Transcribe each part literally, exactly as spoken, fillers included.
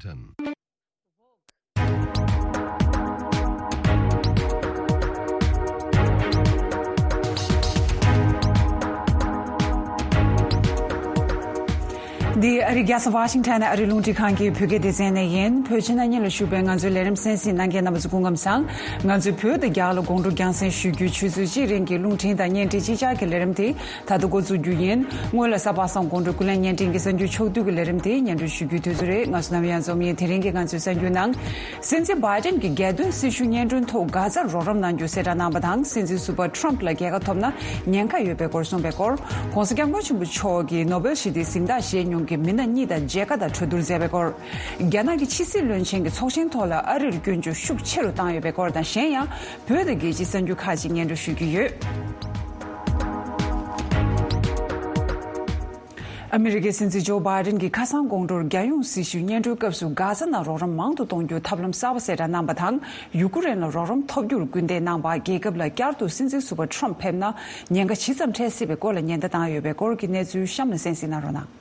Washington. འདི་ཨ་རི་རྒྱལ་ས་ཝ་ཤིང་ཊོན་ནས་ཨ་རི་རླུང་འཕྲིན་ཁང་གི་བོད་སྐད་སྡེ་ཚན་ནས་ཡིན། བོད་ཕྱི་ནང་གཉིས་ལ་བཞུགས་པའི་ང་ཚོའི་ལས་རིམ་གསན་གཟིགས་གནང་མཁན་རྣམ་པ་ཚོ་སྐུ་ཁམས་བཟང་། ང་ཚོའི་བོད་དང་རྒྱ་ལ་དགོང་དྲོ་རྒྱང་སྲིང་ཞུ་རྒྱུའི་ཆུ་ཚོད་གཅིག་རིང་གི་རླུང་འཕྲིན་དང་བརྙན་འཕྲིན་གཅིག་ཆར་གྱི་ལས་རིམ་དེ་ད་ལྟ་འགོ་འཛུགས་རྒྱུ་ཡིན། སྔོན་ལ་གཟའ་པ་སངས་དགོང་དྲོ་ཀུན་གླེང་བརྙན་འཕྲིན་གྱི་གསར་འགྱུར་ཕྱོགས་བསྡུས་ཀྱི་ལས་རིམ་དེ་སྙན་སྒྲོན་ཞུ་རྒྱུའི་དུས་ཚོད་རེད། ང་ཚོ་ནམ་ཡང་འཛོམས་ཡིན། དེ་རིང་གི་ང་ཚོའི་གསར་འགྱུར་ནང་། སྲིད་འཛིན་བྷའི་ཏན་གྱིས་རྒྱལ་དོན་སྲི་ཞུ་སྙན་སྒྲོན་ཐོག་གྷ་ཛར་རོགས་རམ་གནང་རྒྱུ་གསལ་བསྒྲགས་གནང་བ་དང་། སྲིད་འཛིན་ཟུར་པ་ཁྲོམ་ཕུ་ལ་རྒྱལ་ཁ་ཐོབ་ན་ཉེན་ཁ་ཡོད་པའི་སྐོར་གསུངས་པའི་སྐོར། ྋགོང་ས་ྋསྐྱབས་མགོན་ཆེན་པོ་མཆོག་གིས་ནོ་བེལ་ཞི་བདེའི་གཟེངས་རྟགས་བཞེས་མྱོང་མཁན་མི་སྣ་གཉིས་དང་མཇལ་ཁ་དང་གྲོས་བསྡུར་མཛད་པའི་སྐོར། རྒྱ་ནག་གི་ཕྱི་སྲིད་བློན་ཆེན་གྱི་ཚོགས་ཆེན་ཐོག་ལ་ཨ་རིར་སྐྱོན་བརྗོད་ཤུགས་ཆེ་རུ་བཏང་ཡོད་པའི་སྐོར་དང་། གཞན་ཡང་བོད་དང་རྒྱལ་སྤྱིའི་གསར་འགྱུར་ཁག་ཅིག་སྙན་སྒྲོན་ཞུ་རྒྱུ་ཡོད། ཨ་མི་རི་ཀའི་སྲིད་འཛིན་ཇོ་བྷའི་ཏན་གྱིས་ཁ་སང་དགོང་དྲོར་རྒྱལ་ཡོངས་སྲི་ཞུའི་སྙན་སྒྲོན་སྐབས་སུ་གྷ་ཛ་ནང་རོགས་རམ་མང་དུ་གཏོང་རྒྱུར་ཐབས་ལམ་གསར་པ་གསལ་བསྒྲགས་གནང་བ་དང་། ཡུ་ཀེ་རེན་ལ་རོགས་རམ་ཐོབ་རྒྱུར་སྐུལ་འདེད་གནང་བ། རྒྱལ་ཁབ་ལ་བསྐྱར་དུ་སྲིད་འཛིན་ཟུར་པ་ཁྲོམ་ཕེབས་ན་ཉེན་ཁ་ཇི་ཙམ་འཕྲད་སྲིད་པའི་སྐོར་ལ་ཉེན་བརྡ་བཏང་ཡོད་པའི་སྐོར་གྱི་གནས་ཚུལ་གཤམ་ལ་གསན་གཟིགས་གནང་རོགས་གནང་།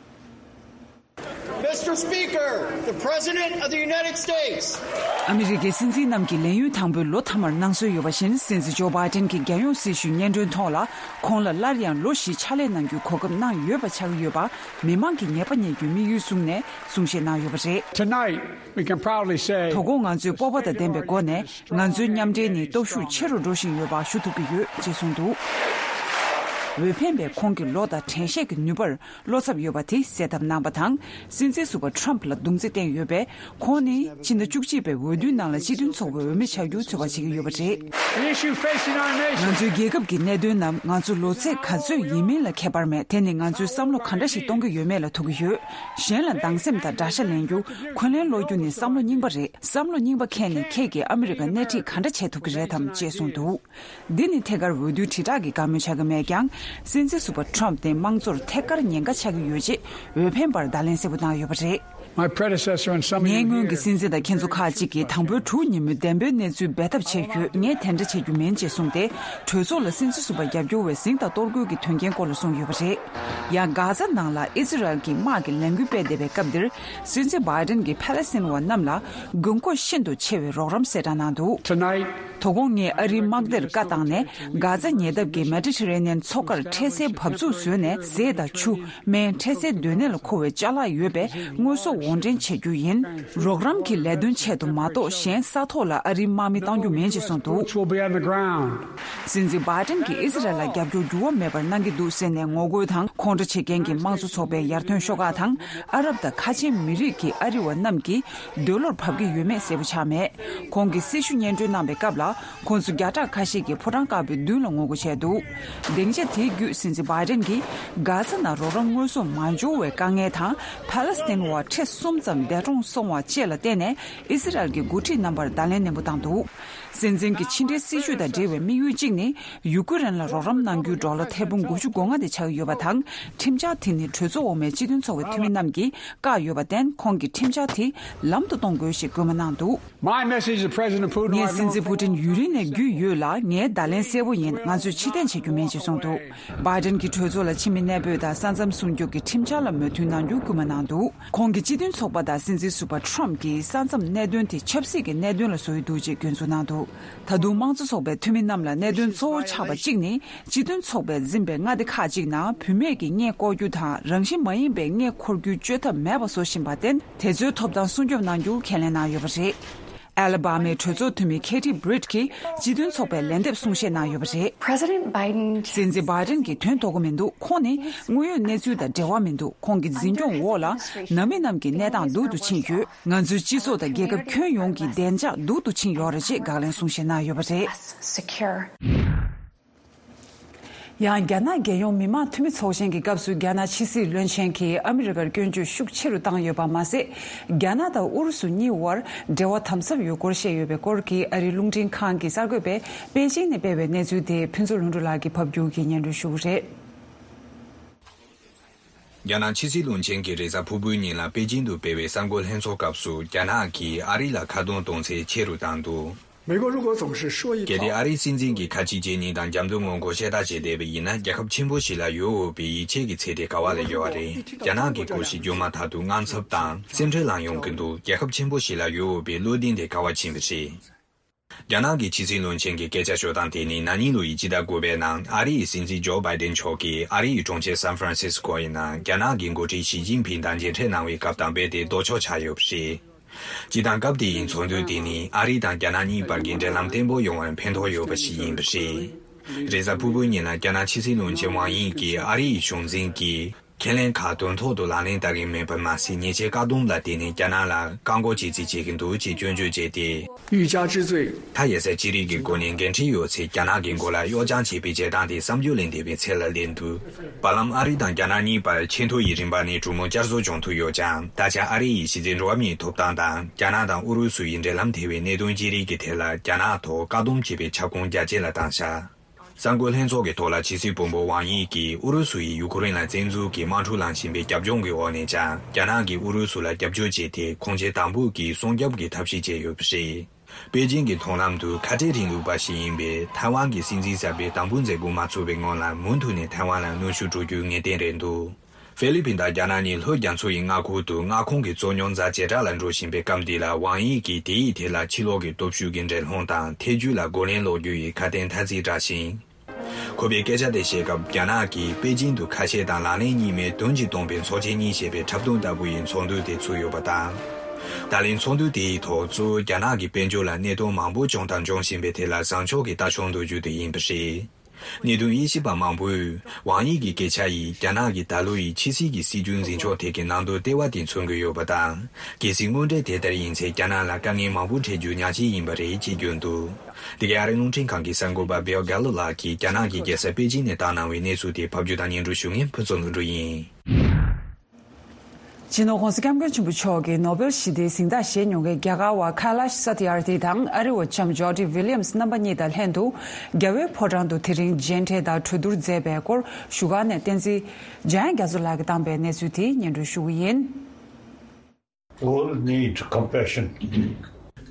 Mister Speaker, the President of the United States. ཨ་མི་རི་ཀའི་སྲིད་འཛིན་རྣམས་ཀྱིས་ལས་ཡུན་དང་པོའི་ལོ་མཐའ་མར་གནང་སྲོལ་ཡོད་པ་བཞིན། སྲིད་འཛིན་ཇོ་བྷའི་ཏན་གྱིས་རྒྱལ་ཡོངས་སྲི་ཞུའི་སྙན་སྒྲོན་ཐོག་ལ། ཁོང་ལ་སླར་ཡང་ལོ་བཞི་ཕྱག་ལས་གནང་རྒྱུའི་གོ་སྐབས་གནང་ཡོད་པ་ཆགས་ཀྱི་ཡོད་པ། མི་མང་གིས་ངེས་པ་རྙེད་རྒྱུའི་དམིགས་ཡུལ་བཟུང་ནས་གསུང་བཤད་གནང་ཡོད་པ་རེད། Tonight, we can proudly say དོ་དགོང་ང་ཚོས་སྤོབས་པ་དང་ལྡན་པའི་སྒོ་ནས། ང་ཚོའི་མཉམ་འབྲེལ་ནི་སྟོབས་ཤུགས་ཆེ་རུ་འགྲོ་བཞིན་ཡོད་པ་ཞུ་ཐུབ་ཀྱི་ཡོད་ཅེས་གསུངས་འདུག་འོས་འཕེན་པའི་ཁོང་གི་ལོ་དང་དྲན་ཤེས་ཀྱི་ནུས་པར་བློ་འཚབ་ཡོད་པ་དེ་གསལ་ཐབས་གནང་བ་དང་། སྲིད་འཛིན་ཟུར་པ་ཁྲོམ་ཕུ་ལ་རྡུང་རྩིས་བསྟན་ཡོད་པས། ཁོང་ནི་ཕྱི་ཟླ་བཅུ་གཅིག་པའི་འོས་བསྡུའི་ནང་ལ་སྤྱི་མཐུན་ཚོགས་པའི་འོས་མི་ཆགས་རྒྱུ་ཚོད་དཔག་བྱེད་ཀྱི་ཡོད་པ་རེད། The issue facing our nation ང་ཚོའི་རྒྱལ་ཁབ་ཀྱི་གནད་དོན་རྣམས་ང་ཚོ་ལོ་ཚད་ག་ཚོད་ཡིན་མིན་ལ་ཁྱད་པར་མེད། དེ་ནི་ང་ཚོས་བསམ་བློ་ག་འདྲ་ཞིག་གཏོང་གི་ཡོད་མེད་ལ་ཐུག་གི་ཡོད། གཞན་ལ་སྡང་སེམས་དང་དགྲ་ཤ་ལེན་རྒྱུ། འཁོན་ལན་སློག་རྒྱུ་ནི་བསམ་བློ་རྙིང་པ་རེད། བསམ་བློ་རྙིང་པ་མཁན་ནི་ཁྱེད་ཀྱིས་ཨ་མི་རི་ཀ་སྣེ་ཁྲིད་ག་འདྲ་བྱེད་ཐུབ་ཀྱི་རེད་དམ་ཅེས་གསུངས་འདུག་འདི་ནི་ཐད་ཀར་འོས་བསྡུའི་དྲིལ་བསྒྲགས་ཀྱི་བཀའ་མོལ་ཆགས་ཀྱི་མེད་ཀྱང་། སྲིད་འཛིན་ཟུར་པ་ཁྲོམ་དེ་དམངས་གཙོར་ཐད་ཀར་ཉེན་ཁ་ཆགས་ཀྱི་ཡོད་ཅེས་འོས་འཕེན་པར་བརྡ་ལན་གསལ་པོ་བཏང་ཡོད་པ་རེད། My predecessor and some of you ངའི་སྔོན་གྱི་here སྲིད་འཛིན་དང་ཁྱེད་ཚོ་ཁག་ཅིག་གིས་དང་པོའི་དྲུག་ཉིན་མོའི་བདེན་པའི་གནས་ཚུལ་སྦས་ཐབས་བྱེད་རྒྱུ། ངས་དེ་འདྲ་བྱེད་རྒྱུ་མིན་ཅེས་གསུངས་ཏེ། གྲོས་ཚོགས་ལ་སྲིད་འཛིན་ཟུར་པ་རྒྱབ་སྐྱོར་བའི་གཟེངས་དང་གཏོར་རྒོལ་གྱི་དོན་རྐྱེན་སྐོར་ལ་གསུངས་ཡོད་པ་རེད། ཡང་། གྷ་ཛ་ནང་ལ་ཨི་ཛི་རལ་གྱི་དམག་གི་ལས་འགུལ་སྤེལ་བསྡད་པའི་སྐབས་འདིར། སྲིད་འཛིན་བྷའི་ཏན་གྱིས་ཕ་ལེ་སི་ཐན་བ་རྣམས་ལ་དགོས་མཁོ་ཤིན་ཏུ་ཆེ་བའི་རོགས་རམ་གསལ་བསྒྲགས་གནང་འདུག Tonight, དོ་དགོང་ངས་ཨ་རིའི་དམག་སྡེར་བཀའ་བཏང་ནས། གྷ་ཛ་ཉེ་འདབས་ཀྱི་མེ་ཌི་ཊི་རེ་ནི་ཡན་མཚོ་ཁར་འཕྲལ་སེལ་འབབ་ཚུགས་བཟོས་ནས། ཟས་དང་ཆུ། སྨན། འཕྲལ་སེལ་སྡོད་གནས་ལ་མཁོ་བའི་ཅ་ལག་ཡོད་པའི་དངོས་ཟོག་དབོར་འདྲེན་བྱེད་རྒྱུ་ཡིན། རོགས་རམ་གྱི་ལས་དོན་ཆེད་དུ་མ་གཏོགས། གཞན་ས་ཐོག་ལ་ཨ་རིའི་དམག་མི་གཏང་རྒྱུ་མིན་ཅེས་གསུངས་འདུག Troops will be on the ground. སྲིད་འཛིན་བྷའི་ཏན་གྱིས་ཨི་ཛི་རལ་ལ་རྒྱབ་སྐྱོར་འགྱུར་བ་མེད་པར་གནང་གི་འདུག་ཟེར་ནས་ངོ་རྒོལ་དང་ཁོང་ཁྲོ་བྱེད་མཁན་གྱི་དམངས་གཙོ་ཚོགས་པའི་ཡར་ཐོན་ཤོག་ཁག་དང་། ཨ་རབ་དང་ཁ་ཆེའི་མི་རིགས་ཀྱི་ཨ་རི་བ་རྣམས་ཀྱིས་འདོད་བློར་བབ་ཀྱི་ཡོད་མེད་གསལ་པོ་ཆགས་མེད། ཁོང་གིས་སྲི་ཞུ་སྙན་སྒྲོན་གནང་པའི་སྐབས་ལ། ཁོང་ཚོ་བརྒྱ་ཕྲག་ཁ་ཤས་ཀྱིས་ཕོ་བྲང་དཀར་པོའི་མདུན་ལ་ངོ་རྒོལ་བྱས་འདུག་སྡིངས་ཆ་དེའི་བརྒྱུད་སྲིད་འཛིན་བྷའི་ཏན་གྱིས་གྷ་ཛ་ནང་རོགས་རམ་དངོས་ཟོག་མ་འབྱོར་བའི་དཀའ་ངལ་དང་། ཕ་ལེ་སི་ཐན་བ་ཁྲི་གསུམ་ཙམ་འདས་གྲོངས་སོང་བ་བཅས་ལ་བརྟེན་ནས། ཨི་ཛི་རལ་གྱི་འགོ་ཁྲིད་རྣམ་པར་བརྡ་ལན་ནན་པོ་བཏང་འདུག་སྲིད་འཛིན་གྱི་ཕྱི་འབྲེལ་སྲིད་ཇུས་དང་འབྲེལ་བའི་དམིགས་ཡུལ་གཅིག་ནི། ཡུ་ཀེ་རེན་ལ་རོགས་རམ་གནང་རྒྱུའི་ཌོ་ལར་ཐེར་འབུམ་དགུ་བཅུ་གོ་ལྔ་དེ་ཆགས་ཀྱི་ཡོད་པ་དང་། ཁྲིམས་འཆར་དེ་ནི་གྲོས་ཚོགས་འོག་མའི་སྤྱི་མཐུན་ཚོགས་པའི་འཐུས་མི་རྣམས་ཀྱིས་བཀག་ཡོད་པར་བརྟེན། ཁོང་གིས་ཁྲིམས་འཆར་དེ་ལམ་དུ་གཏོང་དགོས་ཞེས་སྐུལ་མ་གནང་འདུག My message to President Putin ངས་right སྲིད་འཛིན་now ཕུ་ཏིན་ཡུན་རིང་ནས་རྒྱུས་ཡོད་ལ། ངའི་བརྡ་ལན་གསལ་པོ་ཡིན། ང་ཚོས་ཕྱིར་འཐེན་བྱེད་རྒྱུ་མིན་ཅེས་གསུངས་འདུག་བྷའི་ཏན་གྱིས་གྲོས་ཚོགས་ལ་ཕྱི་མི་གནས་སྤོས་དང་ས་མཚམས་སྲུང་སྐྱོབ་ཀྱི་ཁྲིམས་འཆར་ལ་མོས་མཐུན་གནང་རྒྱུ་སྐུལ་མ་གནང་འདུག་ཁོང་གིས་སྤྱི་མཐུན་ཚོགས་པ་དང་སྲིད་འཛིན་ཟུར་པ་ཁྲོམ་གྱིས་ས་མཚམས་གནད་དོན་དེ་ཆབ་སྲིད་ཀྱི་གནད་དོན་ལ་བཟོ་ཡི་འདུག་ཅེས་སྐྱོན་འཛུགས་གནང་འདུག་ད་དུང་དམངས་གཙོ་ཚོགས་པའི་འཐུས་མི་རྣམས་ལ་གནད་དོན་གཙོ་བོ་ཆགས་པ་གཅིག་ནི། སྤྱི་མཐུན་ཚོགས་པས་འཛིན་པའི་མངའ་སྡེ་ཁག་ཅིག་ནང་བུད་མེད་ཀྱི་མངལ་སྐོར་རྒྱུ་དང་། རང་བཞིན་མ་ཡིན་པའི་མངལ་འཁོར་རྒྱུའི་བཅོས་ཐབས་མེད་པ་བཟོ་བཞིན་པར་བརྟེན། དེ་ཚོའི་ཐོབ་ཐང་སྲུང་སྐྱོབ་གནང་རྒྱུ་ཁས་ལེན་གནང་ཡོད་པ་རེད། ཨ་ལ་བྷ་མའི་གྲོས་ཚོགས་འཐུས་མི་ཁེ་ཐི་བྷི་རིད་ཀྱིས་སྤྱི་མཐུན་ཚོགས་པའི་ལན་འདེབས་གསུང་བཤད་གནང་ཡོད་པ་རེད། President Biden སྲིད་འཛིན་བྷའི་ཏན་གྱིས་དོན་དོ་གོ་མི་འདུག་ཁོང་ནི་དངོས་ཡོད་གནས་ཚུལ་དང་འབྲེལ་བ་མི་འདུག་ཁོང་གི་འཛིན་སྐྱོང་འོག་ལ་ནང་མི་རྣམས་ཀྱི་གནས་སྟངས་སྡུག་ཏུ་ཕྱིན་ཡོད། ང་ཚོའི་སྤྱི་ཚོགས་དང་རྒྱལ་ཁབ་ཁྱོན་ཡོངས་ཀྱི་བདེ་འཇགས་སྡུག་ཏུ་ཕྱིན་ཡོད་རེད་ཅེས་དགག་ལན་གསུང་བཤད་གནང་ཡོད་པ་རེད། Secure ཡང་རྒྱ་ནག་རྒྱལ་ཡོངས་མི་དམངས་འཐུས་མི་ཚོགས་ཆེན་གྱི་སྐབས་སུ་རྒྱ་ནག་ཕྱི་སྲིད་བློན་ཆེན་གྱིས་ཨ་མི་རི་ཀར་སྐྱོན་བརྗོད་ཤུགས་ཆེ་རུ་བཏང་ཡོད་པ་མ་ཟད། རྒྱ་ནག་དང་ཨུ་རུ་སུ་གཉིས་དབར་འབྲེལ་བ་དམ་ཟབ་ཡོད་སྐོར་བཤད་ཡོད་པའི་སྐོར་གྱི་ཨ་རིའི་རླུང་འཕྲིན་ཁང་གི་གསར་འགོད་པས་པེ་ཅིང་ནས་སྤེལ་བའི་གནས་ཚུལ་དེ་ཕུན་ཚོགས་ལྷུན་གྲུབ་ལགས་ཀྱིས་ཕབ་སྒྱུར་གྱིས་སྙན་སྒྲོན་ཞུ་གི་རེད། རྒྱ་ནག་ཕྱི་སྲིད་བློན་ཆེན་གྱིས་རེས་གཟའ་ཕུར་བུའི་ཉིན་ལ་པེ་ཅིང་དུ་སྤེལ་བའི་གསར་འགོད་ལྷན་ཚོགས་སྐབས་སུ། རྒྱ་ནག་གིས་ཨ་རི་ལ་ཁ་རྡུང་གཏོང་ཚད་ཆེ་རུ་བཏང་འདུག 美国如果总是说一套， གལ་ཏེ་ཨ་རིའི་སྲིད་འཛིན་གྱིས་ཁ་ཆེ་ཇེ་ཉིན་དང་རྒྱབ་མདུན་ངོ་རྒོལ་བཤད་རྟགས་བྱས་བསྡད་པ་ཡིན་ན། རྒྱལ་ཁབ་ཆེན་པོ་ཞིག་ལ་ཡོད་འོས་པའི་ཡིད་ཆེས་ཀྱི་ཚད་དེ་ག་བ་ལ་ཡོད་པ་རེད། རྒྱ་ནག་གི་སྐོར་ཞིག་བརྗོད་མ་ཐག་ཏུ་དངངས་འཚབ་དང་སེམས་ཁྲལ་ལངས་ཡོང་གི་འདུག་རྒྱལ་ཁབ་ཆེན་པོ་ཞིག་ལ་ཡོད་འོས་པའི་བློ་གདེང་དེ་ག་བ་ཕྱིན་པ་རེད། རྒྱ་ནག་གི་ཕྱི་སྲིད་བློན་ཆེན་གྱི་སྐད་ཆ་ཤོད་སྟངས་དེ་ནི་ན་ནིང་ལོ་ཡི་སྤྱི་ཟླ་དགུ་པའི་ནང་ཨ་རི་ཡི་སྲིད་འཛིན་ཇོ་བྷའི་ཏིན་མཆོག་གིས་ཨ་རི་ཡི་གྲོང་ཁྱེར་སན་ཧྥ་རན་སིས་ཀོ་ཡི་ནང་རྒྱ་ནག་གི་འགོ་ཁྲིད་ཞི་ཅིན་ཕིང་དང་མཇལ་འཕྲད་གནང་བའི་སྐབས་དང་རྦད་དེ་ལྡོག་ཕྱོགས་ཆགས་ཡོད་པ་རེད། སྤྱིར་བཏང་སྐབས་དེ་ཡི་ཚོགས་འདུ་དེ་ནི་ཨ་རི་དང་རྒྱ་ནག་གཉིས་བར་གྱི་འབྲེལ་ལམ་བརྟན་པོ་ཡོང་བར་ཕན་ཐོགས་ཡོད་པ་ཞིག་ཡིན་པ་རེད། རེས་གཟའ་ཕུར་བུའི་ཉིན་ལ་རྒྱ་ནག་ཕྱི་སྲིད་བློན་ཆེན་ཝང་དབྱི་གིས་ཨ་རི་ཡི་གཞུང་འཛིན་གྱིས་ཁས་ལེན་ཁག་དོན་ཐོག་ཏུ་ལག་ལེན་བསྟར་གྱི་མེད་པར་མ་ཟད། ཉེས་ཆད་བཀག་སྡོམ་ལ་བརྟེན་ནས་རྒྱ་ནག་ལ་བཀག་འགོག་བྱེད་རྩིས་བྱེད་ཀྱི་འདུག་ཅེས་སྐྱོན་བརྗོད་བྱས་ཏེ། 欲加之罪། མཐའ་ཡས་སའི་ཅི་རིགས་ཀྱི་སྒོ་ནས་འགན་འཁྲི་ཡོད་ཚེ་རྒྱ་ནག་གི་མགོ་ལ་གཡོག་བྱང་བྱེད་པའི་བྱེད་སྟངས་དེ་བསམ་བརྗོད་ལས་འདས་པའི་ཚད་ལ་སླེབས་འདུག་བར་ལམ་ཨ་རི་དང་རྒྱ་ནག་གཉིས་བར་ཆེས་མཐོ་ཡི་རིམ་པ་ནས་གྲོས་མོལ་བསྐྱར་གསོ་བྱུང་ཐུབ་ཡོད་ཀྱང་། ད་ཆ་ཨ་རི་ཡི་གཞི་རྩའི་འགྲོ་བ་མིའི་ཐོབ་ཐང་དང་རྒྱ་ནག་དང་ཨུ་རུ་སུ་ཡི་འབྲེལ་ལམ་ཐེ་བའི་གནད་དོན་ཅི་རིགས་ཀྱི་ཐད་ལ་རྒྱ་ནག་ཐོག་བཀག་སྡོམ་བྱེད་པའི་ཁྱབ་ཁོངས་རྒྱ་ཆེ་ལ་བཏང་ཤག་གསར་འགོད་ལྷན་ཚོགས་ཀྱི་ཐོག་ལ་ཕྱི་སྲིད་བུ་མོ་ཝང་དབྱི་གིས་ཨུ་རུ་སུ་ཡིས་ཡུ་ཁུ་རེན་ལ་བཙན་འཛུལ་གྱིས་དམག་འཁྲུག་ལངས་བཞིན་པའི་རྒྱབ་ལྗོངས་ཀྱི་འོག་ནས་ཀྱང་རྒྱ་ནག་གིས་ཨུ་རུ་སུ་ལ་རྒྱབ་སྐྱོར་བྱས་ཏེ་ཁོང་ཆེན་དང་པོ་གི་སྲུང་སྐྱོབ་ཀྱི་ཐབས་ཤེས་བྱས་ཡོད་པ་རེད། པེ་ཅིང་གི་མཐོང་ལམ་དུ་ཁ་བྲལ་རིང་ལུགས་པ་ཞིག་ཡིན་པའི་ཐའེ་ཝན་གྱི་སྲིད་འཛིན་གསར་པས་དམ་འབུལ་མཛད་སྒོ་མ་ཚུགས་པའི་སྔོན་ལ་མུ་མཐུད་ནས་ཐའེ་ཝན་ལ་གནོན་ཤུགས་སྤྲོད་རྒྱུ་ངེས་གཏན་རེད་འདུག་ཧྥི་ལི་ཕིན་དང་རྒྱ་ནག་གཉིས་ལྷོ་རྒྱ་མཚོ་ཡི་མངའ་ཁོངས་དུ་མངའ་ཁོངས་ཀྱི་རྩོད་རྙོག་ཛ་ཇེ་དྲག་ལ་འགྲོ་བཞིན་པའི་སྐབས་འདི་ལ་ཝང་དབྱི་གིས་དེའི་ཐད་ལ་ཕྱི་ལོགས་ཀྱི་སྟོབས་ཤུགས་ཀྱི་འགྲན་སློང་དང་ཐེ་ཇུས་ལ་རྒོལ་ལན་སློག་རྒྱུ་ཡི་ཁ་དན་ཐ་ཚིག་བསྒྲགས་ཤིང་། ཁོ་པའི་སྐད་ཆ་དེ་བཤད་སྐབས་རྒྱ་ནག་གིས་པེ་ཅིང་དུ་ཁ་ཤས་དང་ལག་ལེན་གཉིས་མེད་དོན་གཅིག་སྟོང་པའི་ཚོགས་ཆེན་གཉིས་ཞེས་པའི་འཁྲབ་སྟོན་ལྟ་བུ་ཡི་ཚོགས་འདུ་དེ་ཚུགས་ཡོད་པ་དང་། ད་ལན་ཚོགས་འདུ་དེའི་ཐོག་གཙོ་བོ་རྒྱ་ནག་གི་དཔལ་འབྱོར་ལ་གནད་དོན་མང་པོ་བྱུང་དང་འབྱུང་བཞིན་པའི་ཐད་ལ་བཟང་ཕྱོགས་ཀྱི་ལྟ་ཕྱོགས་འདོགས་རྒྱུ་དེ་ཡིན་པ་རེད། གནད་དོན་དབྱེ་ཞིབ་པ་མང་པོས་ཝང་དབྱི་གི་སྐད་ཆ་ཡིས་རྒྱ་ནག་གི་ད་ལོ་ཡི་ཕྱི་སྲིད་ཀྱི་སྲིད་ཇུས་འཛིན་ཕྱོགས་ཐད་ཀྱི་ནང་དོན་ལྟེ་བ་དེ་མཚོན་གྱི་ཡོད་པ་དང་། གལ་སྲིད་དངོས་འབྲེལ་དེ་ལྟར་ཡིན་ཚེ་རྒྱ་ནག་ལ་དཀའ་ངལ་མང་པོ་འཕྲད་རྒྱུ་ཉག་གཅིག་ཡིན་པ་རེད་ཅེས་བརྗོད་འདུག་དེ་གའི་ཨ་རིའི་རླུང་འཕྲིན་ཁང་གི་གསར་འགོད་པ་Bill Gallo་ལགས་ཀྱིས་རྒྱ་ནག་གི་རྒྱལ་ས་པེ་ཅིང་ནས་བཏང་གནང་བའི་གནས་ཚུལ་དེ་ཕབ་སྒྱུར་དང་སྙན་སྒྲོན་ཞུ་མཁན་ཕུན་ཚོགས་ལྷུན་གྲུབ་ཡིན། སྤྱི་ནོར་༸གོང་ས་༸སྐྱབས་མགོན་ཆེན་པོ་མཆོག་གིས་ནོ་བེལ་ཞི་བདེའི་གཟེངས་རྟགས་བཞེས་མྱོང་མཁན་རྒྱ་གར་བ་ཁ་ལཱཤ་སཱ་ཏི་ཨར་ཐི་དང་ཨ་རི་བ་ལྕམ་ཇོ་ཌི་ཝི་ལི་ཡམ་སི་རྣམ་པ་གཉིས་དང་ལྷན་དུ་རྒྱལ་བའི་ཕོ་བྲང་དུ་དེ་རིང་མཇལ་འཕྲད་དང་གྲོས་བསྡུར་མཛད་པའི་སྐོར་བཞུགས་སྒར་ནས་བསྟན་འཛིན་འཇམ་དབྱངས་རྒྱ་མཚོ་ལགས་ཀྱིས་བཏང་པའི་གནས་ཚུལ་དེ་སྙན་སྒྲོན་ཞུ་གི་ཡིན། All need compassion.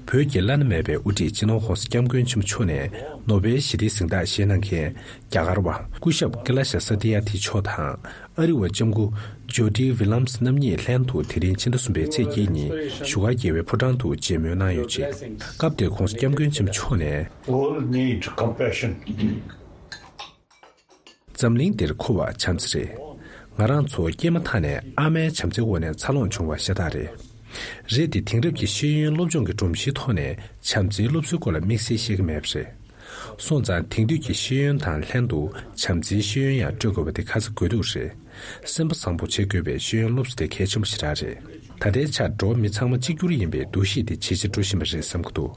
བོད་ཀྱི་བླ་ན་མེད་པའི་དབུ་ཁྲིད་སྤྱི་ནོར་༸གོང་ས་༸སྐྱབས་མགོན་ཆེན་པོ་མཆོག་ནས་ནོ་བེལ་ཞི་བདེའི་གཟེངས་རྟགས་བཞེས་གནང་མཁན་རྒྱ་གར་བ་སྐུ་ཞབས་ཀེ་ལ་ཤ་ས་ཏི་ཡ་ཐི་མཆོག་དང་ཨ་རི་བ་ལྕམ་སྐུ་ཇོ་ཌི་ཝི་ལམ་སི་རྣམ་གཉིས་ལྷན་དུ་དེ་རིང་ཕྱི་ཟླ་གསུམ་པའི་ཚེས་བརྒྱད་ཉིན་བཞུགས་སྒར་རྒྱལ་བའི་ཕོ་བྲང་དུ་མཇལ་མོལ་གནང་ཡོད་ཅིང་། སྐབས་དེར་༸གོང་ས་༸སྐྱབས་མགོན་ཆེན་པོ་མཆོག་ནས། All need compassion. འཛམ་གླིང་འདིར་མཁོ་བ་བྱམས་བརྩེ་རེད། ང་རང་ཚོ་སྐྱེས་མ་ཐག་ནས་ཨ་མའི་བྱམས་བརྩེའི་འོག་ནས་འཚར་ལོངས་བྱུང་བ་ཤ་སྟག་རེད། རེད་དེ་དེང་རབས་ཀྱི་ཤེས་ཡོན་སློབ་སྦྱོང་གི་སྒྲོམ་གཞིའི་ཐོག་ནས་བྱམས་བརྩེའི་སློབ་གསོའི་སྐོར་ལ་དམིགས་བསལ་ཤེས་ཀྱི་མེད་པ་རེད། སོང་ཙང་དེང་དུས་ཀྱི་ཤེས་ཡོན་དང་ལྷན་དུ་བྱམས་བརྩེའི་ཤེས་ཡོན་ཡང་སྤྲོད་དགོས་པ་དེ་ཁ་ཚ་དགོས་གཏུགས་རེད། སེམས་པ་བཟང་པོ་བྱེད་དགོས་པའི་ཤེས་ཡོན་སློབ་གསོ་དེ་གལ་ཆེན་པོ་ཞེ་དྲག་རེད། ད་ལྟའི་ཆར་འགྲོ་བ་མི་ཚང་མ་གཅིག་གྱུར་ཡིན་པའི་འདུ་ཤེས་དེ་ཇེ་ཆེར་འགྲོ་བཞིན་པ་རེད་བསམ་གྱི་འདུག་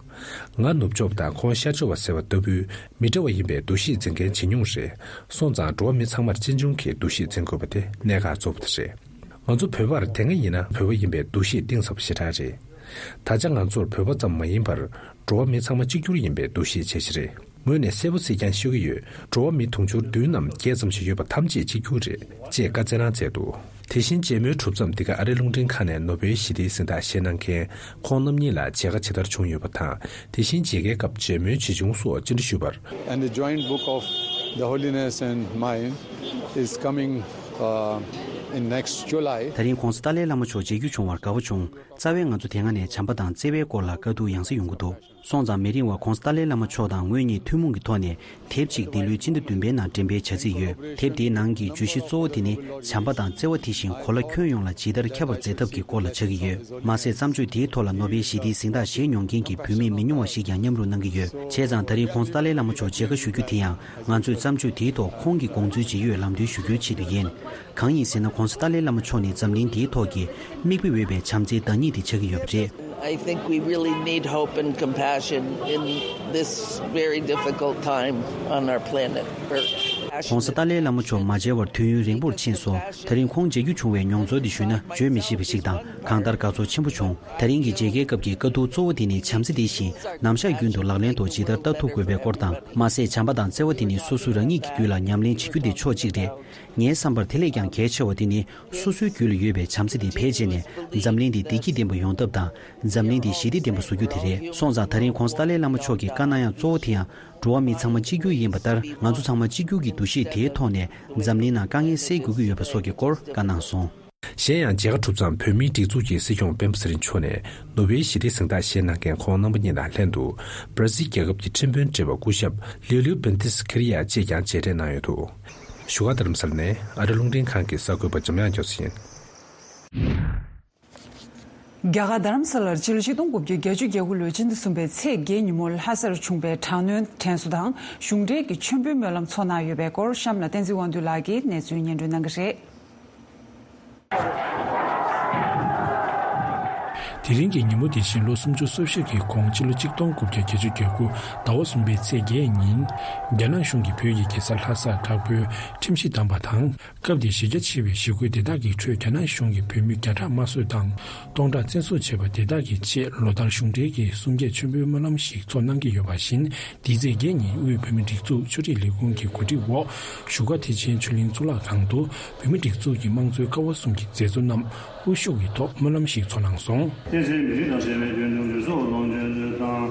ང་ནུབ་ཕྱོགས་པ་དང་ཁོང་ཤར་ཕྱོགས་པ་ཟེར་བ་ལྟ་བུའི་མི་འདྲ་བ་ཡིན་པའི་འདུ་ཤེས་འཛིན་མཁན་ཇེ་ཉུང་རེད། སོང་ཙང་འགྲོ་བ་མི་ཚང་མར་གཅེས་འཇོན་གྱི་འདུ་ཤེས་འཛིན་དགོས་པ་དེ་གནད་འགག་གཙོ་བོ་དེ་རེད། ང་ཚོ་བོད་པར་དེ་སྔ་ཡིན་ན་བོད་པ་ཡིན་པའི་འདུ་ཤེས་གཏིང་ཟབ་པོ་ཞེ་དྲག་རེད། ད་ཆ་ང་ཚོར་བོད་པ་ཙམ་མ་ཡིན་པར་འགྲོ་བ་མི་ཚང་མ་གཅིག་གྱུར་ཡིན་པའི་འདུ་ཤེས་བྱེད་ཀྱི་རེད། ངོས་ནས་གསལ་པོ་གཟིགས་ཀྱང་ཤོད་ཀྱི་ཡོད། འགྲོ་བ་མི་དུང་ཕྱུར་བདུན་ནམ་བརྒྱད་ཙམ་ཞིག་ཡོད་པ་ཐམས་ཅད་གཅིག་གྱུར་རེད་ཅེས་བཀའ་སྩལ་གནང་མཛད་འདུག་དེ་བཞིན་མཇལ་མོལ་གྲུབ་མཚམས་འདི་ག་ཨ་རིའི་རླུང་འཕྲིན་ཁང་ནས་ནོ་བེལ་ཞི་བདེའི་གཟེངས་རྟགས་བཞེས་གནང་མཁན་ཁོང་རྣམ་གཉིས་ལ་མཇལ་ཁ་ཇི་ལྟར་བྱུང་ཡོད་པ་དང་། དེ་བཞིན་མཇལ་ཁའི་སྐབས་མཇལ་མོལ་ཇི་བྱུང་སོགས་སྤྱན་འདྲི་ཞུས་པར། And the joint book of the Holiness and mine is coming, uh, in next July. ད་རིང་༸གོང་ས་ཏཱ་ལའི་བླ་མ་མཆོག་མཇལ་རྒྱུ་བྱུང་བར་དགའ་པོ་བྱུང་། རྩ་བའི་ང་ཚོ་དེ་སྔ་ནས་བྱམས་པ་དང་བརྩེ་བའི་སྐོར་ལ་བཀའ་བསྡུར་ཡང་སེ་ཡོང་གི་འདུག་སོང་ཙང་མི་རིང་བར་༸གོང་ས་ཏཱ་ལའི་བླ་མ་མཆོག་དང་ངོས་གཉིས་ཐུན་མོང་གི་ཐོག་ནས་དེབ་ཅིག་འདི་ལོའི་སྤྱི་ཟླ་བདུན་པའི་ནང་འགྲེམས་སྤེལ་བྱ་རྩིས་ཡོད། དེབ་འདིའི་ནང་གི་བརྗོད་གཞི་གཙོ་བོ་དེ་ནི་བྱམས་པ་དང་བརྩེ་བ་དེ་བཞིན་གོ་ལ་ཁྱོན་ཡོངས་ལ་ཇི་ལྟར་ཁྱབ་པར་མཛད་ཐབས་ཀྱི་སྐོར་ལ་ཆགས་ཀྱི་ཡོད། མ་ཟད་བརྩམས་ཆོས་དེའི་ཐོག་ལ་ནོ་བེལ་ཞི་བདེའི་གཟེངས་རྟགས་བཞེས་མྱོང་མཁན་གྱི་བོད་མི་མི་ཉུང་བ་ཞིག་ཀྱང་མཉམ་རུབ་གནང་གི་ཡོད། བྱས་ཙང་ད་རིང་༸གོང་ས་ཏཱ་ལའི་བླ་མ་མཆོག་མཇལ་ཁ་ཞུ་རྒྱུ་དེ་ཡང་ང་ཚོས་བརྩམས་ཆོས་དེའི་ཐོག་ཁོང་གི་དགོངས་ཚུལ་ཇི་ཡོད་ལམ་སྟོན་ཞུ་རྒྱུའི་ཆེད་དུ་ཡིན། གང་ཡིན་ཟེར་ན་༸གོང་ས་ཏཱ་ལའི་བླ་མ་མཆོག་ནི་འཛམ་གླིང་འདིའི་ཐོག་གི་མིག་དཔེ་འོས་པའི་བྱམས་བརྩེའི་བདག་ཉིད་དེ་ཆགས་ཀྱི་ཡོད་པ་རེད། I think we really need hope and compassion in this very difficult time on our planet Earth. ༸གོང་ས་ཏཱ་ལའི་བླ་མ་མཆོག་མ་མཇལ་བར་དུས་ཡུན་རིང་པོར་ཕྱིན་སོང་། ད་རིང་ཁོང་མཇལ་རྒྱུ་བྱུང་བའི་མྱོང་ཚོར་འདི་ཞུས་ན་བརྗོད་མི་ཤེས་པ་ཞིག་དང་གང་ལྟར་དགའ་ཚོར་ཆེན་པོ་བྱུང་། ད་རིང་གི་མཇལ་ཁའི་སྐབས་ཀྱི་བཀའ་བསྡུར་གཙོ་བོ་དེ་ནི་བྱམས་བརྩེ་དེ་བཞིན་ནམ་ཞག་རྒྱུན་དུ་ལག་ལེན་ཐོག་ཇི་ལྟར་བསྟར་ཐུབ་དགོས་པའི་སྐོར་དང་། མ་ཟད་བྱམས་པ་དང་བརྩེ་བ་དེ་ནི་སོ་སོ་རང་ཉིད་ཀྱི་རྒྱུད་ལ་ཉམས་ལེན་བྱེད་རྒྱུ་དེ་ཕྱོགས་གཅིག་རེད། ངའི་བསམ་པར་དེ་ལས་ཀྱང་གལ་ཆེ་བ་དེ་ནི་སོ་སོའི་རྒྱུད་ལ་ཡོད་པའི་བྱམས་བརྩེ་དེ་བེད་སྤྱད་ནས་འཛམ་གླིང་འདི་བདེ་སྐྱིད་ལྡན་པ་ཡོང་ཐབས་དང་། འཛམ་གླིང་འདི་ཞི་བདེ་ལྡན་པ་བཟོ་རྒྱུ་དེ་རེད། སོང་ཙང་ད་རིང་༸གོང་ས་ཏཱ་ལའི་བླ་མ་མཆོག་གིས་བཀའ་གནང་ཡག་གཙོ་བོ་དེ་ཡང་འགྲོ་བ་མི་ཚང་མ་གཅིག་གྱུར་ཡིན་པ་ལྟར་ང་ཚོ་ཚང་མ་གཅིག་གྱུར་གྱི་འདུ་ཤེས་དེའི་ཐོག་ནས་འཛམ་གླིང་ནང་དཀའ་ངལ་སེལ་དགོས་ཀྱི་ཡོད་པ་སོགས་ཀྱི་སྐོར་བཀའ་གནང་སོང་། གཞན་ཡང་མཇལ་ཁ་གྲུབ་མཚམས་བོད་མིའི་སྒྲིག་འཛུགས་ཀྱི་སྲིད་སྐྱོང་སྤེན་པ་ཚེ་རིང་མཆོག་ནས་ནོ་བེལ་ཞི་བདེའི་གཟེངས་རྟགས་བཞེས་གནང་མཁན་ཁོང་རྣམ་པ་གཉིས་དང་ལྷན་དུ་བར་སི་ལི་རྒྱལ་ཁབ་ཀྱི་ཁྲིམས་དཔོན་བགྲེས་པ་སྐུ་ཞབས་ལིའུ་ལིའུ་བེན་ཏིས་ཁེ་རི་ཡ་བཅས་ཀྱང་མཇལ་འཕྲད་གནང་ཡོད་འདུག་བཞུགས་སྒར་རྡ་རམ་ས་ལ་ནས་ཨ་རི་རླུང་འཕྲིན་ཁང་གི་གསར་འགོད་པ་འཇམ་དབྱངས་རྒྱ་མཚོ་ཡིན། རྒྱ་གར་རྡ་རམ་ས་ལར་ཕྱི་ལོ་ཆིག་སྟོང་དགུ་བརྒྱ་བརྒྱད་ཅུ་གྱ་དགུ་ལོའི་ཕྱི་ཟླ་གསུམ་པའི་ཚེས་བརྒྱད་ཉིན་མོ་ལྷ་སར་བྱུང་བའི་དྲག་གནོན་དྲན་གསོ་དང་གཞུང་འབྲེལ་གྱི་མཆོད་འབུལ་སྨོན་ལམ་ཚོགས་གནང་ཡོད་པའི་སྐོར་གཤམ་ལ་བསྟན་འཛིན་དབང་འདུས་ལགས་ཀྱིས་གནས་ཚུལ་སྙན་སྒྲོན་གནང་གི་རེད། དེ་རིང་གི་ཉིན་མོ་དེ་བཞིན་ལོ་སུམ་ཅུ་སོ་བཞི་གི་གོང་ཕྱི་ལོ་ཆིག་སྟོང་དགུ་བརྒྱ་བརྒྱད་ཅུ་གྱ་དགུ་ཟླ་བ་གསུམ་པའི་ཚེས་བརྒྱད་ཉིན། རྒྱ་ནག་གཞུང་གིས་བོད་ཀྱི་རྒྱལ་ས་ལྷ་སར་དྲག་པོའི་ཁྲིམས་གཞི་བསྡམས་པ་དང་། སྐབས་དེའི་གཞི་རྒྱ་ཆེ་བའི་གཞིས་ཁུལ་དེ་དག་གི་ཁྲོད་རྒྱ་ནག་གཞུང་གིས་བོད་མི་བརྒྱ་ཕྲག་དམར་གསོད་དང་སྟོང་ཕྲག་བཙན་བཟུང་བྱས་པ་དེ་དག་གི་ཆེད་ལོ་ལྟར་གཞུང་འབྲེལ་གྱི་གསུམ་བརྒྱད་མཆོད་འབུལ་སྨོན་ལམ་ཞིག་ཚོགས་གནང་གི་ཡོད་པ་བཞིན། འདིའི་ཚེས་བརྒྱད་ཉིན་དབུས་བོད་མིའི་སྒྲིག་འཛུགས་ཆོས་རིག་ལས་ཁུངས་ཀྱི་གོ་སྒྲིག་འོག་བཞུགས་སྒར་ཐེག་ཆེན་ཆོས་གླིང་གཙུག་ལག་ཁང་དུ་བོད་མིའི་སྒྲིག་འཛུགས་ཀྱི་དམངས་གཙོའི་ཀ་བ་གསུམ་གྱི་མཛད་གཙོ་རྣམས་དབུ་བཞུགས་ཀྱི་ཐོག་སྨོན་ལམ་ཞིག་ཚོགས་གནང་སོང་། བསྟན་འཛིན་མི་རིགས་དང་བཅས་པའི་དོན་དུ་ལུས་སྲོག་ལོངས་སྤྱོད་མཛོད་དང་།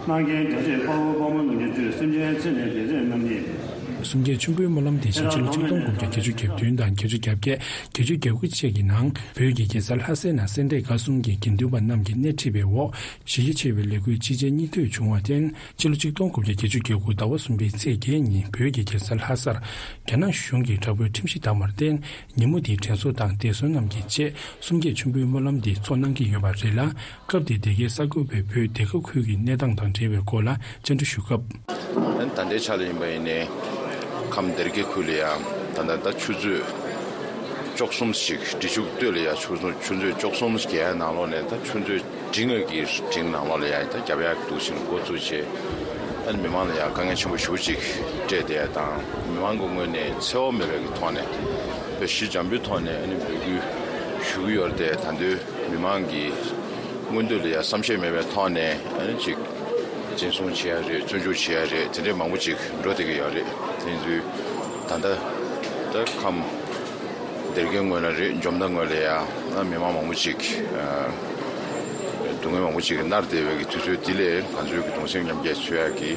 གནང་མཁན་རྒྱ་ཆེའི་དཔའ་བོ་དཔའ་མོ་རྣམས་ཀྱི་མཆོད་སེམས་ཅན་ཚེ་ནས་བདེ་ཚེ་རྣམ་གཉིས། གསུམ་བརྒྱད་མཆོད་འབུལ་སྨོན་ལམ་དེ་བཞིན་ཕྱི་ལོ་ཆིག་སྟོང་དགུ་བརྒྱ་བརྒྱད་ཅུ་གྱ་བདུན་དང་བརྒྱད་ཅུ་གྱ་བརྒྱད། བརྒྱད་ཅུ་གྱ་དགུ་བཅས་ཀྱི་ནང་བོད་ཀྱི་རྒྱལ་ས་ལྷ་སའི་ནང་སེ་འབྲས་དགའ་གསུམ་གྱི་དགེ་འདུན་པ་རྣམས་ཀྱིས་སྣེ་ཁྲིད་པའི་འོག་གཞི་རྒྱ་ཆེ་བའི་ལས་འགུལ་ཅི་བྱེད་གཉིས་མཐུད་བྱུང་བར་བརྟེན། ཕྱི་ལོ་ཆིག་སྟོང་དགུ་བརྒྱ་བརྒྱད་ཅུ་གྱ་དགུ་ཟླ་བ་གསུམ་པའི་ཚེས་བརྒྱད་ཉིན་བོད་ཀྱི་རྒྱལ་ས་ལྷ་སར་རྒྱ་ནག་གཞུང་གིས་དྲག་པོའི་ཁྲིམས་གཞི་བསྡམས་པར་བརྟེན། ཉིན་མོ་དེའི་དྲན་གསོ་དང་འདས་གསོན་རྣམས་ཀྱི་ཆེད་གསུམ་བརྒྱད་མཆོད་འབུལ་སྨོན་ལམ་འདི་ཚོགས་གནང་གི་ཡོད་པ་རེད་ལ། སྐབས་དེ་དེ་གའི་གསར་འགོད་པས་བོད་དེ་ཁ་ཁུལ་གྱི་གནས་སྟངས་དང་འབྲེལ་བའི་སྐོར་ལ་བཅར་འདྲི་ཞུ་སྐབས། ད་ལྟའི་ཆ་ལ་ཡིན་པ་ཡིན་ནའི་ཁམས་སྡེ་དགེ་ཁུལ་ལ་ཡང་ད་ལྟ་ད་ཆུ་ཚོད་བཅུ་གསུམ་ཞིག་འབྲི་ཆུ་སྟོད་ལ་ཡང་ཆུ་ཚོད་ཆུ་ཚོད་བཅུ་གསུམ་བརྒལ་ནང་ལོགས་ནས་ད་ཆུ་ཚོད་འབྲིང་ངེས་ཀྱི་འབྲིང་ནང་ལོགས་ལ་ཡང་ད་རྒྱབ་ཡག་འདུག་ཕྱིན་འགོ་བཙུགས་བྱས། ཨ་ནི་མི་མང་ལ་ཡང་དཀའ་ངལ་ཆེན་པོ་ཞེ་པོ་ཅིག་སྤྲད་བསྡད་ཡ་དང་། མི་མང་གི་ངོས་ནས་འཚེ་བ་མེད་པའི་གི་ཐོག་ནས་བོད་གཞིས་བྱམས་པོའི་ཐོག་ནས་ཨ་ནི་འབོད་སྐུལ་ཞུ་གི་ཡོད་རེད་དེ། ད་དུང་མི་མང་གི་མངོན་འདོད་ལ་ཡང་བསམ་ཤེས་མེད་པའི་ཐོག་ནས་ཨ་ནི་ཅིག་འཛིན་བཟུང་བྱེད་ཡ་རེད། བཙོན་འཇུག་བྱེད་ཡ་རེད། དེ་འདྲའི་མང་པོ་ཅིག་འགྲོ་བསྡད་ཀྱི་ཡོད་རེད། དེ་ཡིན་དུས་ད་ལྟ་ད་ཁམས་སྡེ་དགེ་ངོས་ལ་རེད། འཇོ་མདའ་ངོས་ལ་ཡང་མི་མང་མང་པོ་ཅིག་སྡུག་བསྔལ་མང་པོ་ཅིག་མནར་བསྡད་པའི་གི་དུས་ཚོད་འདི་ལས་ང་ཚོའི་གི་གདུང་སེམས་མཉམ་སྐྱེད་འཚོལ་ཡག་གི་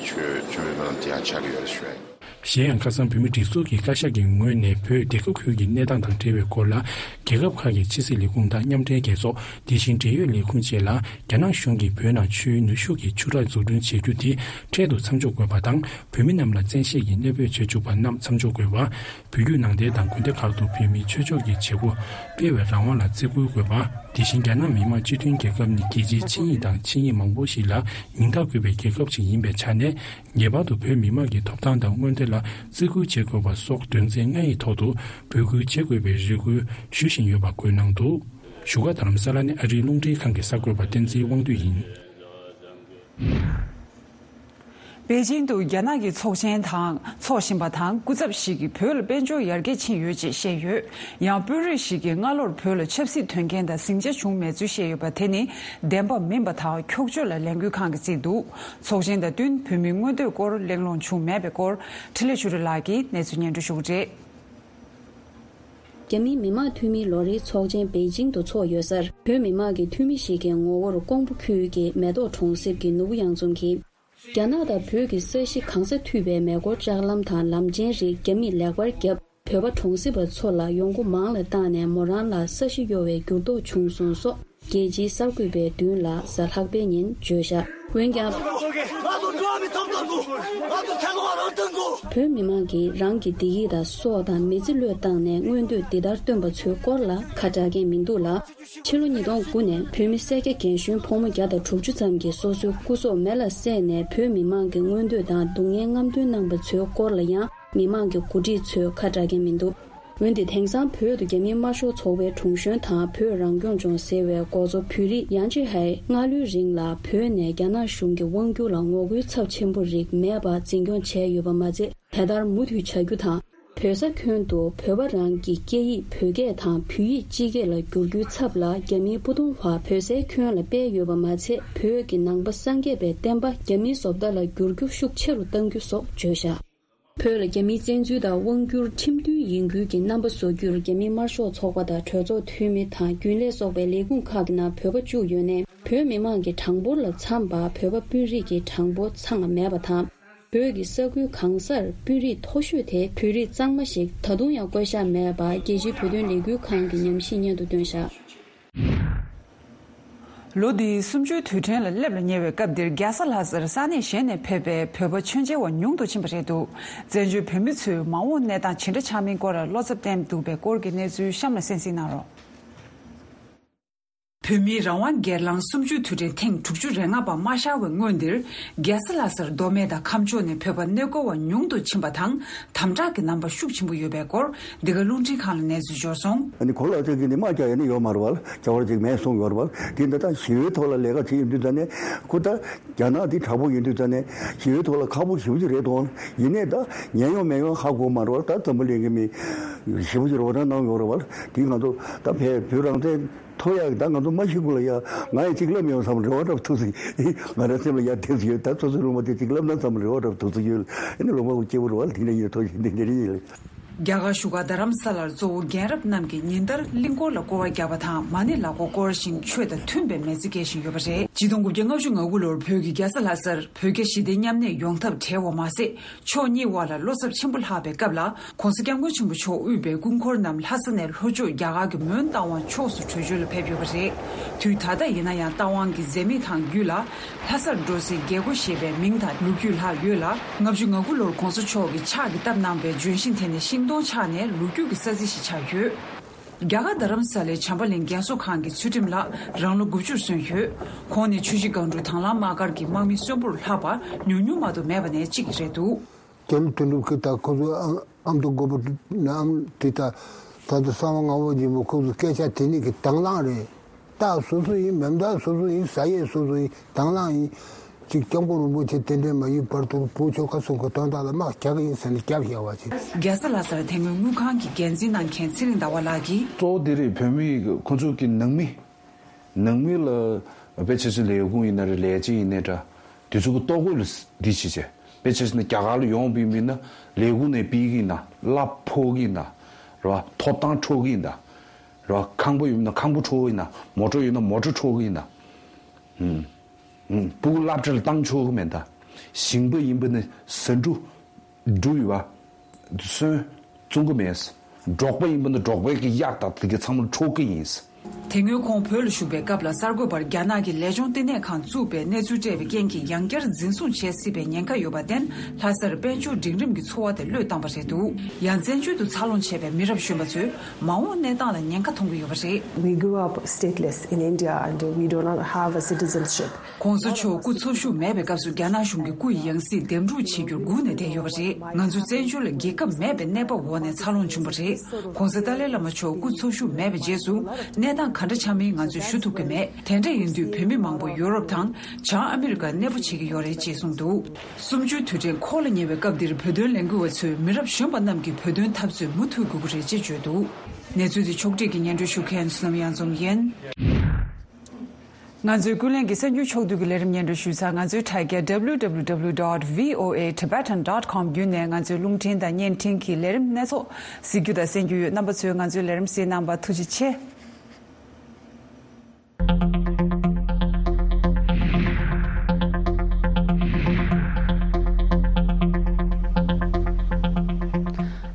ཆོས་ཆོས་མི་མང་དེ་ཡང་ཆགས་ཀྱི་ཡོད་རེད་ཞུ་ཡ་ཡིན། གཞན་ཡང་ཁ་སང་བོད་མིའི་སྒྲིག་འཛུགས་ཀྱི་བཀའ་ཤག་གི་ངོས་ནས་བོད་སྡེ་ཁག་ཁུལ་གྱི་གནས་སྟངས་དང་འབྲེལ་བའི་སྐོར་ལ། རྒྱལ་ཁབ་ཁག་གི་ཕྱི་སྲིད་ལས་ཁུངས་དང་མཉམ་འབྲེལ་རྒྱལ་ཚོགས། དེ་བཞིན་འབྲེལ་ཡོད་ལས་ཁུངས་བཅས་ལ་རྒྱ་ནག་གཞུང་གིས་བོད་ནང་ཆུའི་ནུས་ཤུགས་ཀྱི་ཆུ་རགས་འཛུགས་སྐྲུན་བྱེད་རྒྱུ་དེ་འཕྲལ་དུ་མཚམས་འཇོག་དགོས་པ་དང་། བོད་མི་རྣམས་ལ་བཙན་ཤེད་ཀྱིས་གནོད་འབོད་བྱེད་བཅུག་པ་རྣམས་མཚམས་འཇོག་དགོས་པ། བོད་བརྒྱུད་ནང་བསྟན་དང་དགོན་སྡེ་ཁག་ཏུ་བོད་མིའི་ཆོས་ཕྱོགས་ཀྱི་བྱེད་སྒོ་སྤེལ་བའི་རང་དབང་ལ་བརྩི་བཀུར་དགོས་པ། དེ་བཞིན་རྒྱ་ནག་མི་དམངས་སྤྱི་མཐུན་རྒྱལ་ཁབ་ནི་རྒྱལ་སྤྱིའི་ཆིངས་ཡིག་དང་ཆིངས་ཡིག་མང་པོ་ཞིག་ལ་མིང་རྟགས་འཁོད་པའི་རྒྱལ་ཁབ་ཅིག་ཡིན་པའི་ཆ་ནས། ངེས་པར་དུ་བོད་མི་དམངས་ཀྱི་ཐོབ་ཐང་དང་མངོན་འདོད་ལ་བརྩི་བཀུར་བྱེད་དགོས་པ་སོགས་དོན་ཚན་ལྔ་ཡི་ཐོག་ཏུ་འབོད་སྐུལ་བྱེད་དགོས་པའི་རེ་སྐུལ་ཞུ་བཞིན་ཡོད་པ་འགོད་གནང་འདུག་བཞུགས་སྒར་རྡ་རམ་ས་ལ་ནས་ཨ་རིའི་རླུང་འཕྲིན་ཁང་གི་གསར་འགོད་པ་བསྟན་འཛིན་དབང་འདུས་ཡིན། པེ་ཅིང་དུ་རྒྱ་ནག་གི་ཚོགས་ཆེན་དང་ཚོགས་བཞིན་པ་དང་། སྐུ་ཚབ་ཞིག་གིས་བོད་ལ་དཔལ་འབྱོར་ཡར་རྒྱས་ཕྱིན་ཡོད་ཅེས་བཤད་ཡོད། ཡང་དཔོན་རིགས་ཤིག་གིས་སྔ་ལོར་བོད་ལ་ཆབ་སྲིད་དོན་རྐྱེན་དང་ཟིང་ཆ་བྱུང་མེད་ཚུལ་བཤད་ཡོད་པ་དེ་ནི་བདེན་པ་མིན་པ་དང་འཁྱོག་བརྗོད་ལ་ལས་འགུལ་ཁང་གིས་བརྩིས་འདུག་ཚོགས་ཆེན་དང་བསྟུན་བོད་མིའི་མངོན་འདོད་སྐོར་གླེང་སློང་བྱུང་མེད་པའི་སྐོར་འཕྲིན་ལས་ཆོས་སྒྲོན་ལགས་ཀྱིས་གནས་ཚུལ་སྙན་སྒྲོན་ཞུ་གི་རེད། རྒྱ་མིའི་མི་དམངས་འཐུས་མིའི་ལོ་རེའི་ཚོགས་ཆེན་པེ་ཅིང་དུ་འཚོགས་ཡོད་སར། བོད་མི་མང་གི་འཐུས་མི་ཞིག་གི་ངོ་བོར་ཀོང་པོ་ཁུལ་གྱི་མེ་ཏོག་གྲོང་གསེབ་ཀྱི་ནོར་བུ་གཡང་འཛོམས་ཀྱིས། རྒྱ་ནག་དང་བོད་ཀྱི་ས་གཞི་གང་སར་མཐུད་པའི་མེ་འཁོར་ལྕགས་ལམ་དང་ལམ་ཆེན་རིགས་རྒྱ་མིས་ལེགས་པར་བརྒྱབ། བོད་པ་གྲོང་གསེབ་པ་ཚོ་ལ་ཡོང་སྒོ་མང་ལ་བཏང་ནས་མོ་རང་ལ་ས་གཞི་གཡོ་བའི་འགྱུར་ལྡོག་བྱུང་སོང་སོགས། རྒྱལ་སྤྱིའི་གསར་འགོད་པའི་མདུན་ལ་གཟའ་ལྷག་པའི་ཉིན་བརྗོད་བཞག་འོན་ཀྱང་། བོད་མི་མང་གིས་རང་གི་བདེ་སྐྱིད་དང་སྲོག་དང་མི་ཚེ་བློས་བཏང་ནས་མངོན་འདོད་འདི་ལྟར་བཏོན་པ་ཚོའི་སྐོར་ལ་ཁ་གྲག་མཁན་མི་འདུག་ལ། ཕྱི་ལོ་ཉིས་སྟོང་དགུ་ནས་བོད་མི་སེར་སྐྱ་རྒན་གཞོན་ཕོ་མོ་བརྒྱ་དང་དྲུག་ཅུ་ཙམ་གྱིས་སོ་སོའི་སྐུ་སྲོག་མེ་ལ་བསྲེགས་ནས་བོད་མི་མང་གི་མངོན་འདོད་དང་སྡུག་བསྔལ་རྔམ་སྟོན་གནང་པ་ཚོའི་སྐོར་ལ་ཡང་མི་མང་གི་འགོ་ཁྲིད་ཚོས་ཁ་གྲག་མཁན་མི་འདུག་འོན་ཏེ་དེང་སང་བོད་དུ་རྒྱ་མིའི་དམར་ཤོག་ཚོགས་པའི་དྲུང་གཞོན་དང་བོད་རང་སྐྱོང་ལྗོངས་ཟེར་བའི་འགོ་གཙོ་བོད་རིགས་ཡང་ཅི་ཧའེ་སྔ་ལོའི་རིང་ལ་བོད་ནས་རྒྱ་ནག་གཞུང་གི་དབང་སྒྱུར་ལ་ངོ་རྒོལ་ཚབས་ཆེན་པོ་རིགས་མེད་པར་འཛིན་སྐྱོང་བྱས་ཡོད་པ་མ་ཚད། དེ་ལྟར་མུ་མཐུད་བྱ་རྒྱུ་དང་། བོད་ས་ཁྱོན་དུ་བོད་པ་རང་གི་སྐད་ཡིག་བོད་སྐད་དང་བོད་ཡིག་སྤྱི་སྐད་ལ་བསྒྱུར་རྒྱུའི་ཚབ་ལ་རྒྱ་མིའི་སྤོ་ཐུང་བ་བོད་སའི་ཁྱོན་ལ་སྤེལ་ཡོད་པ་མ་ཚད། བོད་ཀྱི་ནང་པ་སངས་རྒྱས་པའི་བསྟན་པ་རྒྱ་མིའི་བཟོ་ལྟ་ལ་བསྒྱུར་རྒྱུ་ཤུགས་ཆེ་རུ་གཏང་རྒྱུ་སོགས་བརྗོད་བཞག་བོད་ལ་རྒྱ་མིའི་བཙན་འཛུལ་དང་དབང་བསྒྱུར་ཁྲིམས་མཐུན་ཡིན་ཁུལ་གྱི་རྣམ་པ་བཟོ་རྒྱུར་རྒྱ་མིའི་དམར་ཤོག་ཚོགས་པ་དང་གྲོས་ཚོགས་འཐུས་མི་དང་རྒྱུན་ལས་སོགས་པའི་ལས་ཁུངས་ཁག་གི་ནང་བོད་པ་བཅུག་ཡོད་ནའི། བོད་མི་མང་གི་གྲངས་འབོར་ལ་འཚམས་པ་བོད་པ་དཔོན་རིགས་ཀྱི་གྲངས་འབོར་ཚང་མ་མེད་པ་དང་། བོད་ཀྱི་ས་ཁུལ་གང་སར་དཔོན་རིགས་མཐོ་ཤོས་དེ་བོད་རིགས་གཙང་མ་ཞིག་ད་དུང་ཡང་བསྐོ་བཞག་མེད་པ། རྒྱལ་སྤྱིའི་བོད་དོན་ལས་འགུལ་ཁང་གི་ཉམས་ཞིབ་སྙན་ཐོ་བཏོན་བཞག་ལོ་འདིའི་གསུམ་བཅུའི་དུས་དྲན་ལ་སླེབས་ལ་ཉེ་བའི་སྐབས་འདིར་རྒྱལ་ས་ལྷ་སར་ས་གནས་གཞན་ནས་ཕེབས་པའི་བོད་པ་མཆོད་མཇལ་བ་ཉུང་དུ་ཕྱིན་པ་རེད་འདུག་བཙན་བྱོལ་བོད་མི་ཚོའི་མ་འོངས་གནས་སྟངས་ཇི་འདྲ་ཆགས་མིན་སྐོར་བློ་འཚབ་བསྟན་འདུག་པའི་སྐོར་གྱི་གནས་ཚུལ་གཤམ་ལ་གསན་གཟིགས་གནང་རོགས། བོད་མིའི་རང་དབང་སྒེར་ལངས་གསུམ་བཅུའི་དུས་དྲན་ཐེངས་དྲུག་ཅུ་རེ་ལྔ་པ་མ་ཤར་བའི་སྔོན་འདིར། རྒྱལ་ས་ལྷ་སར་མདོ་སྨད་དང་ཁམས་ཕྱོགས་ནས་བོད་པ་གནས་སྐོར་བ་ཉུང་དུ་ཕྱིན་པ་དང་། དམ་དྲག་གི་རྣམ་པ་ཤུགས་ཆེན་པོ་ཡོད་པའི་སྐོར། འདི་ག་རླུང་འཕྲིན་ཁང་ལ་གནས་ཚུལ་འབྱོར་སོང་། ཨ་ནི་གོ་ལག་ཅིག་གིས་ནི་དམག་རྒྱག་ཡ་ནི་ཡོད་མ་རེད་བ། རྒྱ་བར་ཅིག་མེད་གསུངས་ཡོད་རེད་བ། དེ་འདི་ལྟར་ཞི་བའི་ཐོག་ལ་ལས་ཀ་བྱེད་ཡོང་དུས་ཙ་ནས་ཁོ་ད་རྒྱ་ནག་འདི་དྲག་པོ་ཡིན་དུས་ཙ་ནས་ཞི་བའི་ཐོག་ལ་ཁག་པོ་ཞེ་པོ་ཅིག་རེད་དོ། ཡིན་ནའི་ད་ཉན་ཡོང་མེད་ཡོང་ཧ་གོ་མ་རེད་བ། ད་འཛམ་བུ་གླིང་གི་མི་ཞེ་པོ་ཅིག་རོགས་རམ་གནང་ཡོད་རེད་བ། དེ་ང་ཚོ་ད་བོད་བོད་རང་བཙན་ཐོབ་ཡག་གི་ད་ང་ཚོ་མ་ཤི་གོང་ལ་ཡ་ང་ཡི་གཅིག་ལབ་ཡོང་བསམ་རེ་བ་འདྲ་པོ་ཐུག་སོང་། ང་རང་སེམས་ལ་ཡ་དེ་ཚོ་ཡོད། ད་སོ་སོའི་སློབ་མ་དེ་གཅིག་ལབ་ན་བསམ་རེ་བ་འདྲ་པོ་ཐུག་སོང་ཡོད། ཨ་ནི་སློབ་མ་སྐྱེ་བོ་རེ་བ་ལ་དེ་འདྲ་ཡིན་ཐོག་ཞིག་འདི་འདི་རེད་ཡིན་ལ། རྒྱ་གར་བཞུགས་སྒར་རྡ་རམ་ས་ལར་གཙོ་བོ་རྒན་རབས་རྣམས་ཀྱིས་ཉིན་ལྟར་གླིང་སྐོར་ལ་སྐོར་བ་བརྒྱབ་པ་དང་མ་ཎི་ལག་འཁོར་བསྐོར་ཞིང་ཆོས་དང་མཐུན་པའི་མི་ཚེ་སྐྱེལ་བཞིན་ཡོད་པ་རེད། ཆིག་སྟོང་དགུ་བརྒྱ་ལྔ་བཅུ་ང་དགུ་ལོར་བོད་ཀྱི་རྒྱལ་ས་ལྷ་སར་བོད་རྒྱ་ཞི་བདེ་མཉམ་གནས་ཡོང་ཐབས་བྲལ་བ་མ་ཟད། ཕྱོགས་གཉིས་དབར་ལ་བློ་འཚབ་ཆེན་པོ་ལྷགས་པའི་སྐབས་ལ། ༸གོང་ས་༸སྐྱབས་མགོན་ཆེན་པོ་མཆོག་དབུས་པའི་སྐུ་འཁོར་རྣམས་ལྷ་ས་ནས་ལྷོ་ཕྱོགས་རྒྱ་གར་གྱི་མོན་རྟ་དབང་ཕྱོགས་སུ་བྲོས་བྱོལ་ལ་ཕེབས་ཡོད་པ་རེད། དུས་ད་ལྟ་ཡིན་ན་ཡང་རྟ་དབང་གི་འཛད་མེད་ཐང་རྒྱུད་ལ། ལྷ་སར་འགྲོ་སའི་རྒྱལ་སྒོ་ཞེས་པའི་མིང་དང་ལོ་རྒྱུས་ལྷག་ཡོད་ལ། ལྔ་བཅུ་ང་དགུ་ལོར་༸གོང་ས་མཆོག་གིས་ཕྱག་གིས་བཏབ་གནང་བའི་ལྗོན་ཤིང་དེ་ནི་ཤིང་སྡོང་ཆགས་ནས་ལོ་རྒྱུས་ཀྱི་ས་རྩི་ཞིག་ཆགས་ཡོད། རྒྱ་གར་རྡ་རམ་ས་ལའི་བྱམས་པ་གླིང་རྒན་གསོ་ཁང་གི་ཚུལ་ཁྲིམས་ལགས་རང་ལོ་དགུ་བཅུར་སོན་ཡོད། ཁོང་ནི་ཆུ་བཞི་སྒང་དྲུག་དྭང་བླངས་དམག་སྒར་གྱི་དམག་མི་གསོན་པོར་ལྷག་པར་ཉུང་ཉུང་མ་གཏོགས་མེད་པ་ནས་གཅིག་རེད་འདུག་རྒྱ་མི་དོན་གྲུབ་ཀྱིས་ད་ཁོ་ཚོ་ཨམ་ཨམ་དང་མགོན་པོ་ནི་ཨམ་དེ་ད་ད་ལྟ་གསང་བ་ངག་དབང་སྦྱིན་པ་ཁོ་ཚོ་སྐད་ཆ་དེ་ནི་གི་དྭང་བླངས་རེད། རྟ་སོ་སོ་ཡིན། མེ་མདའ་སོ་སོ་ཡིན། ཟ་ཡས་སོ་སོ་ཡིན། དྭང་བླངས་ཡིན། གཅིག་སྐྱབས་མགོན་རིན་པོ་ཆེ་རྟེན་འབྲེལ་མ་ཡིན་བར་དུ་བོད་ཆོལ་ཁ་གསུམ་གྱི་དོན་དག་ལ་དམག་རྒྱག་གི་ཡིན་ཟེར་ནས་རྒྱབ་བཞག་པ་ཅིག་རྒྱལ་ས་ལྷ་སར་དེ་སྔོན་དངུལ་ཁང་གི་འགན་འཛིན་གནང་མཁན་ཚེ་རིང་ཟླ་བ་ལགས་ཀྱིས། གཙོ་བོ་དེ་རེད། བོད་མི་ཁོ་ཚོ་གི་ནང་མི། ནང་མི་ལ་དཔེ་ཆ་ཆ་ལས་ཁུངས་ཡིན་ན་རེད། ལས་བྱེད་ཡིན་ནའི་འདྲ། དེ་ཚོ་གི་ལྟོ་གོས་ལ་འདི་བྱེད་བྱེད། དཔེ་ཆ་ཆ་ན་རྒྱ་གར་ལ་ཡོང་བའི་མི་ན་ལས་ཁུངས་ནས་ཕུད་ཀྱི་ཡིན་ན་གླ་ཕོག་གི་ཡིན་ན། རེད་བ། ཐོབ་ཐང་འཕྲོག་གི་ཡིན་ན། རེད་བ། ཁང་པ་ཡོད་ན་ཁང་པ་འཕྲོག་གི་ཡིན་ན། མོ་ཊ་ཡོད་ན་མོ་ཊ་འཕྲོག་གི་ཡིན་ན། ཨུམ། ཨུམ། སྤུ་གུ་སློབ་གྲྭ་ལ་བཏང་ཆོག་གི་མེད་ད། ཞིང་པ་ཡིན་པ་ནི་ཟ་འབྲུ། འབྲུ་ཡོད་པ། སོན། བཙོང་གི་མེད། འབྲོག་པ་ཡིན་པ་ན་འབྲོག་པའི་གི་གཡག་དང་དེ་གའི་ཚང་མ་འཕྲོག་གི་ཡིན། དེ་སྔོན་ཁོང་བོད་ལ་བཞུགས་པའི་སྐབས་ལ་གསར་འགོད་པར་རྒྱ་ནག་གི་ལས་ལྗོངས་ལྟེ་གནས་ཁང་བཙུགས་པའི་གནས་ཚུལ་སྤྲད་པའི་རྐྱེན་གྱིས་ཡང་བསྐྱར་འཛིན་བཟུང་བྱེད་སྲིད་པའི་ཉེན་ཁ་ཡོད་པར་བརྟེན། ལྷ་སར་དཔལ་འབྱོར་འབྲིང་རིམ་གྱི་འཚོ་བ་དེ་བློས་བཏང་བ་རེད་འདུག་ཡང་བཙན་བྱོལ་དུ་འཚར་ལོངས་བྱས་པའི་མི་རབས་གཞོན་པ་ཚོས་མ་འོངས་གནས་སྟངས་ལ་ཉེན་ཁ་མཐོང་གི་ཡོད་པ་རེད། We grew up stateless in India and we do not have a citizenship. ༸གོང་ས་མཆོག་སྐུ་འཚོ་བཞུགས་མེད་པའི་སྐབས་སུ་རྒྱ་ནག་གཞུང་གིས་སྐུ་ཡི་ཡང་སྲིད་འདེམས་སྒྲུག་བྱེད་རྒྱུར་སྒུག་ནས་བསྡད་ཡོད་པ་རེད། ང་ཚོ་བཙན་བྱོལ་ལ་རྒྱལ་ཁབ་མེད་པའི་གནས་བབ་འོག་ནས་འཚར་ལོངས་བྱུང་བ་རེད། ༸གོང་ས་ཏཱ་ལའི་བླ་མ་མཆོག་སྐུ་འཚོ་བཞུགས་མེད་པའི་རྗེས་སུ་གནས་སྟངས་ག་འདྲ་ཆགས་མིན་ང་ཚོས་ཞུ་ཐུབ་ཀྱི་མེད། དེ་འདྲ་ཡིན་དུས་བོད་མི་མང་པོ་ཡོ་རོབ་དང་བྱང་ཨ་མི་རི་ཀར་གནས་སྤོ་བྱེད་ཀྱི་ཡོད་རེད་ཅེས་གསུངས་འདུག་གསུམ་བཅུའི་དུས་དྲན་འཁོར་ལ་ཉེ་བའི་སྐབས་འདིར་བོད་དོན་ལས་འགུལ་བ་ཚོས་མི་རབས་གཞོན་པ་རྣམས་ཀྱིས་བོད་དོན་འཐབ་རྩོད་མུ་མཐུད་དགོས་ཀྱི་རེད་ཅེས་བརྗོད་འདུག་གནས་ཚུལ་དེ་ཕྱོགས་སྒྲིག་གིས་སྙན་སྒྲོན་ཞུ་མཁན་བསོད་ནམས་གཡང་འཛོམས་ཡིན། ང་ཚོའི་ཀུན་གླེང་གི་གསར་འགྱུར་ཕྱོགས་བསྡུས་ཀྱི་ལས་རིམ་སྙན་སྒྲོན་ཞུས་ཚར། ང་ཚོའི་དྲ་རྒྱ་W W W dot V O A Tibetan dot com བརྒྱུད་ནས་ང་ཚོའི་རླུང་འཕྲིན་དང་བརྙན་འཕྲིན་གྱི་ལས་རིམ་སྣ་ཚོགས་གཟིགས་རྒྱུ་དང་གསན་རྒྱུ་ཡོད། རྣམ་པ་ཚོས་ང་ཚོའི་ལས་རིམ་གཟིགས་གནང་བར་ཐུགས་རྗེ་ཆེ།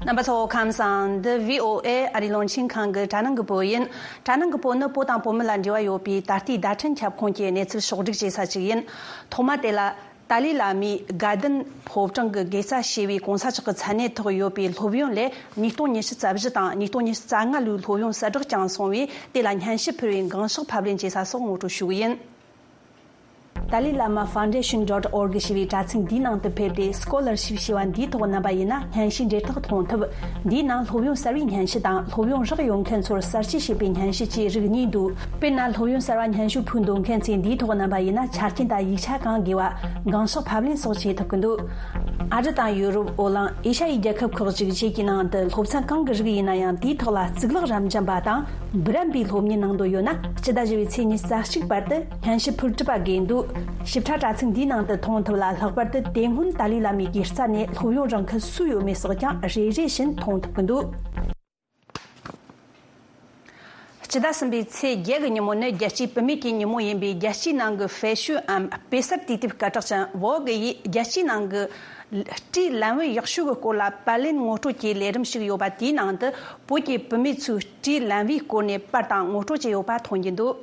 རྣམ་པ་ཚོ་ཁམས་བཟང་། འདི་V O A ཨ་རིའི་རླུང་འཕྲིན་ཁང་གི་དྲ་སྣང་གི་བོད་ཡིན། དྲ་སྣང་གི་བོད་ནི་བོད་དང་བོད་མི་ལ་འབྲེལ་བ་ཡོད་པའི་ད་ལྟའི་བརྡ་འཕྲིན་ཁྱབ་ཁོངས་ཀྱི་གནས་ཚུལ་ཕྱོགས་སྒྲིག་བྱེད་ས་ཞིག་ཡིན། ཐོག་མ་དེ་ལ། ཏཱ་ལའི་བླ་མས་དགའ་ལྡན་ཕོ་བྲང་གི་དགེ་རྩ་ཞེས་པའི་གོང་ས་མཆོག་གི་མཚན་གནས་ཐོག་ཡོད་པའི་སློབ་ཡོན་ལས་ཉིས་སྟོང་ཉི་ཤུ་རྩ་བཞི་དང་ཉིས་སྟོང་ཉི་ཤུ་རྩ་ལྔ་ལོའི་སློབ་ཡོན་གསལ་བསྒྲགས་ཀྱང་སོང་བས། དེ་ལ་སྙན་ཞུ་ཕུལ་བའི་འགངས་ཤོག་ཕབ་ལེན་བྱེད་ས་སོགས་ངོ་སྤྲོད་ཞུ་གི་ཡིན། Dalai Lama Foundation dot org ཞེས་པའི་དྲ་ཚིགས་འདིའི་ནང་དུ་ཕེབས་ཏེ། Scholarship ཞེས་པ་འདིའི་ཐོག་རྣམ་པ་ཡིན་ན་སྙན་ཞུའི་འབྲེལ་ཐག་མཐོང་ཐུབ། འདིའི་ནང་སློབ་ཡོན་གསར་བའི་སྙན་ཞུ་དང་སློབ་ཡོན་རག་ཡོད་མཁན་ཚོར་གསར་བརྗེ་བྱེད་པའི་སྙན་ཞུ་བཅས་རིགས་གཉིས་འདུག་དཔེར་ན། སློབ་ཡོན་གསར་བ་སྙན་ཞུ་ཕུལ་འདོད་མཁན་ཚོས་འདིའི་ཐོག་རྣམ་པ་ཡིན་ན་ཆ་རྐྱེན་དང་ཡིག་ཆ་གང་དགོས་པ། འགངས་ཤོག་ཕབ་ལེན་སོགས་བྱེད་ཐུབ་ཀྱི་འདུག་ཨ་རི་དང་ཡུ་རོབ། ཨོ་གླིང་། ཨེ་ཤ་ཡའི་རྒྱལ་ཁབ་ཁག་ཅིག་བཅས་ཀྱི་ནང་དུ་སློབ་ཚན་གང་གི་རིགས་ཡིན་ན་ཡང་དེའི་ཐོག་ལ་གཙུག་ལག་རབ་འབྱམས་པ་དང་འབུམ་རམས་པའི་སློབ་གཉེར་གནང་འདོད་ཡོད་ན། སྤྱི་ཟླ་བཞི་པའི་ཚེས་ཉི་ཤུ་རྩ་གཅིག་བར་དུ་སྙན་ཞུ་ཕུལ་གྲུབ་པ་དགོས་འདུག་ཞིབ་ཕྲ་དྲ་ཚིགས་འདིའི་ནང་དུ་མཐོང་ཐུབ་ལ། ལྷག་པར་དུ་དེ་སྔོན་ཏཱ་ལའི་བླ་མའི་གི་རྩ་ནས་སློབ་ཡོན་རག་མཁན་སུ་ཡོད་མེད་སོགས་ཀྱང་རེ་རེ་བཞིན་མཐོང་ཐུབ་ཀྱི་འདུག་སྤྱི་ཟླ་གསུམ་པའི་ཚེས་བརྒྱད་ཀྱི་ཉིན་མོ་ནི་རྒྱལ་སྤྱིའི་བུད་མེད་ཀྱི་ཉིན་མོ་ཡིན་པས། རྒྱལ་སྤྱིའི་ནང་གི་ཧྥེ་ཤོན་འམ་དཔེ་གསར་དུས་དེབ་སྐད་གྲགས་ཅན་ཝོག་གི་ཡིས་རྒྱལ་སྤྱིའི་ནང་གི་སྤྲེའུ་ལན་བུ་ཡག་ཤོས་ཀྱི་སྐོར་ལ་པར་ལེན་ངོ་སྤྲོད་ཀྱི་ལས་རིམ་ཞིག་ཡོད་པ། དེའི་ནང་དུ་བོད་ཀྱི་བུད་མེད་ཚོས་སྤྲེའུ་ལན་བུའི་སྐོར་ནས་པར་དང་ངོ་སྤྲོད་བྱས་ཡོད་པ་མཐོང་རྒྱུ་འདུག་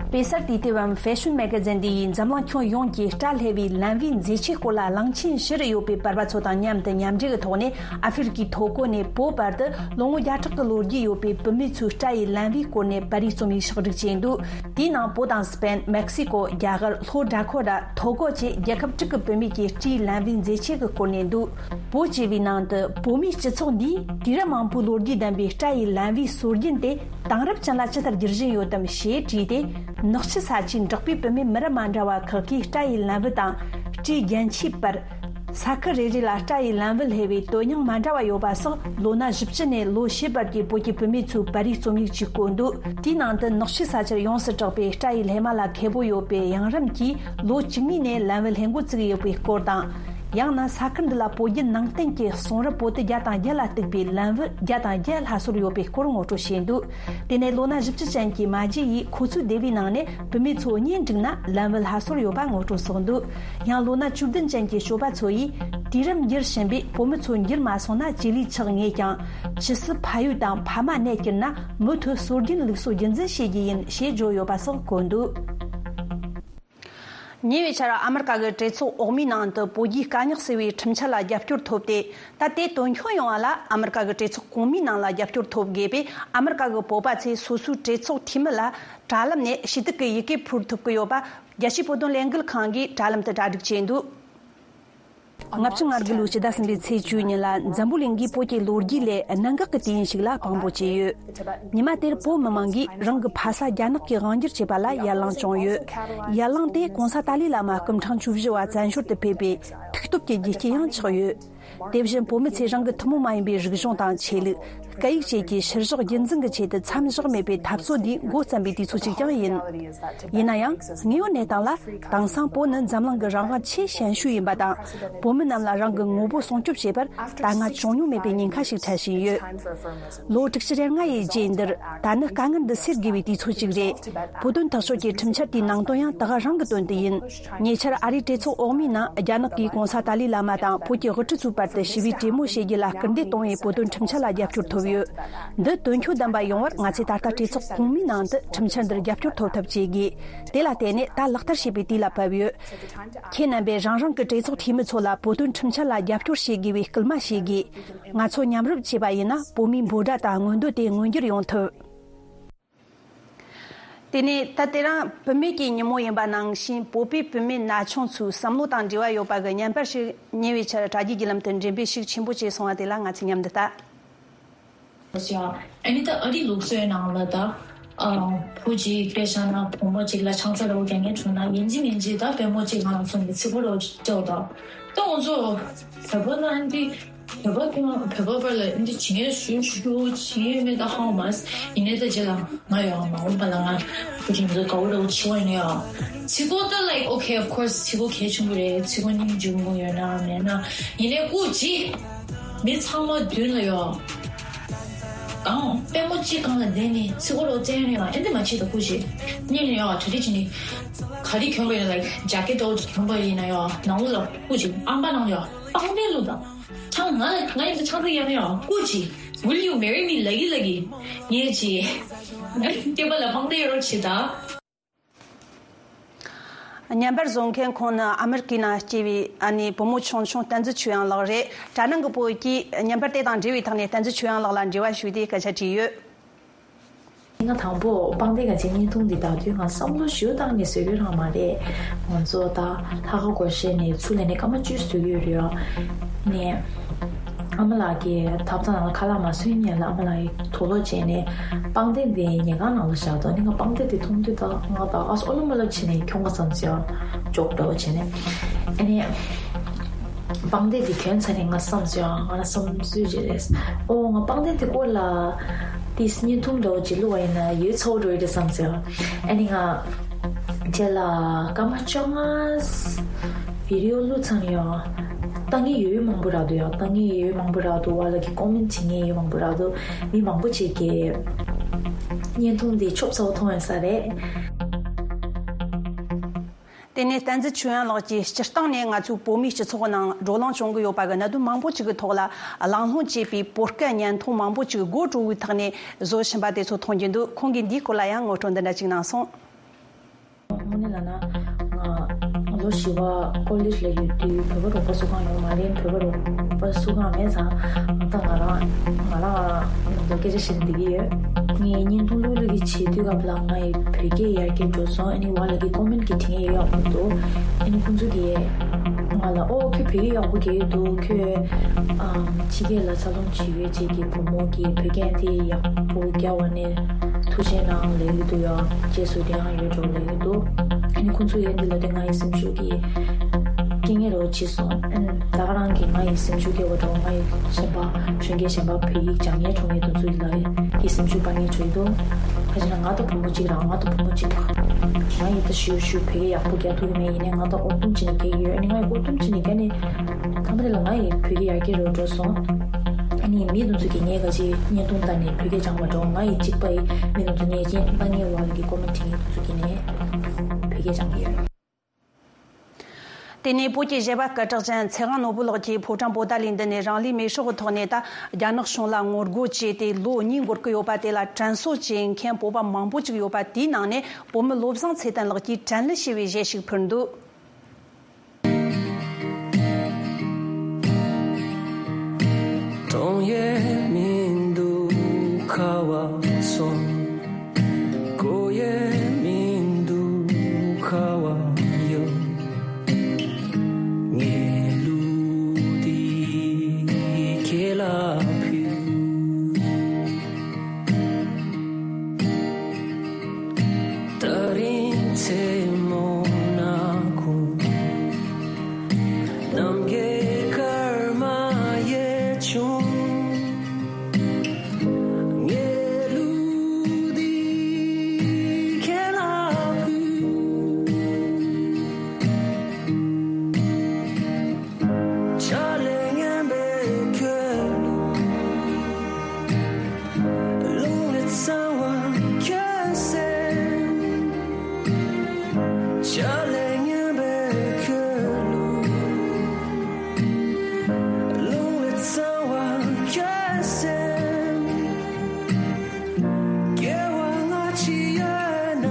དཔེ་གསར་དུས་དེབ་བམ་ཧྥེ་ཤོན་མེ་ག་ཛིན་འདི་ཡིས་འཛམ་གླིང་ཁྱོན་ཡོངས་ཀྱི་སྐྲ་ལྷེ་བའི་ལན་བུའི་མཛེས་ཆའི་སྐོར་ལ་གླིང་ཆེན་བཞི་རུ་ཡོད་པའི་པར་པ་ཚོ་དང་མཉམ་དུ་མཉམ་འབྲེལ་གྱི་ཐོག་ནས། ཨ་ཧྥེ་རི་ཀའི་ཐོ་ཀོ་ནས་བོད་བར་དུ་ལོ་ངོ་བརྒྱ་ཕྲག་གི་ལོ་རྒྱུས་ཡོད་པའི་བུད་མེད་ཚོའི་སྐྲ་ཡི་ལན་བུའི་སྐོར་ནས་པར་རིས་རྩོམ་ཡིག་ཕྱོགས་སྒྲིག་བྱས་འདུག་དེའི་ནང་བོད་དང་སྤེན། མེག་སི་ཀོ། རྒྱ་གར། ལྷོ་ཌ་ཁོ་ཊ། ཐོ་ཀོ་བཅས་རྒྱལ་ཁབ་དྲུག་གི་བུད་མེད་ཀྱི་སྤྲེའུ་ལན་བུའི་མཛེས་ཆས་ཀྱི་སྐོར་ནས་འདུག་བོད་ཅེས་པའི་ནང་དུ་བོད་མིའི་སྤྱི་ཚོགས་འདིས་དུས་རབས་མང་པོའི་ལོ་རྒྱུས་ལྡན་པའི་སྐྲ་ཡི་ལན་བུའི་སྲོལ་རྒྱུན་དེ་དེང་རབས་ཅན་ལ་ཇི་ལྟར་བསྒྱུར་བཞིན་ཡོད་དམ་ཞེས་དྲིས་ཏེ། ནག་ཆུ་ས་ཆའི་འབྲོག་པའི་བུད་མེད་མི་རབས་མ་འདྲ་བ་ཁག་གིས་སྐྲ་ཡི་ལན་བུ་དང་སྤྲེའུ་རྒྱན་ཆའི་པར། ས་ཁུལ་རེ་རེ་ལ་སྐྲ་ཡི་ལན་བུ་ལྷེ་བའི་དོན་སྙིང་མ་འདྲ་བ་ཡོད་པ་སོགས། ལོ་ན་བཞི་བཅུ་ནས་ལོ་བཞི་བར་གྱི་བོད་ཀྱི་བུད་མེད་ཚོའི་པར་རིས་རྩོམ་ཡིག་ཅིག་བཀོད་འདུག་དེའི་ནང་དུ་ནག་ཆུ་ས་ཆར་ཡོངས་སུ་གྲགས་པའི་སྐྲ་ཡི་ལྷེ་མ་ལ་མཁས་པོ་ཡོད་པའི་གཡང་རམས་ཀྱིས་ལོ་བཅུ་གཉིས་ནས་ལན་བུ་ལྷེ་འགོ་བཙུགས་ཡོད་པའི་སྐོར་དང་། ཡང་ན་ས་ཁུལ་འདི་ལ་བོད་བརྒྱུད་ནང་བསྟན་གྱི་གསུང་རབ་པོ་ཏི་བརྒྱ་དང་བརྒྱད་ལ་གཏུགས་པའི་ལན་བུ་བརྒྱ་དང་བརྒྱད་སླར་གསོ་ཡོད་པའི་སྐོར་ངོ་སྤྲོད་བྱས་འདུག་དེ་ནས་ལོ་ན་བཞི་བཅུ་ཅན་གྱི་མ་བརྒྱུད་ཡིས་ཁོ་ཚོའི་སྡེ་བའི་ནང་ནས་བུད་མེད་ཚོ་གཉེན་བསྒྲིགས་ན་ལན་བུ་སླར་གསོ་ཡོད་པ་ངོ་སྤྲོད་སོགས་འདུག་ཡང་ལོ་ན་བཅུ་བདུན་ཅན་གྱི་སྐྱོབ་པ་ཚོ་ཡིས་དུས་རབས་འགྱུར་བཞིན་པའི་བུད་མེད་ཚོ་འགྱུར་མ་སོང་ན་ཅི་ལས་ཆགས་ངེས་ཀྱང་། ཇི་སྲིད་ཕ་ཡུལ་དང་ཕ་མ་གནས་གྱུར་ན་མུ་མཐུད་སྲོལ་རྒྱུན་ལུགས་སྲོལ་རྒྱུན་འཛིན་བྱེད་རྒྱུ་ཡིན་ཞེས་བརྗོད་ཡོད་པ་སོགས་བཀོད་འདུག་ཉེ་བའི་ཆར་ཨ་མི་རི་ཀ་གི་གྲོས་ཚོགས་འོག་མའི་ནང་དུ་བོད་རྒྱའི་དཀའ་རྙོག་སེལ་བའི་ཁྲིམས་འཆར་ལ་རྒྱབ་སྐྱོར་ཐོབ་སྟེ། ད་ལྟའི་དོན་འཁྱོལ་ཡོང་བ་ལ་ཨ་མི་རི་ཀ་གི་གྲོས་ཚོགས་གོང་མའི་ནང་ལ་རྒྱབ་སྐྱོར་ཐོབ་དགོས་པས། ཨ་མི་རི་ཀ་གི་བོད་པ་ཚོས་སོ་སོའི་གྲོས་ཚོགས་འཐུས་མི་ལ་དྲ་ལམ་ནས་ཞུ་གཏུག་གི་ཡི་གེ་ཕུལ་ཐུབ་ཀྱི་ཡོད་པ། རྒྱལ་སྤྱིའི་བོད་དོན་ལས་འགུལ་ཁང་གིས་དྲ་ལམ་དུ་གྲ་སྒྲིག་བྱས་འདུག་ལྔ་བཅུ་ང་དགུ་ལོའི་ཕྱི་ཟླ་གསུམ་པའི་ཚེས་བཅུ་ཉིན་ལ་འཛམ་བུ་གླིང་གིས་བོད་ཀྱི་ལོ་རྒྱུས་ལས་གནད་འགག་གི་དུས་ཡུན་ཞིག་ལ་དཔང་པོ་བྱས་ཡོད། ཉི་མ་དེར་བོད་མི་མང་གིས་རང་གི་ཕ་ས་རྒྱ་ནག་གིས་དབང་སྒྱུར་བྱས་པ་ལ་ཡར་ལངས་བྱུང་ཡོད། ཡར་ལངས་དེ་གོང་ས་ཏཱ་ལའི་བླ་མ་སྐུ་ཕྲེང་བཅུ་བཞི་བ་བཙན་བྱོལ་དུ་ཕེབས་པའི་ཐུགས་སྟོབས་ཀྱི་རྒྱུ་རྐྱེན་ཡང་ཆགས་ཡོད། དེ་བཞིན་བོད་མི་ཚོས་རང་གི་ཐུན་མོང་མ་ཡིན་པའི་རིག་གཞུང་དང་ཆོས་ལུགས། སྐད་ཡིག་བཅས་ཀྱི་ཕྱིར་བཞག་རྒྱུན་འཛིན་གྱི་ཆེད་དུ་མཚམས་བཞག་མེད་པའི་འཐབ་རྩོད་འདིའི་འགོ་བརྩམས་པའི་དུས་ཚོད་ཅིག་ཀྱང་ཡིན། ཡིན་ན་ཡང་དངོས་ཡོད་གནས་སྟངས་ལ། དེང་སང་བོད་ནི་འཛམ་གླིང་གི་རང་དབང་ཆེས་ཞན་ཤོས་ཡིན་པ་དང་། བོད་མི་རྣམས་ལ་རང་གི་ངོ་བོ་སྲུང་སྐྱོབ་བྱེད་པར་དཀའ་ངལ་བྱུང་མྱོང་མེད་པའི་ཉེན་ཁ་ཞིག་འཕྲད་བཞིན་ཡོད། ལོ་དྲུག་ཅུ་རེ་ལྔ་ཡི་རྗེས་འདིར་ད་ནི་དཀའ་ངལ་འདི་སེལ་དགོས་པའི་དུས་ཚོད་ཅིག་རེད། བོད་དོན་ཐག་གཅོད་ཀྱི་ཁྲིམས་འཆར་དེའི་ནང་དོན་ཡང་ད་ག་རང་གི་དོན་དུ་ཡིན། ཉེ་ཆར་ཨ་རིའི་གྲོས་ཚོགས་འོག་མའི་ནང་རྒྱ་ནག་གིས་གོང་ས་ཏཱ་ལའི་བླ་མ་དང་བོད་ཀྱི་དབུ་ཁྲིད་ཚོའི་བར་དུ་ཞི་བའི་གྲོས་མོལ་བྱེད་རྒྱུ་ལ་སྐུལ་འདེད་གཏོང་བའི་བོད་དོན་ཁྲིམས་འཆར་ལ་རྒྱབ་སྐྱོར་ཐོབ་ཡོད། འདི་དོན་འཁྱོལ་ལྡན་པ་ཡོང་བར་ང་ཚོས་ད་ལྟ་གྲོས་ཚོགས་གོང་མའི་ནང་དུ་ཁྲིམས་འཆར་འདིར་རྒྱབ་སྐྱོར་ཐོབ་ཐབས་བྱེད་དགོས། དེ་ལ་བརྟེན་ནས་ད་ལག་བསྟར་བྱེད་པའི་དུས་ལ་བབ་ཡོད། ཁྱེད་རྣམ་པས་རང་རང་གི་གྲོས་ཚོགས་འཐུས་མི་ཚོ་ལ་བོད་དོན་ཁྲིམས་འཆར་ལ་རྒྱབ་སྐྱོར་བྱེད་དགོས་པའི་སྐུལ་མ་བྱེད་དགོས། ང་ཚོ་མཉམ་རུབ་བྱས་པ་ཡིན་ན་བོད་མིའི་འབོད་སྒྲ་དང་མངོན་འདོད་དེ་མངོན་འགྱུར་ཡོང་ཐུབ། དེ་ནས་ད་དེ་རིང་བུད་མེད་ཀྱི་ཉིན་མོ་ཡིན་པ་ནང་བཞིན་བོད་པའི་བུད་མེད་ན་ཆུང་ཚོའི་བསམ་བློ་དང་འབྲེལ་བ་ཡོད་པ་གི་བརྙན་པར་ཞིག་ཉེ་བའི་ཆར་དྲ་རྒྱའི་བརྒྱུད་ལམ་དུ་འགྲེམས་སྤེལ་ཤུགས་ཆེན་པོ་བྱས་སོང་བ་དེ་ལ་ང་ཚོས་མཉམ་དུ་ལྟ། ཨ་ནི་ད་ཨ་རི་ལུགས་སྲོལ་ནང་ལ་ད་ཨ་བུ་གཅིག་སྐད་ཆ་ན་བུ་མོ་གཅིག་ལ་ཆང་ས་རོ་རྒྱག་མཁན་བྱུང་ན་ཡིན་གཅིག་མིན་གཅིག་ད་པད་མོ་གཅིག་ང་ཚོ་ནས་ཚིག་པ་རོ་ཅོག་ད་ད་ང་ཚོ་བོད་པ་ལ་ཨ་འདི། བོད་པ་ཀུན་བོད་པ་བར་ལ་འདི་བྱེད་མཁན་ཞུ་ཞུ་བྱེད་མཁན་ཡོད་མེད་ད་ཧ་གོ་མ་སོང་། ཡིན་ནའི་ད་རྗེས་ལ་ང་ཡོད་མ་འོངས་པ་ལ་ང་བུ་ཆུང་ཚོ་དགའ་བོ་འདྲ་བོ་བྱེད་པ་ཡིན་ན་ཡང་ཚིག་གོ་ད་like okay of course ཚིག་གོ་གལ་ཆེན་པོ་རེད། ཚིག་གོ་སྙིང་རྗེ་མོ་ཡོད་ན་མེད་ན་ཡིན་ནའི་སྐུ་མཁྱེན། མི་ཚང་མ་མདུན་ལ་ཡོད། གང་པད་མོ་གཅིག་སྒང་ལ་བསྡད་ནས་ཚིག་གོ་རོ་བཙན་ཡང་ཨེ་འདི་མ་བྱེད་ད་སྐུ་མཁྱེན། སྙིང་ལ་ཡོད་གྲ་སྒྲིག་བྱེད་ནས་ག་རེ་གྱོན་པ་ཡིན་ན་like ཇེ་ཀེ་ཊི་འདྲ་བོ་གྱོན་པ་ཡིན་ན་ཡང་ནང་ལོགས་ལ་སྐུ་མཁྱེན་ཨམ་པ་ནང་ལ་ཡོད་པང་གདན་བླུགས་དང་། ཆང་ང་ང་ཡིན་ད་ཆང་ས་ཡང་ཡང་སྐུ་མཁྱེན། Will you marry me ལ་གི་ལ་གི། ངས་ཅི། སྐྱེས་པ་ལ་དཔང་དེ་ཡོད་རོགས་བྱེད་ད། བརྙན་པར་བཟོ་མཁན་ཁོང་ནི་ཨ་མེ་རི་ཀའི་ནང་སྐྱེས་པའི་ཨ་ནེ་བུ་མོ་ཆུང་ཆུང་བསྟན་འཛིན་ཆོས་དབྱངས་ལགས་རེད། དྲ་ནང་གི་བོད་ཀྱིས་བརྙན་པར་དེ་དང་འབྲེལ་བའི་ཐོག་ནས་བསྟན་འཛིན་ཆོས་དབྱངས་ལགས་ལ་འབྲེལ་བ་ཞུས་ཏེ་སྐད་ཆ་དྲིས་ཡོད། ང་དང་པོ་པང་གདན་ག་ཅིག་བརྙན་ཐུང་འདི་ལྟ་དུས་ང་བསམ་བློ་ཞུ་སྟངས་ནི་བཟོ་རྒྱུ་རང་མ་རེད། ང་ཚོ་ད་ལྷག་དཀར་སྒོར་གཞས་ནས་ཚུར་ལེན་ནས་སྐར་མ་བཅུ་བཟོ་གི་ཡོད་རེད་ཡ། ནས་ཨ་མ་ལགས་ཀྱིས་ཐབ་ཚང་ནང་ལ་ཁ་ལག་མ་བཟོས་ཉིན་ལ་ཨ་མ་ལགས་ཀྱིས་དུག་ལོག་བྱས་ནས་པང་གདན་དེ་ཉལ་ཁང་ནང་ལ་བཞག་འདུག་ནི་ང་པང་གདན་དེ་མཐོང་དུས་ད་ང་ད་ཨ་སོ་ཨོ་ལོ་མོ་ལོ་བྱས་ནས་ཁྱོང་ག་བསམ་ཟེར་ཡ་ཅོག་འདྲ་བོ་བྱས་ནས་ཨ་ནི། པང་གདན་དེ་གྱོན་ཚར་ནས་ང་བསམ་སོང་། ང་ལ་བསམ་ཚུལ་ཅིག་རེད། ཨོ་ང་པང་གདན་དེ་སྐོར་ལ་ཏིས་བརྙན་ཐུང་འདྲ་བོ་ཅིག་བླུགས་པ་ཡིན་ན་ཡོད་ཚ་བོ་འགྲོ་ཡི་རེད་བསམ་སོང་། ཨ་ནི་ང་རྗེས་ལ་སྐར་མ་བཅོ་ལྔ་བི་ཌི་ཡོ་བླུགས་ཚར་ནས་ཡང་ལྟ་མཁན་ཡོད་ཡོད་མང་པོ་རག་འདུག་ཡང་ལྟ་མཁན་ཡོད་ཡོད་མང་པོ་རག་འདུག་ཝ་ལ་གི་ཀོ་མེན་བྱེད་མཁན་ཡོད་མང་པོ་རག་འདུག་མི་མང་པོ་ཅིག་གིས་བརྙན་ཐུང་འདི་ཆོབ་ཚ་བོ་མཐོང་ཡོད་ས་རེད། དེ་ནས་བསྟན་འཛིན་ཆོས་དབྱངས་ལགས་ཀྱིས་སྤྱིར་བཏང་ནས་ང་ཚོའི་བོད་མིའི་སྤྱི་ཚོགས་ནང་བགྲོ་གླེང་བྱུང་གི་ཡོད་པ་གི་གནད་དོན་མང་པོ་ཅིག་གི་ཐོག་ལ་གླེང་སློང་བྱས་པའི་བོད་སྐད་བརྙན་ཐུང་མང་པོ་ཅིག་དགོད་བྲོ་བོའི་ཐོག་ནས་བཟོ་བཞིན་པ་དེ་ཚོ་མཐོང་རྒྱུ་འདུག་ཁོང་གིས་འདིའི་སྐོར་ལ་ཡང་ངོ་སྤྲོད་འདི་འདྲ་ཅིག་གནང་སོང་། དངོས་གནས་ལབ་ན་ང་ལོ་བཞི་པ་ཀོ་ལེ་ཇི་ལ་ཡོད་དུས་བོད་པ་རོགས་པ་སུ་གང་ཡོད་མ་རེད། བོད་པ་རོགས་པ་སུ་གང་མེད་ཙང་ད་ང་རང་ང་རང་ནང་དུ་སྐད་ཆ་བཤད་ནས་བསྡད་ཀྱི་ཡོད། ངས་བརྙན་ཐུང་བླུག་བླུག་གི་བྱེད་དུས་སྐབས་ལ་ང་ཡི་བོད་སྐད་ཡར་རྒྱས་འགྲོ་སོང་། ཨ་ནི་ཝ་ལ་གི་ཀོ་མེན་གི་དྲི་ངས་ཡག་པོ་འདུག་ཨ་ནི་ཁོང་ཚོ་གིས་ང་ལ་ཨོ་ཁྱོད་བོད་སྐད་ཡག་པོ་རྒྱག་གི་འདུག་ཁྱོད་ཨམ་ཕྱི་རྒྱལ་ལ་འཚར་ལོངས་བྱེད་ཡོད་ཅིག་གི་བུ་མོ་གིས་བོད་སྐད་དེ་ཡག་པོ་རྒྱག་པ་ནས་ཐུགས་རྗེ་གནང་ལབ་ཀྱི་འདུག་ཡ། རྗེས་སུ་དེ་ཡང་ཡོད་འགྲོ་ལབ་ཀྱི་འདུག་ཨ་ནི་ཁོང་ཚོ་ཡང་འདི་ལ་དེ་ང་ཡི་སེམས་ཤུགས་ཀྱིས་སྐྱེ་ངེས་རོགས་བྱས་སོང་། ཨ་ནི་ད་ག་རང་གིས་ང་ཡི་སེམས་ཤུགས་སྐྱེ་བ་འགྲོ། ང་ཡི་གཞན་པ་གཞོན་སྐྱེས་གཞན་པ་བོད་ཡིག་སྦྱང་ངེས་འགྲོ་ངེས་དུ་ཚོ་ཡི་ལ་ཡི་སེམས་ཤུགས་སྤར་ངེས་བྱུང་ཡི་འདུག་ཁ་ཅིག་ན་ང་ད་བུ་མོ་གཅིག་རང་ང་ད་བུ་མོ་གཅིག་ང་ཡི་ད་ཞུ་ཞུ་བོད་སྐད་ཡག་པོ་རྒྱག་ཐུབ་ཀྱི་མེད། ཡིན་ནའི་ང་ད་ཨོ་ཏུམ་ཅི་ནས་རྒྱག་ཡོད། ཨ་ནི་ང་ཡི་ཨོ་ཏུམ་ཅི་ནས་རྒྱག་ནས་ཐ་མ་དེ་ལ་ང་ཡི་བོད་སྐད་ཡར་རྒྱས་རུ་འགྲོ་སོང་། ཨ་ནི་མི་དེ་ཚོ་གིས་ངས་ག་ཅི་བརྙན་ཐུང་ལྟ་ནས་བོད་སྐད་སྦྱང་བ་འགྲོ། ང་ཡི་གཅིག་པ་ཡི་མི་དེ་ཚོ་ངས་ཅི་ལྟ་ངའི་བར་གྱི་ཀོ་མེན་བྲིས་མཁན་དེ་ཚོ་གིས་ནས་བོད་སྐད་སྦྱང་གི་ཡོད། དེ་ནས་བོད་ཀྱི་གཞས་པ་སྐད་གྲགས་ཅན་ཚེ་དབང་ནོར་བུ་ལགས་ཀྱིས་ཕོ་བྲང་པོ་ཏཱ་ལའི་མདུན་ནས་རང་ལུས་མེ་སྲེག་གི་ཐོག་ནས་ད་རྒྱ་ནག་གཞུང་ལ་ངོ་རྒོལ་བྱས་ཏེ་ལོ་གཉིས་འགོར་གྱི་ཡོད་པ། དེ་ལ་དྲན་གསོ་བྱེད་མཁན་བོད་པ་མང་པོ་ཅིག་ཡོད་པ། དེའི་ནང་ནས་བོད་མི་བློ་བཟང་ཚེ་བརྟན་ལགས་ཀྱིས་དྲན་གླུ་ཞེས་པའི་གཞས་ཤིག་ཕུལ་འདུག་གཏོང་ཡས་མི་འདུག་ཁ་བ་ཚོ། གོ་ཡས་མི་འདུག་ཁ་བ་ཡོད། ངའི་གླུ་འདི་ཁྱེད་ལ་ཕུལ། ད་རིང་མཚན་མོ་ནག་ཁུང་། ནམ་མཁའི་སྐར་མ་ཡལ་བྱུང་། ངའི་གླུ་འདི་ཁྱེད་ལ་ཕུལ། ཆ་ལས་ངན་པའི་ཁྱོད་རླུང་ལས་གཙང་བ་ཁྱོད་སེམས། ཆ་ལས་ངན་པའི་ཁྱོད་རླུང་ལས་གཙང་བ་ཁྱོད་སེམས། སྐྱེ་བ་སྔ་ཕྱི་ཡོད་ན།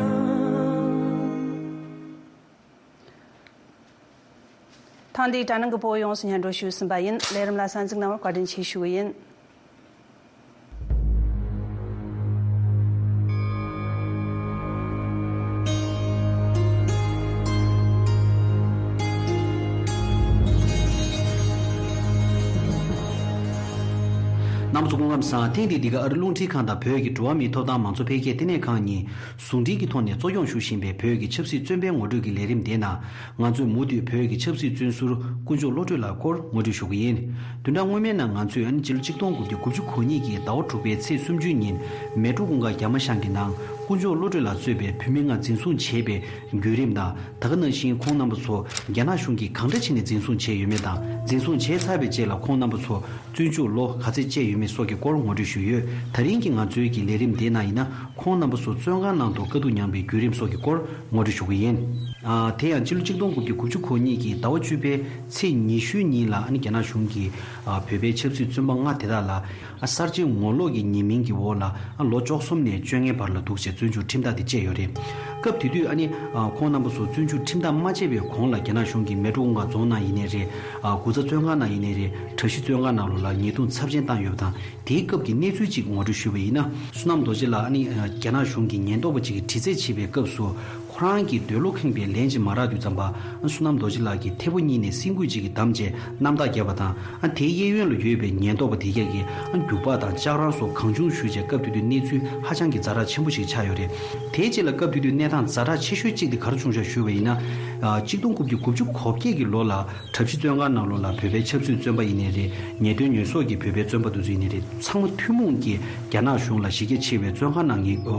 ཐེངས་འདིའི་དྲ་སྣང་གི་བོད་ཡོངས་སུ་སྙན་སྒྲོན་ཞུས་ཟིན་པ་ཡིན། ལས་རིམ་ལ་གསན་གཟིགས་གནང་བར་བཀའ་དྲིན་ཆེ་ཞུ་གི་ཡིན། རྣམ་པ་ཚོ་སྐུ་ཁམས་བཟང་། ཐེངས་འདིའི་འདི་ག་ཨ་རི་རླུང་འཕྲིན་ཁང་དང་བོད་ཀྱི་འགྲོ་བ་མིའི་ཐོབ་ཐང་མང་གཙོ་འཕེལ་རྒྱས་ལྟེ་གནས་ཁང་གཉིས་ཟུང་འབྲེལ་གྱི་ཐོག་ནས་གཙོ་སྐྱོང་ཞུ་བཞིན་པའི་བོད་ཀྱི་ཆབ་སྲིད་བཙོན་པའི་ངོ་སྤྲོད་ཀྱི་ལས་རིམ་དེའི་ནང་། ང་ཚོས་མུ་མཐུད་བོད་ཀྱི་ཆབ་སྲིད་བཙོན་ཟུར་དཀོན་མཆོག་བློ་གྲོས་ལགས་སྐོར་ངོ་སྤྲོད་ཞུ་གི་ཡིན། བདུན་ཕྲག་སྔོན་མའི་ནང་ང་ཚོས་ཨ་ནི་སྤྱི་ལོ་ཆིག་སྟོང་དགུ་བརྒྱ་དགུ་བཅུ་གོ་གཉིས་ཀྱི་ཟླ་བ་དྲུག་པའི་ཚེས་སུམ་ཅུ་ཉིན་མལ་གྲོ་གུང་དཀར་རྒྱ་མ་ཤང་གི་ནང་དཀོན་མཆོག་བློ་གྲོས་ལ་གཙོས་པའི་བོད་མི་ལྔ་འཛིན་བཟུང་བྱས་པའི་བརྒྱུད་རིམ་དང་། ད་ག་ནང་བཞིན་ཁོང་རྣམ་པ་ཚོ་རྒྱ་ནག་གཞུང་གིས་གང་འདྲ་བྱས་ནས་འཛིན་བཟུང་བྱས་ཡོད་མེད་དང་། འཛིན་བཟུང་བྱས་ཚར་བའི་རྗེས་ལ་ཁོང་རྣམ་པ་ཚོ་བཙོན་འཇུག་ལོ་ག་ཚད་བཅད་ཡོད་མེད་སོགས་ཀྱི་སྐོར་ངོ་སྤྲོད་ཞུས་ཡོད། ད་རིང་གི་ང་ཚོའི་གི་ལས་རིམ་དེའི་ནང་ཡིན་ན། ཁོང་རྣམ་པ་ཚོ་བཙོན་ཁང་ནང་དུ་དཀའ་སྡུག་མྱངས་པའི་བརྒྱུད་རིམ་སོགས་ཀྱི་སྐོར་ངོ་སྤྲོད་ཞུ་གི་ཡིན། ཨ། དེ་ཡང་སྤྱི་ལོ་ཆིག་སྟོང་དགུ་བརྒྱ་དགུ་བཅུ་གོ་གཉིས་ཀྱི་ཟླ་བ་བཅུ་པའི་ཚེས་ཉི་ཤུའི་ཉིན་ལ། ཨ་ནི་རྒྱ་ནག་གཞུང་གིས་ཨ་བོད་པའི་ཆབ་སྲིད་བཙོན་པ་ལྔ་དེ་དག་ལ། ཨ་གསར་བརྗེའི་ངོ་ལོག་གི་ཉེས་མིང་གི་འོག་ལ། ཨ་ལོ་བཅུ་གསུམ་ནས་བཅོ་ལྔའི་བར་ལ་འདུག་ཅེས་བཙོན་འཇུག་ཁྲིམས་ཐག་དེ་བཅད་ཡོད་རེད། སྐབས་དེ་དུས་ཨ་ནི་ཨ་ཁོང་རྣམ་པ་ཚོ་བཙོན་འཇུག་ཁྲིམས་ཐག་མ་བཅད་པའི་གོང་ལ་རྒྱ་ནག་གཞུང་གིས་མལ་གྲོ་གུང་དཀར་རྫོང་ནང་ཡིན་ནའི་རེད། ཨ་དགུ་ཚ་བཙོན་ཁང་ནང་ཡིན་ནའི་རེད། གྲྭ་བཞི་བཙོན་ཁང་ནང་ལོགས་ལ་ཉེས་རྡུང་ཚབས་ཆེན་བཏང་ཡོད་པ་དང་། དེའི་སྐབས་ཀྱི་གནས་ཚུལ་ཅིག་ངོ་སྤྲོད་ཞུས་པ་ཡིན་ན། བསོད་ནམས་རྡོ་རྗེ་ལགས་ཨ་ནི་རྒྱ་ནག་གཞུང་གི་ཉེན་རྟོག་པ་ཅིག་གིས་དྲི་རྩད་བྱེད་པའི་སྐབས་སུ། ཁོ་རང་གི་འདོད་བློ་ཁེངས་པའི་ལན་ཅིག་མ་རག་དུས་ཙམ་པ། བསོད་ནམས་རྡོ་རྗེ་ལགས་ཀྱིས་ཐལ་པོ་གཉིས་ནས་སེམས་འགུལ་ཅིག་གིས་བསྡམས་རྗེས་རྣམ་ཐར་བརྒྱབ་པ་དང་། དེའི་གཡས་གཡོན་ལ་ཡོད་པའི་ཉེན་རྟོག་པ་དེ་གས་ཀྱིས་རྒྱུག་པ་དང་ལྕགས་རང་སོགས་གང་བྱུང་ཞུས་རྗེས། སྐབས་དེ་དུས་གནས་ཚུལ་ཧ་ཅང་གི་ཛ་དྲག་ཆེན་པོ་ཞིག་ཆགས་ཡོད་རེད། དེའི་རྗེས་ལ་སྐབས་དེ་དུས་གནས་སྟངས་ཛ་དྲག་ཆེ་ཤོས་གཅིག་དེ་ག་རེ་བྱུང་བཞག་ཞུས་པ་ཡིན་ན། གཅིག་སྟོང་དགུ་བརྒྱ་དགུ་བཅུ་གོ་བརྒྱད་ཀྱི་ལོ་ལ། གྲྭ་བཞི་བཙོན་ཁང་ནང་ལོགས་ལ་བོད་པའི་ཆབ་སྲིད་བཙོན་པ་ཡིན་ནའི་རེད། ཉེས་དོན་ཉེས་གསོག་གི་བོད་པའི་བཙོན་པ་དེ་ཚོ་ཡིན་ནའི་རེད། ཚང་མ་ཐུན་མོང་གིས་རྒྱ་ནག་གཞུང་ལ་གཞི་རྒྱ་ཆེ་བའི་བཙོན་ཁང་ནང་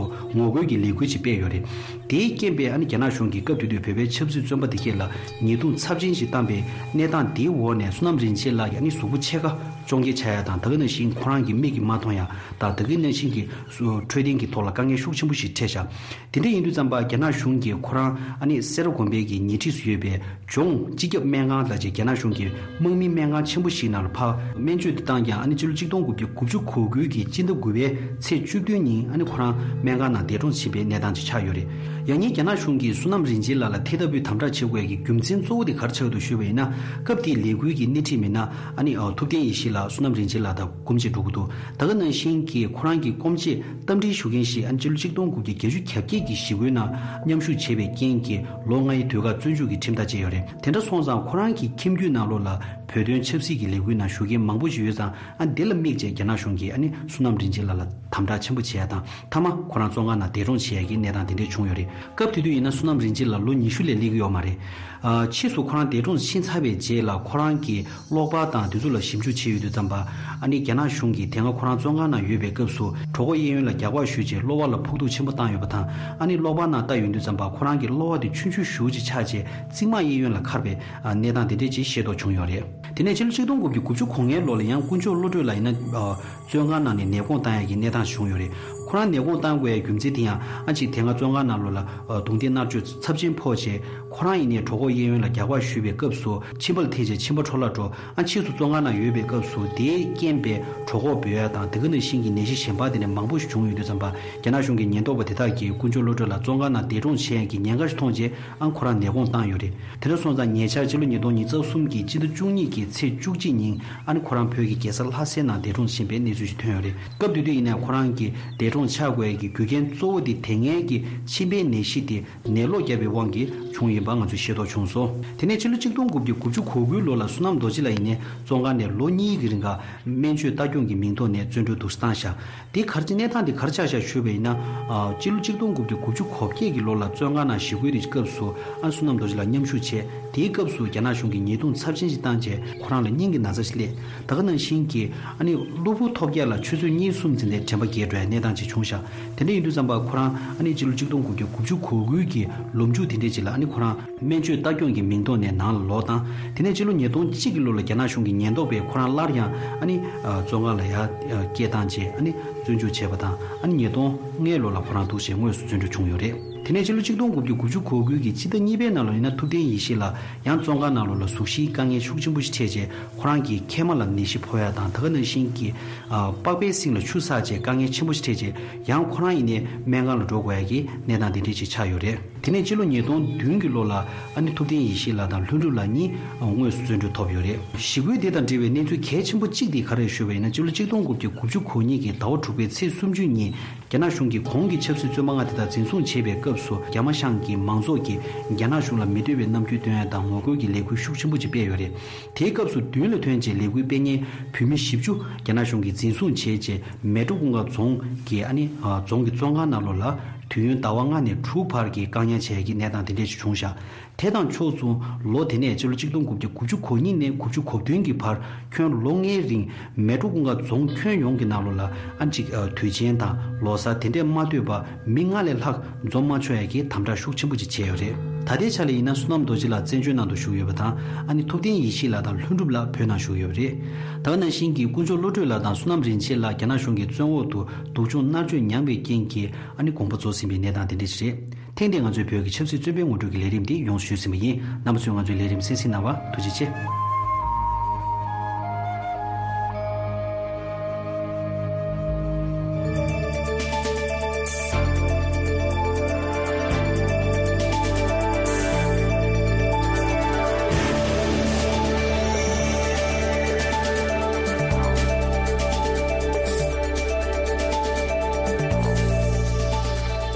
ངོ་རྒོལ་གྱི་ལས་འགུལ་ཅིག་སྤེལ་ཡོད་རེད། དེའི་རྐྱེན་པས་ཨ་ནི་རྒྱ་ནག་གཞུང་གིས་སྐབས་དེ་དུས་བོད་པའི་ཆབ་སྲིད་བཙོན་པ་དེ་གས་ལ་ཉེས་རྡུང་ཚབས་ཆེན་ཞིག་བཏང་པའི་གནས་སྟངས་དེའི་འོག་ནས། བསོད་ནམས་རིན་ཆེན་ལགས་ཀྱི་ཨ་ནི་གཟུགས་པོ་ཕྱེད་ཀ་བཅོ་ལྔ་ཆགས་ཡ་དང་། ད་ག་ནང་བཞིན་ཁོ་རང་གི་མིག་གིས་མ་མཐོང་ཡ་དང་། ད་ག་ནང་བཞིན་གྱི་འཕྲོད་བསྟེན་གྱི་ཐོག་ལ་དཀའ་ངལ་ཤུགས་ཆེན་པོ་ཞིག་འཕྲད་བཞག་དེ་འདྲ་ཡིན་དུས་ཙམ་པ། རྒྱ་ནག་གཞུང་གིས་ཁོ་རང་ཨ་ནི་སེ་ར་དགོན་པའི་གི་ཉེ་འཁྲིས་སུ་ཡོད་པའི་ལྗོངས་སྤྱི་ཁྱབ་སྨན་ཁང་ལ་ཅིག་རྒྱ་ནག་གཞུང་གི་དམག་མིའི་སྨན་ཁང་ཆེན་པོ་ཞིག་ནང་ལ་ཕར་སྨན་བཅོས་དེ་བཏང་ཀྱང་། ཨ་ནི་ཕྱི་ལོ་གཅིག་སྟོང་དགུ་བརྒྱ་དགུ་བཅུ་གོ་དགུ་གི་སྤྱི་ཟླ་དགུ་པའི་ཚེས་བཅུ་བདུན་ཉིན་ཨ་ནི་ཁོ་རང་སྨན་ཁང་ནང་འདས་གྲོངས་ཕྱིན་པའི་གནས་སྟངས་ཅིག་ཆགས་ཡོད་རེད། ཡང་སྙིང་རྒྱ་ནག་གཞུང་གིས་བསོད་ནམས་རིན་ཆེན་ལགས་ལ་དེ་ལྟ་བུའི་དམ་དྲག་བྱེད་དགོས་ཡ་གི་རྒྱུ་མཚན་གཙོ་བོ་དེ་ག་རེ་ཆགས་འདུག་ཞུས་པ་ཡིན་ན། སྐབས་དེའི་ལས་འགུལ་གྱི་སྣེ་ཁྲིད་མི་སྣ་ཨ་ནི་ཐུབ་བསྟན་ཡེ་ཤེས་ལགས་བསོད་ནམས་རིན་ཆེན་ལགས་དང་སྐུ་མཇལ་འགྲོ་གི་འདུག་ད་ག་ནང་བཞིན་གྱི་ཁོ་རང་གི་སྐུ་མཇལ་རྟ་མགྲིན་ཞུ་མཁན་ཞིག་ཨ་ནི་ཕྱི་ལོ་གཅིག་སྟོང་དགུ་བརྒྱ་བརྒྱད་ཅུ་གྱ་བརྒྱད་ཀྱི་ཞི་རྒོལ་ནང་མཉམ་ཞུགས་བྱས་པའི་རྐྱེན་གྱིས་ལོ་ལྔའི་དུས་བཀག་བཙོན་འཇུག་གི་ཁྲིམས་ཐག་བཅད་ཡོད་རེད། དེ་འདྲ་སོང་ཙང་ཁོ་རང་གི་ཁྱིམ་རྒྱུད་ནང་ལོགས་ལ་བོད་དོན་ཆབ་སྲིད་ཀྱི་ལས་འགུལ་ནང་ཞུགས་མཁན་མང་པོ་ཞིག་ཡོད་ཙང་། ཨ་འདི་ལ་དམིགས་བྱས་རྒྱ་ནག་གཞུང་གིས་ཨ་ནི་བསོད་ནམས་རིན་ཆེན་ལགས་ལ་དམ་དྲག་ཆེན་པོ་བྱས་ཡ་དང་། མཐའ་མ་ཁོ་རང་བཙོན་ཁང་ནང་འདས་གྲོངས་བྱས་ཡ་གི་གནས་སྟངས་དེ་འདྲས་བྱུང་ཡོད་རེད། སྐབས་དེ་དུས་ཡིན་ན་བསོད་ནམས་རིན་ཆེན་ལགས་ལོ་ཉི་ཤུ་ལས་སླེབས་ཀྱི་ཡོད་མ་རེད། ཨ་ཕྱིས་སུ་ཁོ་རང་འདས་གྲོངས་ཕྱིན་ཚར་བའི་རྗེས་ལ་ཁོ་རང་གི་གློག་པར་དང་དེ་ཚོ་ལ་ཞིབ་འཇུག་བྱས་ཡོང་དུས་ཙམ་པ། ཨ་ནི་རྒྱ་ནག་གཞུང་གིས་དེ་སྔ་ཁོ་རང་བཙོན་ཁང་ནང་ཡོད་པའི་སྐབས་སུ་གྲོད་ཁོག་གཡས་གཡོན་ལ་རྒྱག་པ་གཞུས་རྗེས་གློ་བ་ལ་ཕོག་ཐུག་ཆེན་པོ་བཏང་ཡོད་པ་དང་། ཨ་ནི་གློག་པར་ནང་ལྟ་ཡོང་དུས་ཙམ་པ་ཁོ་རང་གི་གློ་བ་དེ་ཆུང་ཆུང་ཞེ་པོ་ཅིག་ཆགས་རྗེས་རྩིབ་མ་གཡས་གཡོན་ལ་འཁར་བའི་གནས་སྟངས་དེ་འདྲས་ཅིག་ཤེས་རྟོགས་བྱུང་ཡོད་རེད། དེ་ནས་ཕྱི་ལོ་གཅིག་སྟོང་དགུ་བརྒྱ་དགུ་བཅུ་གོ་ལྔའི་ལོ་ལ་ཡང་དཀོན་མཆོག་བློ་གྲོས་ལགས་ཡིན་ན། ཨ་བཙོན་ཁང་ནང་ནས་ནད་དགོངས་བཏང་ཡག་གི་གནས་སྟངས་བྱུང་ཡོད་རེད། ཁོ་རང་ནད་དགོངས་བཏང་དགོས་ཡག་རྒྱུ་མཚན་དེ་ཡང་ཨ་ཅིག་དེ་སྔ་བཙོན་ཁང་ནང་ལོགས་ལ་ཨ་རྡུང་རྡེག་མནར་གཅོད་ཚབས་ཆེན་ཕོག་རྗེས། ཁོ་རང་ཡིན་ནའི་གྲོད་ཁོག་གཡས་གཡོན་ལ་རྒྱག་པ་གཞུས་པའི་སྐབས་སུ་མཆིན་པ་ལ་ཐེབས་རྗེས་མཆིན་པ་འཕྲོ་བརླག་འགྲོ། ཨ་ཕྱིས་སུ་བཙོན་ཁང་ནང་ཡོད་པའི་སྐབས་སུ་དེའི་རྐྱེན་པས་གྲོད་ཁོག་སྦོས་ཡ་དང་། དེ་ག་ནང་བཞིན་གྱི་ནད་གཞི་གཞན་པ་དེ་འདྲ་མང་པོ་ཞིག་བྱུང་ཡོད་དུས་ཙམ་པ། རྒྱ་ནག་གཞུང་གི་ཉེན་རྟོག་པ་དེ་དག་གིས་དཀོན་མཆོག་བློ་གྲོས་ལགས་བཙོན་ཁང་ནང་འདས་གྲོངས་བྱེད་ཡ་གི་ཉེན་ཁ་ཞིག་མཐོང་རྗེས། ཨ་ཁོ་རང་ནད་དགོངས་བཏང་ཡོད་རེད། དེ་འདྲ་སོང་ཙང་ཉེ་ཆར་ཕྱི་ལོ་ཉིས་སྟོང་ཉི་ཤུ་རྩ་གསུམ་གྱི་སྤྱི་ཟླ་བཅུ་གཉིས་ཀྱི་ཚེས་བཅུ་གཅིག་ཉིན་ཨ་ནི་ཁོ་རང་བོད་ཀྱི་རྒྱལ་ས་ལྷ་སའི་ནང་འདས་གྲོངས་ཕྱིན་པའི་གནས་ཚུལ་ཞིག་ཐོན་ཡོད་རེད། སྐབས་དེ་དུས་ཡིན་ནའི་ཁོ་རང་གི་འདས་གྲོངས་ཆགས་དགོས་ཡ་གི་རྒྱུ་རྐྱེན་གཙོ་བོ་དེ་དེ་སྔའི་གི་མཆིན་པའི་ནད་གཞི་དེ་ནད་ལོག་བརྒྱབ་པའི་དབང་གིས་བྱུང་ཡིན་པ་ང་ཚོས་ཤེས་རྟོགས་བྱུང་སོང་། དེ་ནས་ཕྱི་ལོ་གཅིག་སྟོང་དགུ་བརྒྱ་དགུ་བཅུ་གོ་དགུའི་ལོ་ལ་བསོད་ནམས་རྡོ་རྗེ་ལགས་ཡིན་ནའི་བཙོན་ཁང་ནས་ལོ་གཉིས་ཀྱི་རིང་ག་སྨན་བཅོས་ལྟ་སྐྱོང་གི་མིང་ཐོག་ནས་བཙོན་གྲོལ་དུ་བཏང་བཞག་དེ་ག་རེ་གནས་སྟངས་དེ་ག་རེ་ཆགས་བཞག་ཞུས་པ་ཡིན་ན། ཨ་སྤྱི་ལོ་གཅིག་སྟོང་དགུ་བརྒྱ་དགུ་བཅུ་གོ་བརྒྱད་ཀྱི་ལོ་ལ་བཙོན་ཁང་ནང་ཞི་རྒོལ་དེ་སྐབས་སུ་ཨ་བསོད་ནམས་རྡོ་རྗེ་ལགས་མཉམ་ཞུགས་བྱས། དེའི་སྐབས་སུ་རྒྱ་ནག་གཞུང་གིས་ཉེས་རྡུང་ཚབས་ཆེན་ཞིག་བཏང་རྗེས་ཁོ་རང་ལ་སྙིང་གི་ན་ཚ་ཞིག་སླེབས། ད་ག་ནང་བཞིན་གྱི་ཨ་ནི་གློ་བུར་ཐོལ་རྒྱག་ལ་ཆུ་ཚོད་གཉིས་གསུམ་ཙམ་ནས་དྲན་པ་བརྒྱལ་འགྲོ་ཡའི་གནས་སྟངས་ཅིག་བྱུང་ཤག་དེ་འདྲ་ཡིན་དུས་ཙམ་པ་ཁོ་རང་ཨ་ནི་སྤྱི་ལོ་གཅིག་སྟོང་དགུ་བརྒྱ་དགུ་བཅུ་གོ་དགུ་གི་ལོ་མཇུག་དེ་འདྲས་ཅིག་ལ་ཨ་ནི་ཁོ་རང་སྨན་བཅོས་ལྟ་སྐྱོང་གི་མིང་ཐོག་ནས་ནང་ལ་ལོག་བཏང་། དེ་ནས་ཕྱི་ལོ་ཉིས་སྟོང་གཅིག་གི་ལོ་ལ་རྒྱ་ནག་གཞུང་གི་ཉེན་རྟོག་པས་ཁོ་རང་སླར་ཡང་ཨ་ནི་ཨ་བཙོན་ཁང་ལ་ཡར་ཨ་སྐད་བཏང་རྗེས་ཨ་ནི་བཙོན་འཇུག་བྱས་པ་དང་། ཨ་ནི་ཉིས་སྟོང་ལྔའི་ལོ་ལ་ཁོ་རང་འདུག་སེ་དངོས་སུ་བཙོན་གྲོལ་བྱུང་ཡོད་རེད། དེ་ནས་ཕྱི་ལོ་གཅིག་སྟོང་དགུ་བརྒྱ་དགུ་བཅུ་གོ་དགུ་གི་སྤྱི་ཟླ་གཉིས་པའི་ནང་ལ་ཡིན་ན་ཐུབ་བསྟན་ཡེ་ཤེས་ལགས་ཡང་བཙོན་ཁང་ནང་ལོགས་ལ་གཟུགས་གཞིའི་དཀའ་ངལ་ཤུགས་ཆེན་པོ་ཞིག་འཕྲད་རྗེས་ཁོ་རང་གི་མཁལ་མ་ལ་ནད་གཞི་ཕོག་ཡ་དང་། ད་ག་ནང་བཞིན་གྱི་ཨ་པགས་པའི་སེང་ལ་ཆུ་བསགས་རྗེས་དཀའ་ངལ་ཆེན་པོ་ཞིག་འཕྲད་རྗེས་ཡང་ཁོ་རང་ཡིན་ནའི་སྨན་ཁང་ལ་འགྲོ་དགོས་ཡ་གི་གནས་སྟངས་དེ་འདྲས་ཅིག་ཆགས་ཡོད་རེད། དེ་ནས་ཕྱི་ལོ་ཉིས་སྟོང་བདུན་གྱི་ལོ་ལ་ཨ་ནི་ཐུབ་བསྟན་ཡེ་ཤེས་ལགས་དང་ལྷུན་གྲུབ་ལགས་གཉིས་དངོས་སུ་བཙོན་གྲོལ་ཐོབ་ཡོད་རེད། ཞི་རྒོལ་དེ་དང་འབྲེལ་བའི་གནས་ཚུལ་གལ་ཆེན་པོ་གཅིག་དེ་ག་རེ་ཞུས་པ་ཡིན་ན། ཕྱི་ལོ་གཅིག་སྟོང་དགུ་བརྒྱ་དགུ་བཅུ་གོ་གཉིས་ཀྱི་ཟླ་བ་དྲུག་པའི་ཚེས་སུམ་ཅུ་ཉིན་རྒྱ་ནག་གཞུང་གིས་གོང་གི་ཆབ་སྲིད་བཙོན་པ་ལྔ་དེ་དག་འཛིན་བཟུང་བྱས་པའི་སྐབས་སུ་རྒྱ་མ་ཤང་གི་མང་ཚོགས་ཀྱིས་རྒྱ་ནག་གཞུང་ལ་མི་འདོད་པའི་རྣམ་འགྱུར་སྟོན་ཡ་དང་ངོ་རྒོལ་གྱི་ལས་འགུལ་ཤུགས་ཆེན་པོ་ཅིག་སྤེལ་ཡོད་རེད། དེའི་སྐབས་སུ་མདུན་ལ་ཐོན་རྗེས་ལས་འགུལ་སྤེལ་མཁན་བོད་མི་བཞི་བཅུ་རྒྱ་ནག་གཞུང་གིས་འཛིན་བཟུང་བྱས་རྗེས་མལ་གྲོ་གུང་དཀར་རྫོང་གི་ཨ་ནི་ཨ་རྫོང་གི་བཙོན་ཁང་ནང་ལོགས་ལ་དུས་ཡུན་ཟླ་བ་ལྔ་ནས་དྲུག་བར་གྱི་བཀག་ཉར་བྱས་ཀྱི་གནས་སྟངས་དེ་འདྲས་ཞིག་བྱུང་ཤག་དེ་དང་ཕྱོགས་མཚུངས་ལོ་དེ་ནས་ཕྱི་ལོ་གཅིག་སྟོང་དགུ་བརྒྱ་དགུ་བཅུ་གོ་གཉིས་ནས་དགུ་བཅུ་གོ་བདུན་གྱི་བར་ཁྱོན་ལོ་ལྔའི་རིང་མལ་གྲོ་གུང་དཀར་རྫོང་ཁྱོན་ཡོངས་ཀྱི་ནང་ལོགས་ལ་ཨ་ཅིག་ཨ་དུས་ཆེན་དང་ལོ་གསར་དེ་འདྲས་མ་སྡོད་པ་མི་ལྔ་ལས་ལྷག་འཛོམས་མ་ཆོག་ཡ་གི་དམ་དྲག་ཤུགས་ཆེན་པོ་ཅིག་བྱས་ཡོད་རེད། ད་ལྟའི་ཆ་ལ་ཡིན་ན་བསོད་ནམས་རྡོ་རྗེ་ལགས་བཙན་བྱོལ་ནང་དུ་བཞུགས་ཡོད་པ་དང་། ཨ་ནི་ཐུབ་བསྟན་ཡེ་ཤེས་ལགས་དང་ལྷུན་གྲུབ་ལགས་བོད་ནང་བཞུགས་ཡོད་པ་རེད། ད་ག་ནང་བཞིན་གྱི་དཀོན་མཆོག་བློ་གྲོས་ལགས་དང་བསོད་ནམས་རིན་ཆེན་ལགས་རྒྱ་ནག་གཞུང་གི་བཙོན་འོག་ཏུ་སྡུག་སྦྱོང་མནར་གཅོད་མྱངས་པའི་རྐྱེན་གྱིས་ཨ་ནི་དགོངས་པ་རྫོགས་ཟིན་པའི་གནས་སྟངས་དེ་འདྲ་ཞིག་རེད། ཐེངས་འདིའི་ང་ཚོའི་བོད་ཀྱི་ཆབ་སྲིད་བཙོན་པའི་ངོ་སྤྲོད་ཀྱི་ལས་རིམ་འདི་ཡོངས་སུ་ཞུས་ཟིན་པ་ཡིན། རྣམ་པ་ཚོས་ང་ཚོའི་ལས་རིམ་གསན་གཟིགས་གནང་བར་ཐུགས་རྗེ་ཆེ།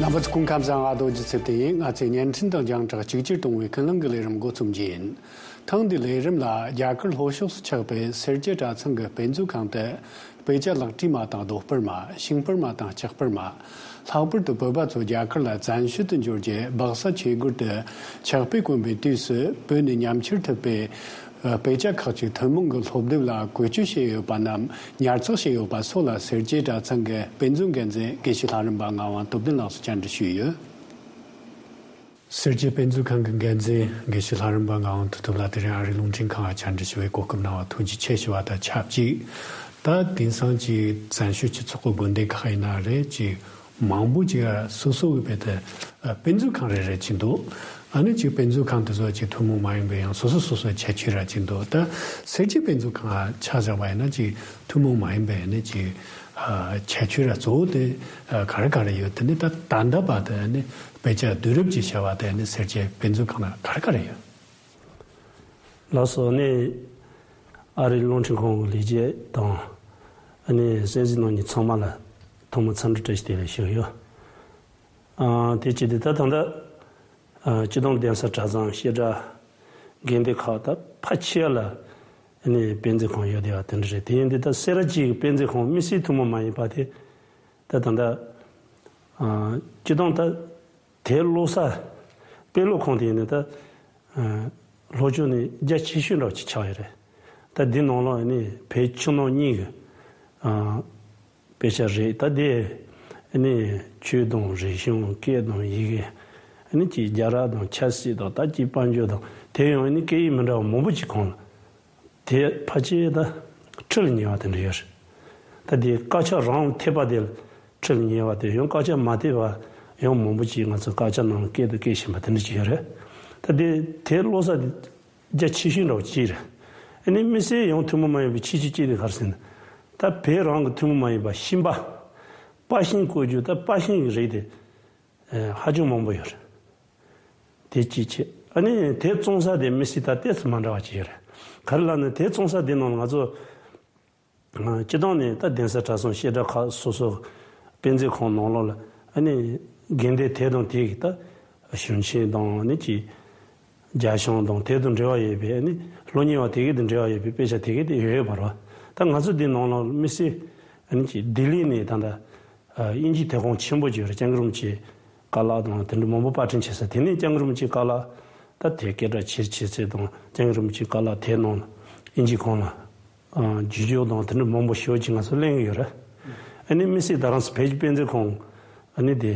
རྣམ་པ་ཚོ་ སྐུ་ཁམས་བཟང་། ང་རྡོ་རྗེ་ཚེ་བརྟན་ཡིན། ང་ཚོས་བརྙན་འཕྲིན་དང་རྒྱང་བསྒྲགས་གཅིག་གྱུར་གཏོང་བའི་ཀུན་གླེང་གི་ལས་རིམ་འགོ་རྩོམ་རྒྱུ་ཡིན། ཐེངས་འདིའི་ལས་རིམ་ལ་རྒྱ་གར་ལྷོ་ཕྱོགས་སུ་ཆགས་པའི་སེར་སྐྱའི་གྲྭ་ཚང་གི་དཔེ་མཛོད་ཁང་དུ་དཔེ་ཆ་ལག་བྲིས་མ་དང་རྡོ་སྤར་མ། ཤིང་སྤར་མ་དང་ལྕགས་སྤར་མ། ལྷག་པར་དུ་བོད་པ་ཚོ་རྒྱ་གར་ལ་བཙན་བྱོལ་དུ་འབྱོར་རྗེས་སྦག་ས་ཆོས་སྒར་དུ་ཆགས་པས་གོམས་པའི་དུས་སུ་བོད་ནས་ཉམས་ཁྱེར་ཐུབ་པའི་དཔེ་ཆ་ཁག་ཅིག་ཐུན་མོང་གི་སློབ་དེབ་ལ་བཀོལ་སྤྱོད་བྱས་ཡོད་པ་རྣམས་ཉར་ཚགས་བྱས་ཡོད་པ་སོགས་ལ་སེར་སྐྱའི་གྲྭ་ཚང་གི་དཔེ་མཛོད་འགན་འཛིན་དགེ་བཤེས་ལྷ་རམས་པ་ངག་དབང་སྟོབས་ལྡན་ལགས་སུ་བཅར་འདྲི་ཞུས་ཡོད། སེར་སྐྱའི་དཔེ་མཛོད་ཁང་གི་འགན་འཛིན་དགེ་བཤེས་ལྷ་རམས་པ་ངག་དབང་དོན་གྲུབ་ལགས་དེ་རིང་ཨ་རིའི་རླུང་འཕྲིན་ཁང་ལ་བཅར་འདྲི་ཞུ་བའི་གོ་སྐབས་གནང་བར་ཐུགས་རྗེ་ཆེ་ཞུ་བ་དང་ཆབས་ཅིག་ད་དེང་སང་ཅིག་བཙན་བྱོལ་སྤྱི་ཚོགས་ཀྱི་དགོན་སྡེ་ཁག་ཡིན་ན་རེད། ཅིག་མང་པོ་ཅིག་སོ་སོ་གི་བེད་དེ་དཔེ་མཛོད་ཁང་རེ་རེ་ཅིག་འདུག་ཨ་ནི་ཅིག་དཔེ་མཛོད་ཁང་དེ་ཚོ་ཅིག་ཐུན་མོང་མ་ཡིན་པའི་ཡང་སོ་སོ་སོ་སོའི་ཁྱད་ཆོས་ར་ཅིག་འདུག་ད་སེར་སྐྱའི་དཔེ་མཛོད་ཁང་ཆ་བཞག་པ་ཡིན་ན་ཅིག་ཐུན་མོང་མ་ཡིན་པའི་ཨ་ནི་ཅིག་ཁྱད་ཆོས་ར་གཙོ་བོ་དེ་ག་རེ་ག་རེ་ཡོད། དེ་ནི་ད་ད་ལྟ་བར་དུ་ཨ་ནི་དཔེ་ཆ་བསྡུ་རུབ་ཅིག་བྱས་པ་དེ་ནི་སེར་སྐྱའི་དཔེ་མཛོད་ཁང་ལ་ག་རེ་ག་རེ་ཡོད། ལགས་སོ། ནི་ཨ་རིའི་རླུང་འཕྲིན་ཁང་གི་ལས་བྱེད་དང་ཨ་ནི་གསན་གཟིགས་གནང་མཁན་ཚང་མ་ལ་ཐོག་མར་འཚམས་འདྲི་བཀྲ་ཤིས་བདེ་ལེགས་ཞུ་ཡོད། ཨ་དེ་བྱས་ཏེ་ད་ད་ལྟ་ཨ་སྤྱི་བཏང་གདན་ས་གྲྭ་ཚང་བཤད་གྲྭ་དགོན་སྡེ་ཁག་ད་ཕལ་ཆེ་བ་ལ་ཨ་ནི་དཔེ་མཛོད་ཁང་ཡོད་བསྡད་པ་དེ་འདྲ་རེད། དེ་ཡིན་དུས་ད་སེ་ར་བྱེས་ཀྱི་དཔེ་མཛོད་ཁང་དམིགས་བསལ་ཐུན་མོང་མ་ཡིན་པ་དེ་ད་ད་ལྟ་ཨ་སྤྱི་བཏང་ད། དེ་ཀློག་ས་དཔེ་ཀློག་ཁང་དེ་ནི་ད་ལྷོ་ཕྱོགས་ནས་རྒྱ་ཆེ་ཤོས་འདྲ་བོ་ཅིག་ཆགས་ཡོད་རེད། ད་འདི་ནང་ལ་ནི་བོད་ཕྱི་ནང་གཉིས་ཀྱི་དཔེ་ཆ་རེད། ད་དེ་ནི་ཆོས་དང་རིག་གཞུང་སྐད་དང་ཡི་གེ་ནི་ཅིག་རྒྱལ་རབས་དང་ཆབ་སྲིད་དང་ད་ཅིག་དཔལ་འབྱོར་དང་དེ་ཡང་ནི་སྐད་ཡིག་མི་འདྲ་བ་མང་པོ་ཅིག་གང་ལ། དེ་ཕལ་ཆེར་ད་ཁྲི་ལ་ཉེ་བ་དེ་འདྲ་ཡོད་རེད། ད་དེ་དཀར་ཆག་རང་ཐེབས་པ་དེ་ལ་ཁྲི་ལ་ཉེ་བ་དེ་ཡང་དཀར་ཆག་མ་ཐེབས་པ་ཡང་མང་པོ་ཅིག་ང་ཚོ་དཀར་ཆག་ནང་ལ་སྐད་དུ་སྐད་བཞིན་པ་དེ་འདྲ་ཅིག་ཡོད་རེད། ད་དེ་དེ་ཀློག་ས་དེ་རྒྱ་ཆེ་ཤོས་འདྲ་བོ་ཅིག་རེད། ཨ་ནི་དམིགས་བསལ་ཡང་ཐུན་མོང་མ་ཡིན་པའི་ཆེ་ཤོས་གཅིག་དེ་ག་རེ་ཟེར་ན། ད་བོད་རང་གི་ཐུན་མོང་མ་ཡིན་པ་ཤིང་པ། པར་ཤིང་བརྐོ་རྒྱུ་ད་པར་ཤིང་གི་རིགས་དེ་ཧ་ཅང་མང་པོ་ཡོད་རེད། དེ་གཅིག་བྱས། ཨ་ནི་དེ་བཙོང་ས་དེ་དམིགས་བསལ་ད་ཏོག་ཙམ་མ་འདྲ་བ་ཅིག་ཡོད་རེད། ག་རེ་ལབ་ན་དེ་བཙོང་ས་དེ་ནང་ང་ཚོ་སྤྱི་བཏང་ནས་ད་གདན་ས་གྲྭ་ཚང་བཤད་གྲྭ་ཁག་སོ་སོ་དཔེ་མཛོད་ཁང་ནང་ལོགས་ལ་ཨ་ནི་དགོན་སྡེ་དེ་དང་དེ་གི་ད་གཞུང་ཆེན་དང་ནི་ཅིག་རྒྱ་གཞུང་དང་དེ་དང་འབྲེལ་བ་ཡོད་པའི་ཨ་ནི་སློབ་གཉེར་བ་དེ་གི་དང་འབྲེལ་བ་ཡོད་པའི་དཔེ་ཆ་དེ་གི་དེ་ཡོད་ཡོད་པ་རེད། ད་ང་ཚོ་དེ་ནང་ལོགས་དམིགས་བསལ་ཨ་ནི་ཅིག་ལྡི་ལི་ནས་ད་ལྟ། དབྱིན་ཇིའི་དེབ་ཁང་ཆེན་པོ་ཅིག་ཡོད་རེད། སྐྱབས་མགོན་རིན་པོ་ཆེའི་བཀའ་སློབ་དང་དེ་འདྲ་མང་པོ་པར་སྐྲུན་བྱེད་ས། དེ་ནས་སྐྱབས་མགོན་རིན་པོ་ཆེའི་བཀའ་སློབ་ད་དེ་སྐད་གྲགས་ཆེར་ཆེ་ཚད་དང་སྐྱབས་མགོན་རིན་པོ་ཆེའི་བཀའ་སློབ་དེབ་ནང་ལ་དབྱིན་ཇིའི་ཁང་ལ་བརྒྱུད་སྐྱོར་དང་དེ་འདྲ་མང་པོ་ཞེ་པོ་ཅིག་ང་ཚོ་ལེན་གྱི་ཡོད་རེད། ཨ་ནི་དམིགས་བསལ་རྡ་རམ་ས་བོད་ཀྱི་དཔེ་མཛོད་ཁང་ཨ་ནི་དེ་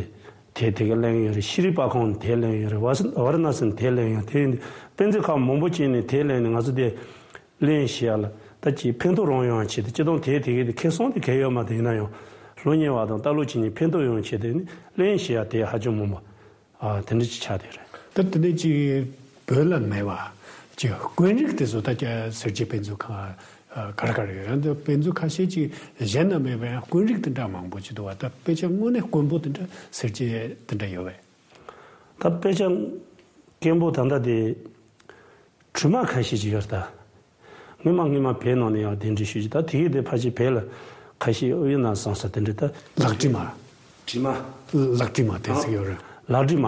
དེ་དེ་ག་ལེན་གྱི་ཡོད་རེད། ཤྲི་རི་པར་ཁང་དེ་ལེན་གྱི་ཡོད་རེད། ཝ་ཝ་ར་ཎ་སི་དེ་ལེན་གྱི་ཡོད། དེ་ཡིན་དུས་དཔེ་མཛོད་ཁང་མང་པོ་ཅིག་ནས་དེ་ལེན་ནས་ང་ཚོ་དེ། ལེན་ཞེས་ཡ་ལ་ད་ཅིག་ཕན་ཐོགས་རང་ཡོང་ཆེད་དུ་སྤྱི་བཏང་དེའི་དེ་གའི་དེ་ཁེ་བཟང་དེ་གའི་ཡོད་མ་རེད། ཡིན་ན་ཡང་སློབ་གཉེར་བ་དང་ལྟ་ཀློག་བྱེད་མཁན་ཕན་ཐོགས་ཡོང་ཆེད་དུ་ནི་ལེན་ཞེས་ཡ་དེ་ཧ་ཅང་མང་པོ་ཨ་དེ་འདྲ་ཅིག་ཆགས་བསྡད་རེད། ད་དེ་ནས་ཅིག་བོད་ལ་མེད་པ་ཅིག་དཀོན་རིགས་དེ་ཚོ་ད་ཀྱ་སེར་སྐྱའི་དཔེ་མཛོད་ཁང་ག་རེ་ག་རེ་ཡོད། ཡང་དེ་དཔེ་མཛོད་ཁ་ཤས་ཅིག་གཞན་ན་མེད་པ་ཡང་དཀོན་རིགས་དེ་འདྲ་མང་པོ་ཅིག་འདུག་བ། ད་དཔེ་ཆ་དངོས་གནས་དཀོན་པོ་དེ་འདྲ་སེར་སྐྱའི་དེ་འདྲ་ཡོད་པས། ད་དཔེ་ཆ་དཀོན་པོ་ད་ལྟ་དེ། དྲི་མ་ཁ་ཤས་ཅིག་ཡོད་རེད་ད། སྔོན་མ་སྔོན་མ་བོད་ནང་ནས་ཡང་གདན་འདྲེན་ཞུས་ཀྱི་ད་དེ་གས་དེ་ཕལ་ཆེར་བོད་ལ་ཁ་ཤས་ཨུ་ཡོན་ན་བཟང་ས་དེ་འདྲ་ད། ལག་བྲིས་མ། བྲིས་མ། ལག་བྲིས་མ་དེ་ཟེར་ཡོད་རེད། ལག་བྲིས་མ།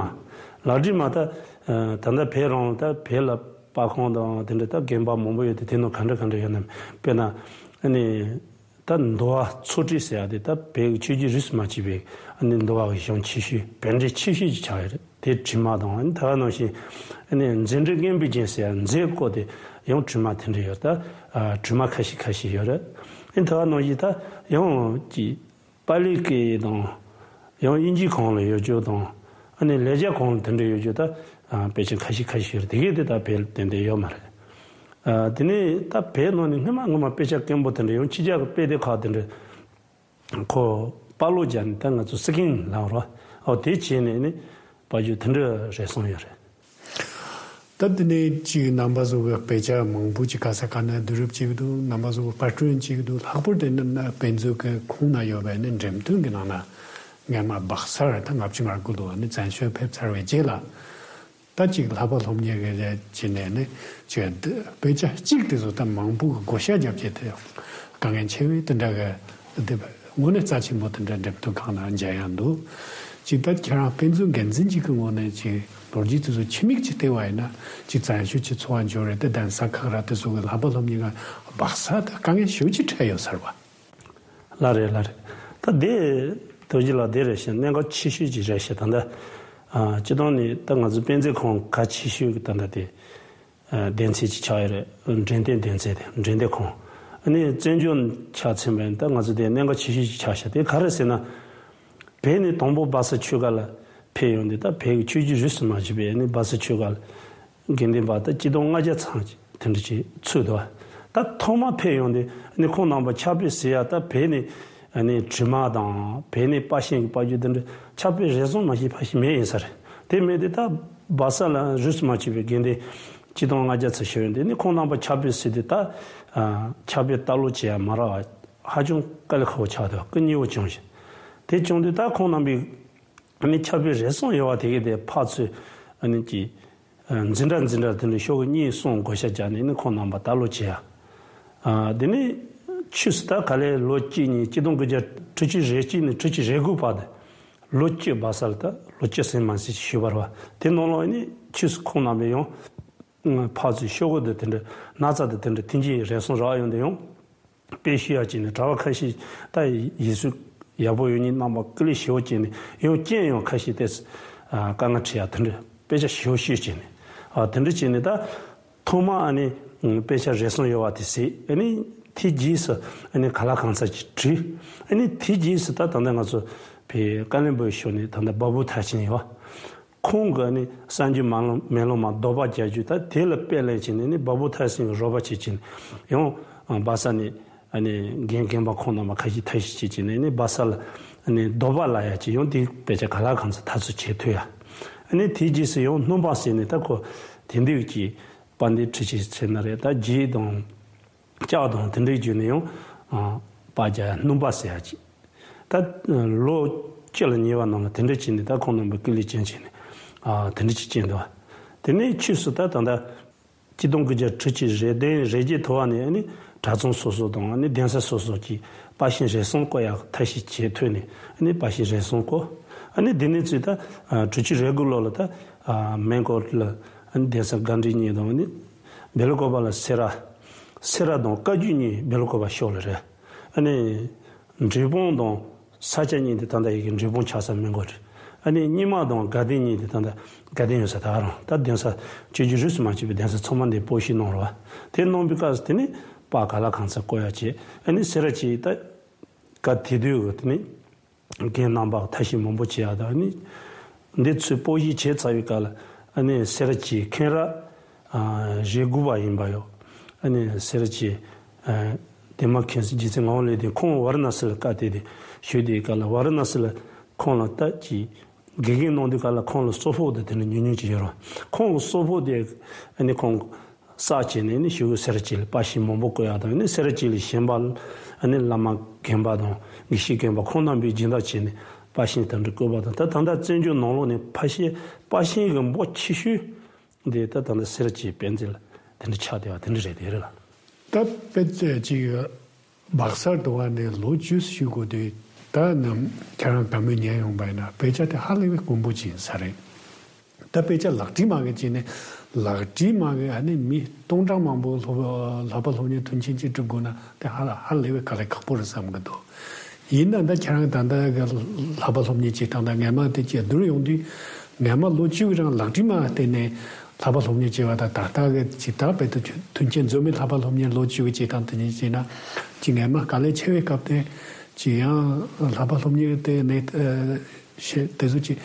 ལག་བྲིས་མ་ད། ད་ལྟ་བོད་རང་ད་བོད་ལ་པར་ཁང་དང་དེ་འདྲ་ད་དགོན་པ་མང་པོ་ཡོད་དེ་དེ་ནང་ག་འདྲ་ག་འདྲ་ཡོད་ན་དཔེར་ན་ཨ་ནི། ད་འདུལ་བ་ཚོགས་སྒྲིག་ཟེར་ཡ་དེ་ད་བོད་ཀྱི་ཆོས་བརྒྱུད་རིས་སུ་མ་ཆད་པའི་ཨ་ནི་འདུལ་བ་གི་གཞུང་ཆེ་ཤོས་བོད་འགྲེལ་ཆེ་ཤོས་ཅིག་ཆགས་ཡོད་རེད། དེ་བྲིས་མ་དང་ཨ་ནི་ད་ག་ནང་བཞིན་ཨ་ནི་མཛད་འཕྲིན་སྙན་པའི་རྒྱན་ཟེར་ཡ་མཛད་སྐོར་དེ་ཡང་བྲིས་མ་དེ་འདྲ་ཡོད་རེད། ད་བྲིས་མ་ཁ་ཤས་ཁ་ཤས་ཡོད་རེད། ཨ་ནི་ད་ག་ནང་བཞིན་ད་ཡང་ཅིག་པཱ་ལིའི་སྐད་དང་ཡང་དབྱིན་ཇིའི་ཁང་ལ་ཡོད་རྒྱུ་དང་ཨ་ནི་ལེགས་སྦྱར་ཁང་ལ་དེ་འདྲ་ཡོད་རྒྱུ་ད་དཔེ་ཆ་ཁ་ཤས་ཁ་ཤས་ཡོད་རེད། དེ་གས་དེ་ད་བོད་ལ་ཏན་ཏན་ཡོད་མ་རེད། ཨ། དེ་ནས་ད་བོད་ནང་ནས་སྔོན་མ་སྔོན་མ་དཔེ་ཆ་དཀོན་པོ་དེ་འདྲ་ཡང་ཕྱི་རྒྱལ་གྱི་དཔེ་དེབ་ཁག་དེ་འདྲ་ཁོ་པར་ཀློག་བརྒྱབ་ནས་ད་ང་ཚོ་སི་ཀིན་ལབ་རོ། ཨོ་དེ་བྱས་ནས་ནི་པར་བརྒྱུད་དེ་འདྲ་རེ་ཟུང་ཡོད་རེད། ད་དེ་ནས་ཅིག་རྣམ་པ་ཚོ་གི་དཔེ་ཆ་མང་པོ་ཅིག་ག་ས་ག་ནས་བསྡུ་རུབ་བྱེད་ཀྱི་འདུག་རྣམ་པ་ཚོ་གི་པར་སྐྲུན་བྱེད་ཀྱི་འདུག་ལྷག་པར་དུ་ནི་དཔེ་མཛོད་ཀྱི་ཁོངས་ན་ཡོད་པའི་ནི་འགྲེམས་སྟོན་གྱི་ནང་ན་སྔོན་མ་སྦག་སར་ད་ལྔ་བཅུ་ང་དགུ་ལོ་ནི་བཙན་བྱོལ་ཕེབས་ཚར་བའི་རྗེས་ལ། ད་ཅིག་ལྷག་པ་སློབ་གཉེར་གྱི་རེད་བྱས་ནས་ནི་ཅིག་དཔེ་ཆ་གཅིག་དེ་ཚོ་ད་མང་པོ་གི་བགོ་བཤའ་རྒྱབ་བྱས་ཏེ་དཀའ་ངལ་ཆེ་བའི་དེ་འདྲ་གི་དེ་དངོས་གནས་རྩ་ཆེན་པོ་དེ་འདྲ་འགྲེམས་སྟོན་ཁང་ནང་མཇལ་ཡག་འདུག་ཅིག་ད་ཁྱེད་རང་དཔེ་མཛོད་འགན་འཛིན་ཅིག་གི་ངོས་ནས་ཅིག་ལོ་རྒྱུས་དེ་ཚོ་ཕྱི་མིག་ཅིག་བལྟས་པ་ཡིན་ན་ཅིག་བཙན་ཤོས་ཅིག་འཚོ་བ་འབྱོར་རེད་དེ། གདན་ས་ཁག་ར་དེ་ཚོ་གི་ལྷག་པ་སློབ་གཉེར་ཁང་སྦག་ས་དེ་དཀའ་ངལ་ཞེ་པོ་ཅིག་འཕྲད་ཡོད་ས་རེད་པ། ལགས་རེད། ལགས་རེད། ད་དེ་རྡོ་རྗེ་ལགས་དེ་རེད་ཤག་གནད་འགག་ཆེ་ཤོས་ཅིག་རེད་ཤག་ད་ལྟ་ཨ་སྤྱིར་བཏང་ནས་ད་ང་ཚོ་དཔེ་མཛོད་ཁང་གལ་ཆེ་ཤོས་ཀྱི་ད་ལྟ་དེ། སྡེ་ཚན་གཅིག་ཆགས་ཡོད་རེད། འགྲེམས་སྟོན་སྡེ་ཚན་དེ་འགྲེམས་སྟོན་ཁང་། ཨ་ནི་བཙན་བྱོལ་ཆ་མཚོན་པ་ཡིན་ན་ད་ང་ཚོ་དེ་གནད་འགག་ཆེ་ཤོས་ཤིག་ཆགས་ཤག་དེ་ག་རེ་ཟེར་ན། བོད་ནས་དང་པོ་སྦག་ས་ཆོས་སྒར་ལ་ཕེབས་ཡོང་དུས་ད་བོད་ཀྱི་ཆོས་བརྒྱུད་རིས་སུ་མ་ཆད་པའི་ཨ་ནི་སྦག་ས་ཆོས་སྒར་ལ་དགེ་འདུན་པ་ད་སྤྱི་ལོ་ལྔ་བརྒྱ་ཙམ་ཅིག་དེ་འདྲ་ཅིག་ཚུད་འདུག་ད་ཐོག་མ་ཕེབས་ཡོང་དུས་ཨ་ནི་ཁོང་རྣམ་པ་ཕྱག་དཔེ་གཟིགས་ཡ་ད་བོད་ནས། ཨ་ནི་དྲི་མ་དང་བོད་ནས་པར་ཤིང་གི་པར་བརྒྱུད་དེ་འདྲ་ཕྱག་དཔེ་རེ་ཟུང་མ་ཞིག་ཕར་ཞིག་མེད་ཡིན་ས་རེད། དེ་མེད་དེ་ད་སྦག་ས་ལ་རིས་སུ་མ་ཆད་པའི་དགེ་འདུན་སྤྱི་ལོ་ལྔ་བརྒྱ་ཙམ་ཞིག་ཡོད་དེ་ནི་ཁོང་རྣམ་པ་ཕྱག་དཔེ་གཟིགས་དུས་ད་ཨ་ཕྱག་དཔེ་ལྟ་ཀློག་བྱེད་ཡ་མ་རག་པ་ཧ་ཅང་དཀའ་ལས་ཁག་པོ་ཆགས་འདུག་སྐུ་ཉེ་བོ་བྱུང་ཞིང་། དེ་བྱུང་དུས་ད་ཁོང་རྣམ་པས་ཨ་ནི་ཕྱག་དཔེ་རེ་ཟུང་ཡོད་པ་དེ་གས་དེ་ཕར་ཚུར་ཨ་ནི་ཀྱི། འཛིན་གྲྭ་འཛིན་གྲྭ་དེ་འདྲ་ཤོག་གུ་གཉིས་གསུམ་བགོ་བཤའ་བརྒྱབ་ནས་ནི་ཁོང་རྣམ་པ་ལྟ་ཀློག་བྱེད་ཡ། དེ་ནས་ཆོས་སུ་ད་ག་ལེ་ལོ་གཅིག་གཉིས་སྤྱི་ལོ་དགུ་བརྒྱ་དྲུག་ཅུ་རེ་གཅིག་ནས་དྲུག་ཅུ་རེ་དགུ་བར་དུ་ལོ་གཅིག་སྦག་ས་ལ་ད་ལོ་གཅིག་ཟིན་མ་ཟིན་ཞུས་པ་རེད་བ། དེ་ནང་ལོགས་ནས་ཆོས་སུ་ཁོང་རྣམ་པས་ཡང་ཕར་ཚུར་ཤོག་གུ་དེ་དེ་འདྲ་ན་ཚ་དེ་དེ་འདྲ་ཐེངས་གཅིག་རེ་ཟུང་རག་ཡོང་དུས་ཡང་། དཔེ་ཤེས་ཡག་བྱས་ནས་གྲྭ་པ་ཁ་ཤས་ད་ཡིག་གཟུགས་ཡག་པོ་ཡོད་མཁན་རྣམ་པ་སྐུ་ལས་ཞེ་པོ་བྱས་ནས་ཡང་རྐྱེན་ཡང་ཁ་ཤས་ཏེ་དཀའ་ངལ་འཕྲད་ཡག་དེ་འདྲ་དཔེ་ཆ་ཞེ་པོ་ཤེས་བྱས་ནས་ཨ་དེ་འདྲ་བྱས་ནས་ད་ཐོག་མ་ཨ་ནི་དཔེ་ཆ་རེ་ཟུང་ཡོད་པ་དེ་གཟིགས། ཨ་ནི་དེའི་རྗེས་སུ་ཨ་ནི་ག་ལ་གང་འཚམ་ཅིག་བྲིས། ཨ་ནི་དེའི་རྗེས་སུ་ད་ད་ལྟ་ང་ཚོ་བོད་བཀའ་བློན་པོའི་ཕྱོགས་ནས་ད་ལྟ་བ་བུ་ཐར་ཕྱིན་ཡོད། ཁོང་གིས་ནི་གསར་འགྱུར་མ་ལོ་མེ་ལོང་མ་ལྡོག་པ་རྒྱག་རྒྱུ་ད་དེ་ལ་དཔེ་ལེན་བྱས་ནས་ནི་བ་བུ་ཐར་སེང་གི་རོགས་པ་བྱེད་ཀྱིན་ཡང་སྦག་ས་ནས་ཨ་ནི་རྒན་རྒན་པ་ཁོང་རྣམ་པ་ཁ་ཤས་ཐབས་ཤེས་བྱེད་ཀྱིན་ནི་སྦག་ས་ལ་ནི་ལྡོག་པ་ལ་ཡ་ཅིག་ཡང་དེ་དཔེ་ཆ་ག་ལ་གང་འཚམ་ཐག་གཅོད་བྱེད་ཐུབ་ཡ། ཨ་ནི་དེའི་རྗེས་སུ་ཡང་སྣུམ་པ་ཟེར་ནས་ད་ཁོ་དེང་དུས་ཀྱི་དཔལ་ལྡན་འཕྲུལ་ཆས་ཟེར་ན་རེད། ད་རྗེས་དང་། ལྕགས་དང་དེ་འདྲའི་བརྒྱུད་ནས་ཡང་ཨ་པར་རྒྱག་ཡ་སྣུམ་པ་ཟེར་ཡ་ཅིག་ད་ལོ་བཅུ་ལ་ཉེ་བ་ནང་ལ་དེ་འདྲ་བྱས་ནས་ད་ཁོང་རྣམ་པས་སྐུ་ལས་བསྐྱོན་བྱས་ནས་ཨ་དེ་འདྲ་ཅིག་བསྐྱོན་འདུག་དེ་ནས་ཆོས་སུ་ད་ད་ལྟ་སྤྱི་ལོ་དགུ་བརྒྱ་དྲུག་ཅུ་རེ་བདུན་རེ་བརྒྱད་ཐོག་ནས་ཨ་ནི་གྲྭ་ཚང་སོ་སོ་དང་ཨ་ནི་གདན་ས་སོ་སོ་གྱིས་པར་ཤིང་རེ་ཟུང་བརྐོ་ཡག་ཐབས་ཤེས་བྱེད་ཐུབ་ནས་ཨ་ནི་པར་ཤིང་རེ་ཟུང་བརྐོ། ཨ་ནི་དེ་ནས་ཚུར་ད་ཨ་དྲུག་ཅུ་རེ་དགུ་ལོ་ལ་ད་ཨ་སྨན་སྐོར་ལ་ཨ་ནི་གདན་ས་དགའ་འབྲས་གཉིས་དང་ཨ་ནི། སྦེལ་ཀོབ་ལ་སེ་ར། སེ་ར་དང་བཀའ་བརྒྱུད་གཉིས་སྦེལ་ཀོབ་ཕྱོགས་ལ་རེད། ཨ་ནི། འབྲས་སྤུངས་དང་ས་སྐྱ་གཉིས་དེ་ད་ལྟ་ཡི་གེ་འབྲས་སྤུངས་ཆགས་ས་སྨན་སྐོར་རེད། ཨ་ནི་རྙིང་མ་དང་དགའ་ལྡན་གཉིས་དེ་ད་ལྟ་དགའ་ལྡན་ཡོད་ས་ད་ག་རང་ད་གདན་ས་ཆོས་བརྒྱུད་རིས་སུ་མ་ཆད་པའི་གདན་ས་ཚང་མ་འདི་སྤོ་བཤིག་གནང་རེད་བ། དེ་གནང་བའི་སྐབས་སུ་དེ་ནི་པར་ག་ལ་གང་འཚམ་བརྐོ་ཡག་བྱས། ཨ་ནི་སེ་ར་བྱེས་ད་སྐབས་དེ་དུས་གི་དེ་ནི། རྒན་རྣམ་པ་ཐབས་ཤེས་མང་པོ་བྱེད་ཡག་དང་ནི། འདི་ཚོའི་སྤོ་བཤིག་བྱས་ཚར་བའི་སྐབས་ལ་ཨ་ནི་སེ་ར་བྱེས་མཁན་རབས་ཨ་རེ་དགུ་པ་ཡིན་པ་ཡོད། ཨ་ནི་སེ་ར་བྱེས་ཨ་དེ་མ་མཁན་ཟེར་རྗེ་བཙུན་ངག་དབང་ལེགས་ལྡན་ཁོང་ཝཱ་ར་ཎ་སི་ལ་བཀའ་དེ་དེ་ཞུས་དེའི་སྐབས་ལ་ཝཱ་ར་ཎ་སི་ལ་ཁོང་ལ་ལྟ་ཅི་དགེ་རྒན་གནང་དུས་སྐབས་ལ་ཁོང་ལ་སོག་ཕོག་དེ་དེ་ནི་ཉུང་ཉུང་ཅིག་ཡོད་རེད། ཁོང་ལ་སོག་ཕོག་དེ་ཨ་ནི་ཁོང་། བསགས་བྱས་ནས་ནི་ཞུ་གི་སེ་ར་བྱེས་ལ་པར་ཤིང་མང་པོ་བརྐོ་ཡག་དང་ནི་སེ་ར་བྱེས་ལ་གཞན་པ་ཨ་ནི་བླ་མ་རྒན་པ་དང་དགེ་བཤེས་རྒན་པ་ཁོང་རྣམ་པས་སྦྱིན་བདག་བྱས་ནས་པར་ཤིང་དེ་འདྲ་བརྐོས་པ་དང་ད་ད་ལྟ་བཙན་བྱོལ་ནང་ལོགས་ནས་ཕར་ཤེས་པར་ཤིང་གི་འབོར་ཆེ་ཤོས་འདི་ད་ད་ལྟ་སེ་ར་བྱེས་དཔེ་མཛོད་ལ་དེ་འདྲ་ཆགས་བསྡད་པ་དེ་འདྲ་རེད་དེ་རེད་ལ། ད་དཔེ་ཅིག་སྦག་སར་འགྲོ་བ་ནས་ལོ་བཅུ་ཞིག་འགོར་དུས་ད་ནམ་ཁྱེད་རང་དགའ་མོས་ཉན་ཡོང་པ་ཡིན་ན་དཔེ་ཆ་དེ་ཧ་ལས་པའི་དཀོན་པོ་ཅིག་ཡིན་ས་རེད། ད་དཔེ་ཆ་ལག་བྲིས་མ་གི་བྱས་ནས་ལག་བྲིས་མ་གི་ཨ་ནི་མི་སྟོང་ཕྲག་མང་པོ་སློབ་ལྷག་པ་སློབ་གཉེར་མཐུན་རྐྱེན་ཅིག་སྒྲུབ་དགོས་ན་དེ་ཧ་ལ་ཧ་ལས་པའི་དཀའ་ལས་ཁག་པོ་རེད་བསམ་གི་འདུག་ཡིན་ན་ད་ཁྱེད་རང་ད་ལྟ་གི་ལྷག་པ་སློབ་གཉེར་བྱེད་སྟངས་དང་སྔས་མ་དེ་བཅས་བསྡུར་ཡོང་དུས་སྔས་མ་ལོ་བཅུ་གི་རིང་ལག་བྲིས་མ་བརྟེན་ནས་ལྷག་པ་སློབ་གཉེར་བྱས་པ་དང་ད་ལྟ་གི་ཇི་ལྟར་དཔེ་དེ་མཐུན་རྐྱེན་འཛོམས་པའི་ལྷག་པ་སློབ་གཉེར་ལོ་བཅུ་གི་བྱེད་སྟངས་དེ་གཉིས་བྱས་ན་ཅིག་སྔས་མ་དཀའ་ལས་ཆེ་བའི་སྐབས་དེ་ཅིག་ཡང་ལྷག་པ་སློབ་གཉེར་དེ་ནས་ཨ་ཤེས་དེ་ཚོ་ཅིག་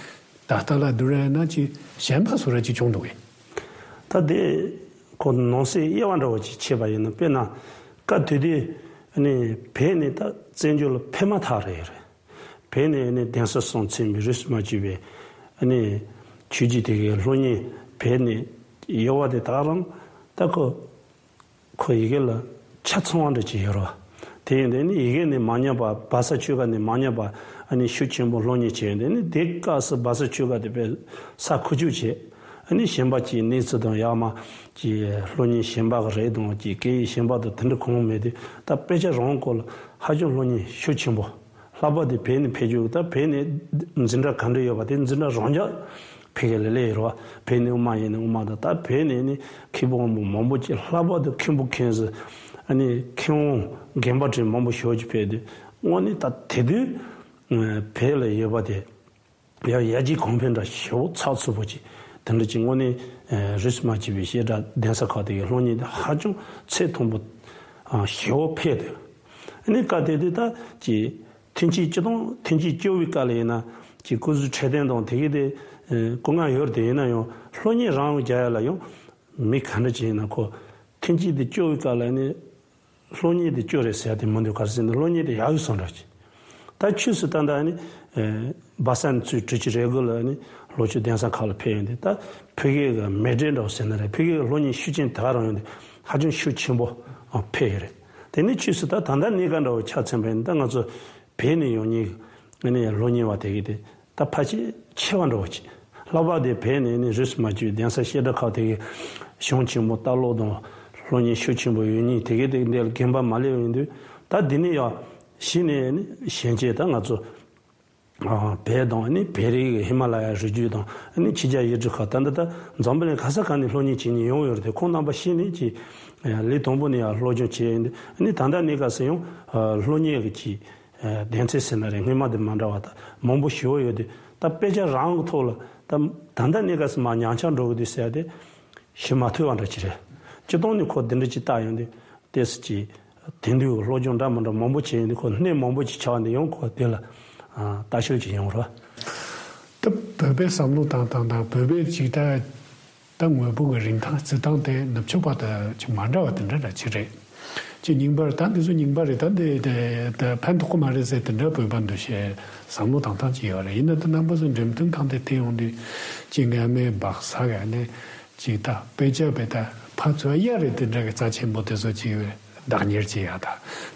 ད་ལྟ་ལ་བསྡུར་ཡ་ན་ཅིག་ཞན་པ་བཟོ་འདྲ་ཅིག་བྱུང་འདུག་གས། ད་དེ་ཁོ་ནང་གསེས་དབྱེ་བ་འདྲ་བོ་ཅིག་ཕྱེ་བ་ཡིན་ན་དཔེར་ན་སྐབས་དེ་དུས་ནི་བོད་ནས་ད་བཙན་བྱོལ་ལ་ཕེབས་མ་ཐག་རེད་རེད། བོད་ནས་ནི་གདན་ས་གསུམ་ཚུད་པའི་རིས་སུ་མ་ཆད་པའི་ནི་ཆོས་བརྒྱུད་དེ་གའི་སློབ་གཉེར་བོད་ནས་ཡོད་པ་དེ་དག་རང་ད་ཁོ། ཁོ་ཡི་གེ་ལ་ཆ་ཚང་བ་འདྲ་ཅིག་ཡོད་རེད་བ། དེ་ཡིན་དུས་ནི་ཡི་གེ་ནི་མ་ཉམས་པ་སྦག་ས་ཆོས་སྒར་ནས་མ་ཉམས་པ་ཨ་ནི་ཤུགས་ཆེན་པོ་སློབ་གཉེར་བྱས་ཡོད་དུས་ནི་དེ་སྐབས་སུ་སྦག་ས་ཆོས་སྒར་དེ་དཔེ་ས་ཁུག་ཀྱོག་བྱས། ཨ་ནི་གཞན་པ་ཅིག་གནས་ཚུལ་དང་ཡག་མ་ཅིག་སློབ་གཉེར་གཞན་པ་གི་རེད་དང་ཅིག་སྐད་ཡིག་གཞན་པ་དང་དེ་འདྲ་གང་མེད་དུས་ད་དཔེ་ཆ་རང་སྐོར་ལ་ཧ་ཅང་སློབ་གཉེར་ཤུགས་ཆེན་པོ་ ལྷག་པར་དུ་བོད་ནས་ཕེབས་རྒྱུ། ད་བོད་ནས་འཛིན་གྲྭ་ག་འདྲ་ཡོད་པ་དེ་འཛིན་གྲྭ་རང་འཇགས་ཕ་གི་ལ་སླེབས་ཡོད་རེད་བ། བོད་ནས་དབུ་མ་ཡིན་ན་དབུ་མ་དང་། ད་བོད་ནས་ནི་མཁན་པོ་དབང་པོ་མང་པོ་ཅིག་ལྷག་པར་དུ་མཁན་པོ་མཁན་ཟུར། ཨ་ནི་མཁས་དབང་རྒན་པ་ཅན་མང་པོ་ཞེ་པོ་ཅིག་ཕེབས་དུས། དངོས་གནས་ད་དེ་དུས་བོད་ལ་ཡོད་པ་དེ་ཡང་ཡར་རྒྱས་གོང་འཕེལ་འདྲ་ཞེ་པོ་ཚགས་ཚུད་པོ་ཅིག་དེ་འདྲ་ཅིག་དངོས་གནས་རིས་སུ་མ་ཆད་པའི་བཤད་གྲྭ་གདན་ས་ཁག་དེ་གི་སློབ་གཉེར་དེ་ཧ་ཅང་ཚད་མཐོན་པོ་ཞེ་པོ་ཕེབས་འདུག་ཨ་ནི་སྐབས་དེ་དུས་ད་ཅིག་ཐོན་སྐྱེད་སྤྱི་དང་། ཐོན་སྐྱེད་སྐྱོ་བའི་སྐབས་ལ་ཡིན་ན་ཅིག་སྐུ་གཟུགས་འཕྲོད་བསྟེན་དང་དེ་གི་དེ་སྐུ་ངལ་ཡོད་རེད། དེ་ཡིན་ན་ཡང་སློབ་གཉེར་རང་དབང་རྒྱག་ཡ་ལ་ཡང་མི་ག་འདྲ་ཅིག་ཡིན་ན་ཁོ་ཐོན་སྐྱེད་དེ་སྐྱོ་བའི་སྐབས་ལ་ནི་སློབ་གཉེར་དེ་སྐྱོ་རེད་ཟེར་ཡ་དེ་མི་འདུག་ག་རེ་ཟེར་ན་སློབ་གཉེར་དེ་ཡག་ཡོད་བསམ་འདྲ་ཅིག་ད་ཆོས་སུ་ད་ལྟ་ནི་སྦ་ས་ནས་ཚུར་དྲུག་ཅུ་རེ་དགུ་ལ་ནི་ལྷོ་ཕྱོགས་གདན་ས་ཁག་ལ་ཕེབས་ཡོང་དུས། ད་ཕ་གི་གི་མི་སྒེར་འདྲ་བོ་ཟེར་ན་རེད། ཕ་གི་གི་སློབ་གཉེར་ཤུགས་རྐྱེན་དེ་ག་རང་ཡོང་དུས་ཧ་ཅང་ཤུགས་ཆེན་པོ་ཕེབས་ཡོད་རེད། དེ་ནི་ཆོས་སུ་ད་ད་ལྟ་གནས་སྐབས་འདྲ་བོ་ཆ་མཚོན་པ་ཡིན་ན། ད་ང་ཚོ་བོད་ནས་ཡོང་མཁན་གི་ནི་སློབ་གཉེར་བ་དེ་གི་དེ་ད་ཕལ་ཆེར་ཆེ་བ་འདྲ་བོ་ཅིག་ལྷག་པར་དུ་བོད་ནས་ནི་རིས་སུ་མ་ཆད་པའི་གདན་ས་བཤད་གྲྭ་ཁག་དེ་གི་གཞུང་ཆེན་མོ་ལྟ་ཀློག་དང་སློབ་གཉེར་ཤུགས་ཆེན་པོ་ཡོད་མཁན་དེ་གི་དེ་འདི་ལ་རྒན་པ་མ་སླེབས་ཡོང་དུས། ད་འདི་ནས་ཡར་གཞི་ནས་ནི་གཞོན་སྐྱེས་ད་ང་ཚོ་བོད་དང་ནི་བོད་རིགས་ཀྱི་ཧི་མ་ལ་ཡའི་རི་རྒྱུད་དང་ནི་ཕྱི་རྒྱལ་ཡུལ་གྲུ་ཁག་ད་ལྟ་ད་འཛམ་བུ་གླིང་ག་ས་ག་ནས་སློབ་གཉེར་བྱེད་མཁན་ཡོང་ཡོད་རེད་དེ། ཁོང་རྣམ་པ་གཞི་ནས་ཀྱི་ལས་དང་པོ་ནས་ཡར་སློབ་སྦྱོང་བྱས་ཡོང་དུས། ནི་ད་ལྟ་གནས་སྐབས་སུ་ཡང་སློབ་གཉེར་གྱི་ཀྱི་གདན་ས་ཟེར་ན་རེད། སྔོན་མ་དང་མ་འདྲ་བ་ད་མང་པོ་ཞེ་པོ་ཡོད་དུས། ད་དཔེ་ཆ་རང་གི་ཐོག་ལ་ད་ད་ལྟ་གནས་སྐབས་སུ་མར་ཉམས་ཆག་འགྲོ་གི་འདུག་ཟེར་ཡ་དེ་ཞུ་མ་ཐུབ་པ་འདྲ་ཅིག་རེད། སྤྱིར་བཏང་ནས་ཁོ་འདི་འདྲ་ཅིག་བལྟ་ཡོང་དུས། ཏོག་ཙམ་ཅིག་དེང་དུས་སློབ་སྦྱོང་འདྲ་མི་འདྲ་མང་པོ་བྱས་ཡོང་དུས། ཁོ་སྣེ་མང་པོ་ཅིག་ཆགས་ནས་ཡང་ཁོ་དེ་ལ་ལྟ་ཞིབ་ཅིག་ཡོང་རོགས། ད་བོད་པའི་བསམ་བློ་བཏང་སྟངས་དང་བོད་པའི་ཅིག་ད་ད་དངོས་པོ་གི་རིན་ཐང་བརྩི་སྟངས་དེ་ནུབ་ཕྱོགས་པ་དང་ཅིག་མ་འདྲ་བ་དེ་འདྲ་འདྲ་ཅིག་རེད། ཅིག་རྙིང་པ་རེད། ད་འདི་ཚོ་རྙིང་པ་རེད། ད་འདི་དེ་ད་ཕན་ཐོགས་ཀྱི་མ་རེད་ཟེར་དེ་འདྲ་བོད་པ་འདུ་ཤེས་བསམ་བློ་བཏང་སྟངས་ཅིག་ཡོད་རེད། ཡིན་ན་ད་རྣམ་པ་ཚོ་འགྲེམས་སྟོན་ཁང་དེ་དེ་ཡོང་དུས་ཅིག་སྔ་མའི་སྦག་ས་ག་ནས་ཅིག་ད་དཔེ་ཆ་བས་ད་ཕར་ཚུར་གཡར་རེད། དེ་འདྲ་གི་རྩ་ཆེན་པོ་དེ་ཚོ་ཅིག་བདག་གཉེར་བྱེད་ཡ་ད།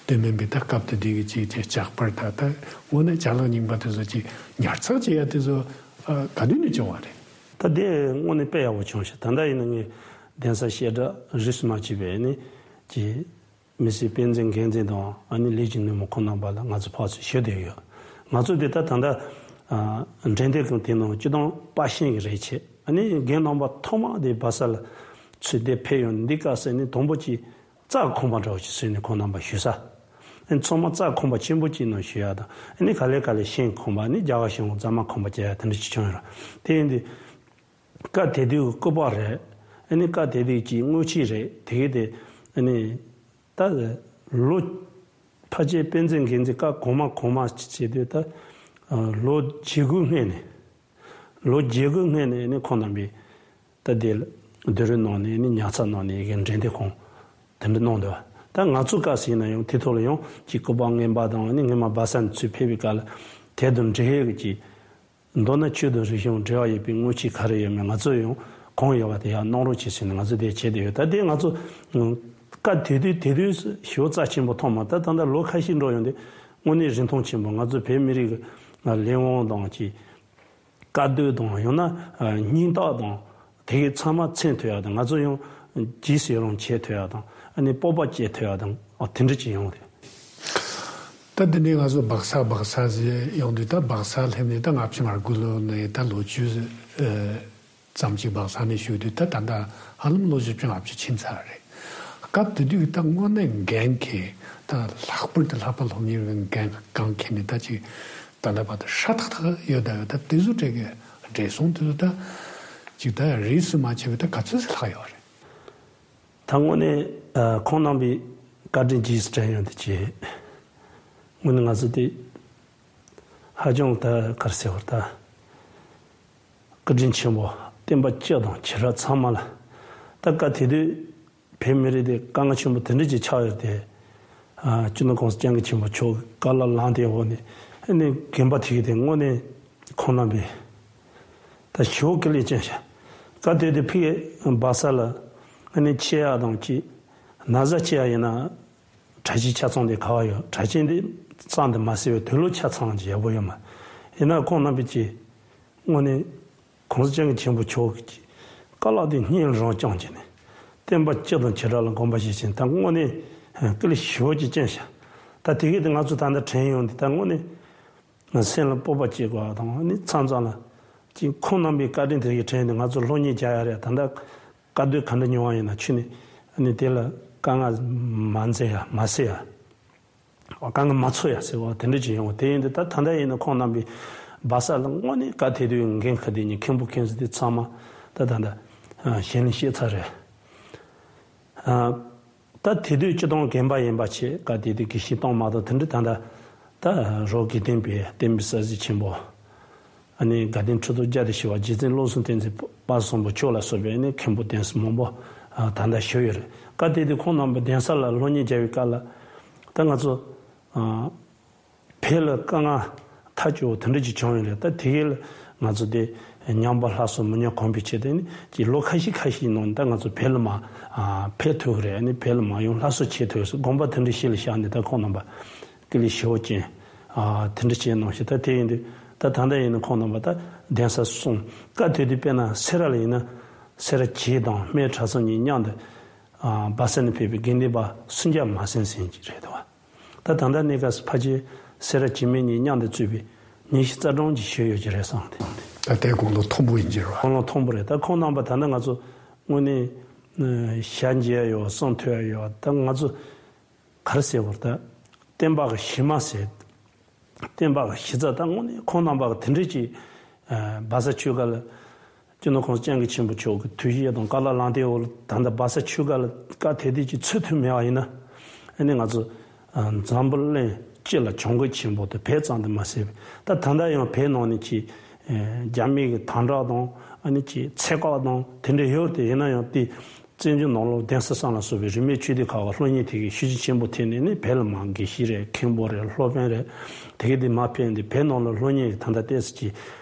དེ་མིན་པའི་ད་སྐབས་དེ་དུས་ཀྱི་ཅིག་ཅིག་ཇག་པར་ད་ད་དངོས་གནས་ཅ་ལག་རྙིང་པ་དེ་ཚོ་ཅིག་ཉར་ཚགས་བྱེད་ཡ་དེ་ཚོ་ག་དུས་ནས་བྱུང་བ་རེད། ད་དེ་དངོས་གནས་དཔེ་ཡག་པོ་བྱུང་ཤག་ད་ལྟ་ཡིན་ན་ངས་གདན་ས་བཤད་གྲྭ་རིས་སུ་མ་ཆད་པའི་ནི་ཀྱི་མི་སེར་དཔེ་མཛོད་འགན་འཛིན་དང་ཨ་ནི་ལས་ཀྱི་སྣེ་མོ་ཁོང་རྣམ་པ་ལ་ང་ཚོ་ཕར་ཚུར་ཞུ་བསྡད་ཡོད། ང་ཚོ་དེ་ད་ད་ལྟ་འགྲེམས་སྟོན་ཁང་དེ་ནང་སྤྱིར་བཏང་པར་ཤིང་གི་རིགས་བྱས། ཨ་ནི་རྒན་རྣམ་པ་ཐོག་མ་དེ་སྦག་ས་ལ་ཚུར་དེ་ཕེབས་ཡོང་། འདི་སྐབས་སུ་ནི་དང་པོ་ཅིག་རྩྭ་ཁང་པ་འདྲ་བོ་ཅིག་བཟོས་ནས་ཁོང་རྣམ་པ་ཞུ་ས། ཨ་ནི་ཚང་མ་རྩྭ་ཁང་པ་ཆེན་པོ་ཅིག་ནང་ཞུ་ཡ་དང་། ཨ་ནི་ག་ལེ་ག་ལེ་ཤིང་ཁང་པ། ཨ་ནི་རྒྱ་གར་ཤིང་འོ་རྫ་མ་ཁང་པ་བྱས་ཡ་དེ་འདྲ་ཅིག་བྱུང་ཡོད་རེད། དེ་ཡིན་དུས་སྐབས་དེ་དུས་ཀྱི་སྐུ་པར་རེད། ཨ་ནི་སྐབས་དེ་དུས་ཀྱི་དངུལ་ཆས་རེད། དེ་གི་དེ་ཨ་ནི་ད་ལོ་ཕལ་ཆེར་དཔེ་མཛོད་འགན་འཛིན་སྐབས་གོང་མ་གོང་མ་བྱེད་དུས་ད་ལོ་བརྒྱད་དགུ་སྔོན་ནས། ལོ་བརྒྱད་དགུ་སྔོན་ནས་ནི་ཁོང་རྣམ་པས་ད་དེ་ལ་བསྡུ་རུབ་གནང་ནས་ནི་ཉར་ཚགས་གནང་ནས་ཡི་གེ་འགྲེམས་སྟོན་ཁང་དེ་འདྲ་གནང་འདུག་ད་ང་ཚོ་སྐབས་སུ་ཡིན་ན་ཡང་དེ་ཐོག་ལ་ཡང་ཅིག་སྐུ་པར་རྔན་པ་དང་ནི་སྔོན་མ་སྦག་ས་ནས་ཚུར་ཕེབས་པའི་སྐབས་ལ་དེ་དང་འབྲེལ་ཡོད་ཀྱི་ཅིག་མདོར་ན་ཆོས་དང་རིག་གཞུང་འབྲེལ་བ་ཡོད་པའི་དངུལ་ཆས་ག་རེ་ཡོད་མེད་ང་ཚོ་ཡང་གང་ཡོད་པ་དེ་ཡར་གནང་རོགས་བྱེད་ཟེར་ནས་ང་ཚོ་དེ་བྱས་བསྡད་ཡོད། ད་དེ་ང་ཚོ་སྐབས་དེ་དུས་དེ་དུས་ཞེ་པོ་རྩ་ཆེན་པོ་མཐོང་མ། ད་ད་ལྟ་ལོ་ཁ་ཤས་འགྲོ་ཡོང་དུས་དངོས་གནས་རིན་ཐང་ཆེན་པོ། ང་ཚོ་བོད་མི་རིགས་ཀྱི་ལས་དབང་དང་ཅིག་དཀའ་སྡུག་དང་། ཡང་ན་སྙིང་སྟོབས་དང་། དེ་གའི་ཚང་མ་མཚོན་ཐུབ་ཡག་དང་། ང་ཚོ་ཡང་རྗེས་སུ་ཡི་རང་བྱེད་ཐུབ་ཡག་དང་། ཨ་ནི་སྤོབས་པ་སྐྱེ་ཐུབ་ཡག་དང་། ཨ་དེ་འདྲ་ཅིག་ཡོང་རེད། ད་འདི་ནས་ང་ཚོ་སྦག་ས་སྦག་ས་ཟེར་ཡོང་དུས། ད་སྦག་ས་སླེབས་ནས་ད་ལྔ་བཅུ་ང་དགུ་ལོ་ནས་ད་ལོ་བཅུ་ཙམ་ཅིག་སྦག་ས་ནས་བཞུགས་དུས། ད་ད་ལྟ་ཧ་ལམ་ལོ་བཞི་བཅུ་ལྔ་བཅུ་ཕྱིན་ཚར་རེད། སྐབས་དེ་དུས་ད་དངོས་གནས་འགན་འཁྱེར། ད་ལྷག་པར་དུ་ལྷག་པ་སློབ་གཉེར་བའི་འགན་འཁྱེར་མཁན་ནི་ད་ཅིག་ད་ལྟ་བར་དུ་ཧྲ་ཐག་ཐག་ཡོད། ད་ཡོད། ད་དེ་ཚོ་གྲས་ཀྱི་བགྲེས་སོང་དེ་ཚོ་ད་ཅིག་ད་རིས་སུ་མ་ཆད་པའི་ད་ག་ཚོད་ཙམ་ལྷག་ཡོད་རེད། ད་དངོས་གནས་ཨ་ཁོང་རྣམ་པས་བཀའ་དྲིན་རྗེས་སུ་དྲན་ཡོང་དུས་ཀྱི། དངོས་གནས་ང་ཚོ་དེ་ཧ་ཅང་ད་ག་རེ་ཟེར་བར་ད་བཀའ་དྲིན་ཆེན་པོ། བསྟན་པ་སྤྱི་དང་བྱེ་བྲག་ཚང་མ་ལ། ད་སྐབས་དེ་དུས་བོད་མི་རིགས་དེ་དཀའ་ངལ་ཆེན་པོ་དེ་འདྲ་ཅིག་ཆགས་ཡོད་དེ། ཨ་སྤྱི་ནོར་༸གོང་ས་༸སྐྱབས་མགོན་ཆེན་པོ་མཆོག་གི་བཀའ་སློབ་ལམ་སྟོན་འོག་ནས། ཨ་ནི་རྒན་པ་དེ་གི་དེ་དངོས་གནས་ཁོང་རྣམ་པས་ད་ཞེ་པོ་དཀའ་ལས་བརྒྱབ་ཤག་སྐབས་དེ་དུས་ཕ་གི་སྦག་ས་ལ་ཨ་ནི་ཆེ་ཡག་དང་ཅིག་ན་བཟའ་ཆེ་ཡག་ཡིན་ན། གྲྭ་ཆས་ཆ་ཚང་དེ་ག་པར་ཡོད། གྲྭ་ཆས་འདི་གཙང་དུ་མ་བཟོས་པའི་དུག་ལོག་ཆ་ཚང་ཅིག་ཡག་པོ་ཡོད་མ། ཡིན་ན་ཁོང་རྣམ་པས་ཀྱི་དངོས་གནས་༸གོང་ས་༸སྐྱབས་མགོན་ཆེན་པོ་མཆོག་གི་བཀའ་སློབ་དེ་སྙིང་རང་བཅངས་ཀྱི་ནས། བསྟན་པ་སྤྱི་དང་བྱེ་བྲག་ལ་དགོངས་པ་བཞེས་ཤིང་། ད་དངོས་གནས་སྐུ་ལས་ཞེ་པོ་ཅིག་བསྐྱོན་ཤག་ད་དེ་གས་དེ་ང་ཚོ་ད་ལྟ་དྲན་ཡོང་དུས། ད་དངོས་གནས་ སེམས་ལ་སྤོབས་པ་སྐྱེ་དགོས་པ་དང་ནི་མཚམས་མཚམས་ལ་ཅིག་ཁོང་རྣམ་པའི་བཀའ་དྲིན་དེ་གི་དྲན་ནས་ང་ཚོ་སློབ་གཉེར་རྒྱག་ཡ་རེད། ད་ལྟ་དཀའ་སྡུག་ག་འདྲ་མྱོང་བ་ཡིན་ན་ཁྱོད་ནི་ནི་དེ་ལ་དཀའ་ངལ་མ་འཛེམ་ཡ་མ་སེལ་ཡ། དཀའ་ངལ་མ་ཚོར་ཡ་ཟེར་བ་དེ་འདྲ་ཅིག་ཡོང་བ་དེ་ཡིན་དུས་ད་ད་ལྟ་ཡིན་ན་ཁོང་རྣམ་པའི་སྦ་ས་ལ་དངོས་གནས་བཀའ་དེ་དུས་འགན་ཁུར་དེ་ཉིད་མཁན་པོ་མཁན་ཟེར་དེ་ཚང་མ་ད་ད་ད་ཞལ་ནས་བཤད་ཚར་རེད། ད་དེ་དུས་སྤྱི་དང་རྒན་པ་ཡིན་པ་ཆེ་བཀའ་དེ་དུས་དགེ་བཤེས་གཏོང་མ་གཏོང་དེ་འདྲ་ད་ད་ད་རོགས་དགེ་ལྡན་པའི་བསྟན་པའི་གསར་བརྗེ་ཆེན་པོ། ཨ་ནི་དགའ་ལྡན་ཁྲི་ཐོག་བརྒྱ་དང་བཞི་པ་རྗེ་བཙུན་བློ་བཟང་བསྟན་འཛིན་དཔལ་བཟང་པོ་མཆོག་ལ་སོགས་པའི་ཨ་ནི་མཁན་པོ་གདན་ས་མང་པོ་ད་ལྟ་བཞུགས་ཡོད་རེད། བཀའ་དེ་དུས་ཁོང་རྣམ་པ་གདན་ས་ལ་སློབ་གཉེར་རྒྱག་པའི་སྐབས་ལ་ད་ང་ཚོ་བོད་ལ་དཀའ་ངལ་ཐག་ཆོད་དེ་འདྲ་ཅིག་བྱུང་ཡོད་རེད། ད་དེ་གས་ལ་ང་ཚོ་དེ་ཉམས་པ་སླར་གསོ་མི་ཉམས་གོང་འཕེལ་ཆེད་དུ་ནི་ཅིག་ལོ་ཁ་ཤས་ཁ་ཤས་ནང་ད་ང་ཚོ་བོད་ལ་མ་ཕེབས་ཐུབ་ཀྱི་རེད། ཨ་ནི་བོད་ལ་མ་ཡོང་སླར་གསོ་བྱེད་ཐུབ་ཟེར་དགོངས་པ་དེ་འདྲ་ཞིག་ལ་བཞག་ནས་ད་ཁོང་རྣམ་པ་ཀི་ལི་ཞི་བ་ཅན་དེ་འདྲ་བྱས་གནང་ཞིག་ད་དེ་ཡིན་དུས་ད་ད་ལྟ་ཡིན་ན་ཁོང་རྣམ་པ་ད་གདན་ས་གསུམ་བཀའ་དེ་དུས་དཔེར་ན་སེ་ར་ལ་ཡིན་ན་སེ་ར་བྱེས་དང་སྨད་གྲྭ་ཚང་གཉིས་མཉམ་དུ་སྦ་ས་ནས་ཕེབས་པའི་དགེ་འདུན་པ་སུམ་བརྒྱ་མ་ཟིན་ཟིན་གྱི་རེད་དོ། ད་ད་ལྟ་གནས་སྐབས་སུ་ཕལ་ཆེར་སེ་ར་བྱེས་སྨད་གཉིས་མཉམ་དུ་བཙུགས་པའི་ཉི་ཤུ་རྩ་གྲངས་ཀྱི་ཞིག་ཡོད་ཀྱི་རེད་བསམ་སྟེ། ད་ལྟའི་དགུང་ལོ་མཐོན་པོ་ཡིན་གྱི་རེད་བ། དགུང་ལོ་མཐོན་པོ་རེད། ད་ཁོང་རྣམ་པ་ད་ལྟ་ང་ཚོ་དངོས་གནས་ཞལ་མཇལ་ཡོད་གསུང་ཐོས་ཡོད། ད་ང་ཚོ་ག་རེ་ཟེར་བར་ད་བསྟན་པ་གི་གཞི་མ་ཟེར། བསྟན་པ་གི་གཞི་རྩ་ད་དངོས་གནས་ཁོང་རྣམ་པ་གི་དེ་འདྲས་ཀྱི་སྦ་ས་ཆོས་སྒར་ལ། སྤྱི་ནོར་༸གོང་ས་༸སྐྱབས་མགོན་ཆེན་པོ་མཆོག་གི་ཐུགས་བཞེད་དང་བཀའ་སློབ་བླང་དེ་འོག་ལ་ད་ལྟ་སྦ་ས་ཆོས་སྒར་ལ་བཀའ་དེ་དུས་ཀྱི་ཚུར་ཐུག་མེད་པ་ཡིན་ན། ཨ་ནི་ང་ཚོ་འཛམ་བུ་གླིང་སྤྱི་ལ་གྱོང་གུད་ཆེན་པོ་དེ་བོད་ཙམ་དུ་མ་ཟད་པའི་ད་ད་ལྟ་ཡང་བོད་ནང་ནས་ཀྱི་རྒྱ་མི་གི་དམ་དྲག་དང་ཨ་ནི་ཀྱི་ཚད་བཀག་དང་དེ་འདྲ་ཡོད་དེ་ཡིན་ན་ཡང་དེ། བཙན་བྱོལ་ནང་ལོགས་གདན་ས་གསུམ་ལ་སོགས་པའི་རིས་མེད་ཆོས་སྡེ་ཁག་གི་སློབ་གཉེར་དེ་གའི་ཤུགས་རྐྱེན་ཆེན་པོ་ཐེབས་ནས་ནི་བོད་ལ་མར་དགེ་བཤེས་རེད། མཁན་པོ་རེད། སློབ་དཔོན་རེད། དེ་གའི་དེ་མར་ཕེབས་ནས་བོད་ནང་ལ་སློབ་གཉེར་གྱི་ད་ལྟ་ཏོག་ཙམ་ཅིག་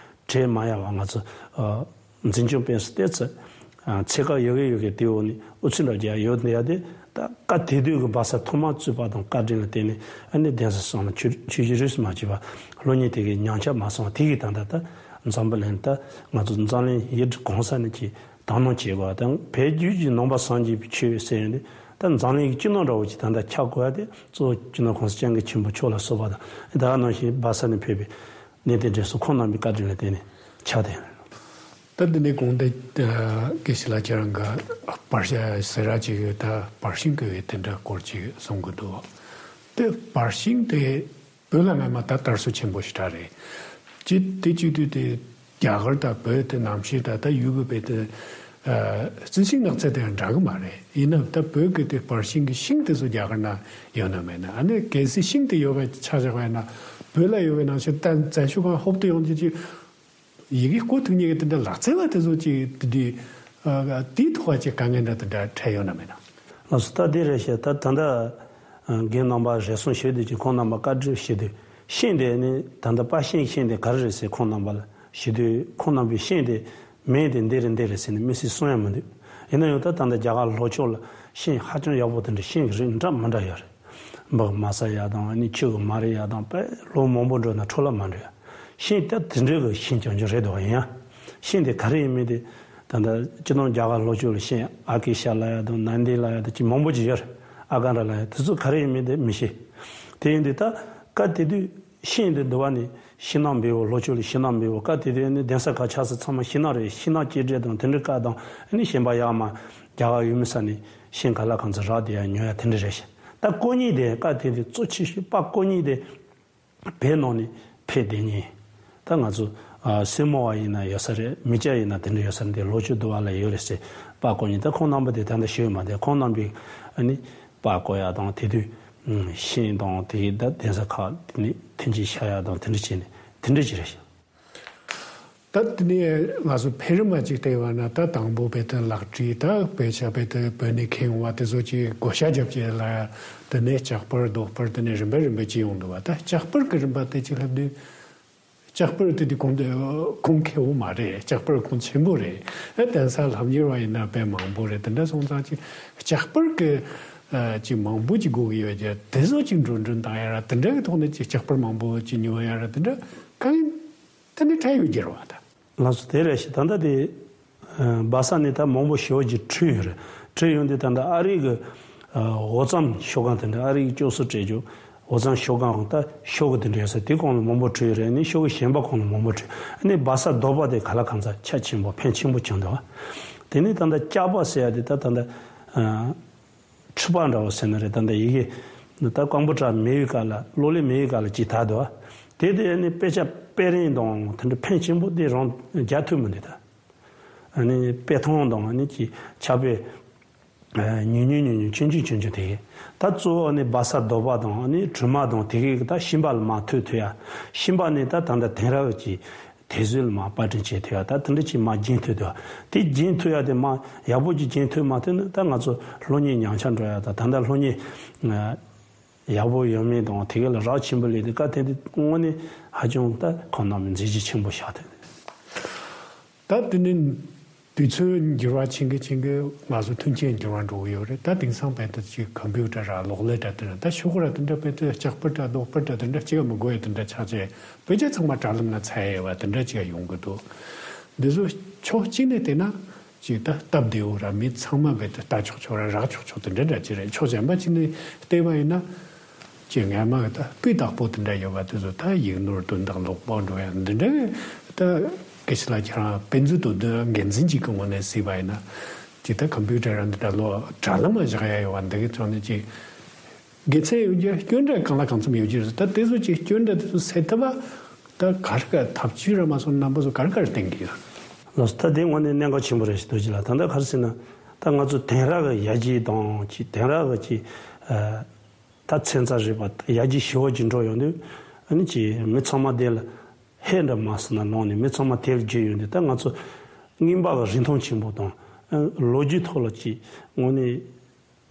གྲས་མ་ཡལ་བ་ང་ཚོ་འཛིན་སྐྱོང་སྤེལ་ས་ཏོག་ཙམ་ཚད་བཀག་ཡོད་གི་ཡོད་གི་དེ་འོག་ནས་ཨུ་ཚུགས་འདྲ་རྒྱག་ཡོད་འདི་ཡ་དེ་ད་བཀའ་དེ་དུས་ཀྱི་སྦ་ས་ཐོག་མར་བཙུགས་པ་དང་བཀའ་དྲིན་ལ་བརྟེན་ནས་ཨ་ནི་གདན་ས་གསུམ་ལ་ཆོས་ཆོས་བརྒྱུད་རིས་སུ་མ་ཆད་པ་སློབ་གཉེར་དེ་གའི་ཉམས་ཆག་མ་སོང་བ་དེ་གའི་ད་ལྟ་ད་འཛམ་བུ་གླིང་ད་ང་ཚོ་འཛམ་གླིང་ཡུལ་གྲུ་གང་ས་ནས་ཀྱི་དག་སྣང་བྱེད་དགོས་པ་དང་བོད་བརྒྱུད་ཀྱི་ནང་པ་སངས་རྒྱས་པའི་ཆོས་ཟེར་ཡོད་དེ་ད་འཛམ་གླིང་གི་སྤྱི་ནོར་འདྲ་བོ་ཅིག་ད་ལྟ་ཆགས་དགོས་ཡ་དེ་གཙོ་བོ་སྤྱི་ནོར་༸གོང་ས་༸སྐྱབས་མགོན་ཆེན་པོ་མཆོག་ལ་སོགས་པ་དང་ད་ག་ནང་བཞིན་སྦ་ས་ནས་ཕེབས་པའི་གནས་བརྟན་འདྲེན་སོགས་ཁོང་རྣམ་པའི་བཀའ་དྲིན་ལ་བརྟེན་ནས་ཆགས་ཏེ། ད་འདི་ནས་གོང་དེ་དགེ་བཤེས་ལགས་ཁྱེད་རང་གི་བར་ཞ་ཟེར་ར་ཅིག་ཡོད། ད་བར་ཤིང་གི་ཡོད་དེ་འདྲ་སྐོར་ཅིག་གསུང་གི་འདུག་དེ་བར་ཤིང་དེ། བོད་ལ་སྔ་མ་ད་དར་སྲོལ་ཆེན་པོ་ཞིག་རེད། ཅི་དེ་བྱེད་དུས་དེ་རྒྱ་གར་དང་བོད་དེ་གནམ་གཤིས་དང་ད་ཡུལ་གི་བོད་དེ་རྩི་ཤིང་ནགས་ཚལ་དེ་ཡང་འདྲ་གི་མ་རེད། ཡིན་ན་ད་བོད་གི་དེ་བར་ཤིང་གི་ཤིང་དེ་ཚོ་རྒྱ་གར་ན་ཡོད་ན་མེད་ན། ཨ་ནི་གལ་སྲིད་ཤིང་དེ་ཡོད་པ་ཆ་བཞག་པ་ཡིན་ན་བོད་ལ་ཡོད་པའི་ནང་བཞིན་ད་བཙན་བྱོལ་ཁང་ཧོབ་ཏེ་ཡོང་རྒྱུ་ཅིག་ཡི་གེ་རྐོ་ཐུབ་མཁན་གྱི་དེ་འདྲ་ལག་རྩལ་བ་དེ་ཚོ་ཅིག་དེ་དུས་དེའི་ཐོག་ཅིག་དཀའ་ངལ་འདྲ་དེ་འདྲ་འཕྲད་ཡོད་ན་མེད་ན། ལགས་སོ། ད་དེ་རེད་ཤག་ད་ད་ལྟ་རྒན་རྣམ་པ་རེ་ཟུང་ཞུས་དུས་ཀྱི་ཁོང་རྣམ་པ་བཀའ་འདྲི་ཞུས་དུས་ཤིང་དེ་ནི་ད་ལྟ་པ་ཤིང་ཤིང་དེ་ག་རེ་རེད་ཟེར་ཁོང་རྣམ་པ་ལ་ཞུས་དུས་ཁོང་རྣམ་པས་ཤིང་དེ་མིང་དེ་འདི་རེད་འདི་རེད་ཟེར་ནས་མི་སྲིད་གསུང་ཡ་མི་འདུག་ཡིན་ན་ཡང་ད་ད་ལྟ་རྒྱ་གར་ལྷོ་ཕྱོགས་ལ་ཤིང་ཧ་ཅང་ཡག་པོ་དེ་འདྲ་ཤིང་གི་རིགས་འདྲ་མི་འདྲ་ཡོད་རེད། འབག་མ་ས་ཡ་དང་ཨ་ནི་ཆུ་གི་མ་རི་ཡ་དང་དཔེ་ལོ་མང་པོ་འགྲོ་ན་འཕྲོ་བརླག་མ་འགྲོ་ཡ། ཤིང་ད་དེ་འདྲའི་གི་ཤིང་ཅང་ཅང་རེད་འདུག་ཡིན་ཡང་ཤིང་དེ་ག་རེ་ཡིན་མིན་དེ་ད་ལྟ་སྤྱི་ནོར་རྒྱ་གར་ལྷོ་ཕྱོགས་ལ་ཤིང་ཨ་ཀེ་ཤ་ལབ་ཡ་དང་ནན་དི་ལབ་ཡ་དང་ཅི་མང་པོ་ཅིག་ཡོད་རེད། ཨ་ཀ་འདྲ་ལབ་ཡ་དེ་ཚོ་ག་རེ་ཡིན་མིན་དེ་མི་ཤེས། དེ་ཡིན་དུས་ད་བཀའ་དེ་དུས་ཤིང་དེ་འདི་བ་ནི་ཤིང་ནགས་འབེལ་བོ་ལྷོ་ཕྱོགས་ལ་ཤིང་ནགས་འབེལ་བོ་བཀའ་དེ་དུས་ནི་གདན་ས་ཁག་ཆགས་ས་ཚང་མ་ཤིང་ནགས་རེད། ཤིང་ནགས་སྐྱེལ་འདྲེན་དང་དེ་འདྲའི་བཀའ་དང་ཨ་ནི་གཞན་པ་ཡག་མ་རྒྱ་གར་ཡུལ་མི་ས་ནས་ཤིང་ག་ལ་གང་ཚོད་རག་དེ་ཡང་ཉོ་ཡ་དེ་འདྲ་རེད་ཤག་ད་ཀོ་གཉིས་དེ་བཀའ་དེ་དུས་གཙོ་ཆེ་ཤོས་པ་ཀོ་གཉིས་དེ། བོད་ནང་ནས་ཕེབས་བསྡད་མཁན། ད་ང་ཚོ་ཨ་སེར་མོ་བ་ཡིན་ན་ཡོད་ས་རེད། མི་སྐྱ་ཡིན་ན་དེ་འདྲ་ཡོད་ས་རེད། འདི་ལྷོ་ཕྱོགས་འདི་བ་ལ་ཡོད་རེད་ཟེར་པར་བརྐོ་མཁན། ད་ཁོང་རྣམ་པ་དེ་ད་ལྟ་ཞུས་མ་བསྡད། ཁོང་རྣམ་པས་ཨ་ནི་པར་བརྐོ་ཡ་དང་དེ་དུས་ཤིང་དང་དེ་ད་གདན་ས་ཁག་དེ་ནས་ཐོན་སྐྱེད་བཞག་ཡ་དང་དེ་འདྲ་བྱས་ནས་དེ་འདྲ་ཅིག་རེད་ཤག་ད་དེ་ནས་ང་ཚོ་འཕེལ་རིམ་མ་ཅིག་བལྟས་པ་ན་ད་དང་པོ་བོད་དོན་ལག་བྲིས། ད་བོད་ཆ་བོད་དོན་བོད་ནས་ཁྱེར་ཡོང་བ་དེ་ཚོ་ཅིག་བགོ་བཤའ་རྒྱབ་ཅིག་ལ་དེ་ནས་ལྕགས་པར་རྡོག་པར་དེ་ནས་རིམ་པ་རིམ་པ་ཅིག་ཡོང་འདུག་བ། ད་ལྕགས་པར་གི་རིམ་པ་དེ་ཅིག་ལབ་དུས་ལྕགས་པར་དེ་དུས་གོང་དུ་གོང་ཁེ་བོ་མ་རེད། ལྕགས་པར་གོང་ཆེན་པོ་རེད། ཨ་གདན་ས་ལྷམ་གཡུར་བ་ཡིན་ན་དཔེ་མང་པོ་རེད། དེ་འདྲ་སོང་ཙང་ཅིག་ལྕགས་པར་གི་ཨ་ཅིག་མང་པོ་ཅིག་དགོས་ཀྱི་ཡོད་ཀྱི་དེ་ཚོ་ཅིག་འགྲོ་གྲོན་བཏང་ཡ་ར་དེ་འདྲ་གི་ཐོག་ནས་ཅིག་ལྕགས་པར་མང་པོ་ཅིག་ཉོ་ཡ་ར་དེ་འདྲ་གང་ཡིན། དེ་ནི་འཕྲལ་ཡོད་རྒྱུ་རེད་བ་ད། ལགས་སོ། དེ་རེད་ཤག་ད་ལྟ་དེ་སྦ་ས་ནས་ད་མང་པོ་ཞེ་པོ་ཅིག་བྲོས་ཡོད་རེད། བྲོས་ཡོང་དུས་ད་ལྟ་ཨ་རི་གི་འོ་རྩམ་ཤོག་ཁང་དེ་འདྲ་ཨ་རི་གི་སྐྱོ་སུ་སྤྲད་རྒྱུ་ ཨོ་ཚང་ཤོ་གང་ད་ཤོ་གི་དེ་འདྲ་ཡོད་ས་དེ་གོང་ལ་མང་པོ་བྲིས་ཡོད་རེད། ནི་ཤོ་གི་གཞན་པ་གོང་ལ་མང་པོ་བྲིས། ནི་བ་ས་རྡོ་པ་དེ་ག་ལ་གང་ཚ་ཆ་ཆེན་པོ་ཕན་ཆེན་པོ་བྱུང་འདུག་དེ་ནི་ད་ལྟ་སྐྱག་པ་ཟེར་ཡ་དེ་ད་ད་ལྟ་ཁྲི་པ་འདྲ་བོ་ཟེར་ན་རེད། ད་ལྟ་ཡི་གེ་ད་ཀམ་པུ་ཊར་མེད་པའི་སྐབས་ལ་གློག་ཀླད་མེད་པའི་སྐབས་ལ་ཅིག་དར་འདུག་དེ་དེ་ནི་དཔེ་ཆ་དཔེ་རིང་དང་དེ་འདྲ་ཕན་ཆེན་པོ་དེ་རང་རྒྱག་ཐུབ་མི་འདུག་ད་ནི་དཔེ་ཐུང་དང་ནི་ཅིག་ཕྱག་དཔེ། ཉུང་ཉུང་ཉུང་ཉུང་ཆུང་ཆུང་ཆུང་ཆུང་དེ། ད་གཙོ་བོ་ནི་བ་ས་རྡོ་པ་དང་ནི་གྲུ་མ་དང་དེ་གའི་ད་ཤིང་པ་ལ་མ་ཐུག་ཐུག་ཡ། ཤིང་པ་ནི་ད་ད་ལྟ་དེང་རབས་ཀྱི་དེ་ཚོའི་ལ་མ་པར་སྐྲུན་བྱེད་ཐུབ་ཡ། ད་དེ་འདྲ་ཅིག་མ་རྒྱན་ཐུབ་ཐུབ་ཡ། དེ་རྒྱན་ཐུབ་ཡ་དེ་མ་ཡག་པོ་ཅིག་རྒྱན་ཐུབ་མ་ཐུབ་ན་ད་ང་ཚོ་སློབ་གཉེར་ཉམས་ཆག་འགྲོ་ཡ། ད་ད་ལྟ་སློབ་གཉེར་ཡག་པོ་ཡོད་མེད་དང་དེ་གའི་ལ་རག་ཆེན་པོ་ལས་དེ་བཀའ་དེ་དེ་དངོས་གནས་ཧ་ཅང་ད་ཁོང་རྣམས་མཛད་རྗེས་ཆེན་པོ་བཞག་ཐུབ། ད་དེ་ནི་དུས་ཚོད་འགྱུར་བ་ཕྱིན་གི་ཕྱིན་གི་ང་ཚོ་མཐུན་རྐྱེན་འགྱུར་བ་འགྲོ་གི་ཡོད་རེད། ད་དེང་སང་བལ་དུ་ཅིག་ཀམ་པུ་ཊར་ར་གློག་ཀླད་ར་དེ་ར་ད་ཤོག་གུ་ར་དེ་འདྲ་བལ་དུ་ལྕགས་པར་ར་རྡོག་པར་ར་དེ་འདྲ་ཅིག་མི་དགོས་ཡ་དེ་འདྲ་ཆགས་ཆེ་བོད་རྒྱ་ཚང་མ་དྲ་ལམ་ན་ཚ་ཡ་བ་དེ་འདྲ་ཅིག་ཡོང་གི་འདུག་འདི་ཚོ་ཕྱོགས་གཅིག་ནས་བལྟས་ན་ཅིག་ད་སྟབས་བདེ་བོ་ར་མི་ཚང་མ་བལ་དུ་ལྟ་ཆོག་ཆོག་ར་རག་ཆོག་ཆོག་དེ་འདྲ་འདྲ་ཅིག་རེད། ཕྱོགས་གཞན་པ་ཅིག་ནས་བལྟས་པ་ཡིན་ན། ཅེས་སྔ་མ་གི་ད་སྤུས་དག་པོ་དེ་འདྲ་ཡོད་པ་དེ་ཚོ་ད་ཡིག་ནོར་དོན་དག་ལོག་པོ་འགྲོ་ཡ་འདི་འདྲ་གི་ད་སྐད་ཆ་ལ་ཁྱེད་རང་དཔེ་མཛོད་དོ་དོན་འགན་འཛིན་གཅིག་གི་ངོས་ནས་གཟིགས་པ་ཡིན་ན་ཅིག་ད་ཀམ་པུ་ཊར་ར་འདི་འདྲ་ལོ་དྲ་ལམ་ལ་བཞག་ཡ་ཡོད་པ་འདི་གི་ཚོ་ནི་ཅིག་དགེ་མཚན་ཡོད་རྒྱུ་སྐྱོན་འདྲ་གང་ལ་གང་འཚམ་ཡོད་རྒྱུ་རེད། ད་དེ་ཚོ་ཅིག་སྐྱོན་འདྲ་དེ་ཚོ་སེལ་ཐུབ་པ་ད་ག་རེ་ག་ཐབས་ཇུས་ར་མ་སོང་རྣམ་པ་ཚོ་ག་རེ་ག་རེ་བསྟན་གི་ཡོད། ལགས་སོ། ད་དེ་དངོས་གནས་གནད་འགག་ཆེན་པོ་རེད་ཞེས་འདོད་ཀྱི་ལ། ད་ལྟ་ག་རེ་ཟེར་ན་ད་ང་ཚོ་དེང་རབས་ཀྱི་ཡར་རྒྱས་དང་ཅིག་དེང་རབས་ཀྱི་ཅིག་ད་ཚན་རྩལ་རིག་པ་ཡར་རྒྱས་ཞེ་པོ་ཅིག་འགྲོ་ཡོང་དུས་ཨ་ནི་ཅིག་མི་ཚང་མ་དེ་ལ་ཧེ་འདྲ་མ་སོང་ན་ལོང་ནས་མི་ཚང་མ་དེ་ལ་བརྒྱུད་ཡོང་དུས་ད་ང་ཚོ་རྔན་པ་གི་རིན་ཐང་ཆེན་པོ་དང་ལོ་རྒྱུས་ཐོག་ལ་ཅིག་དངོས་གནས་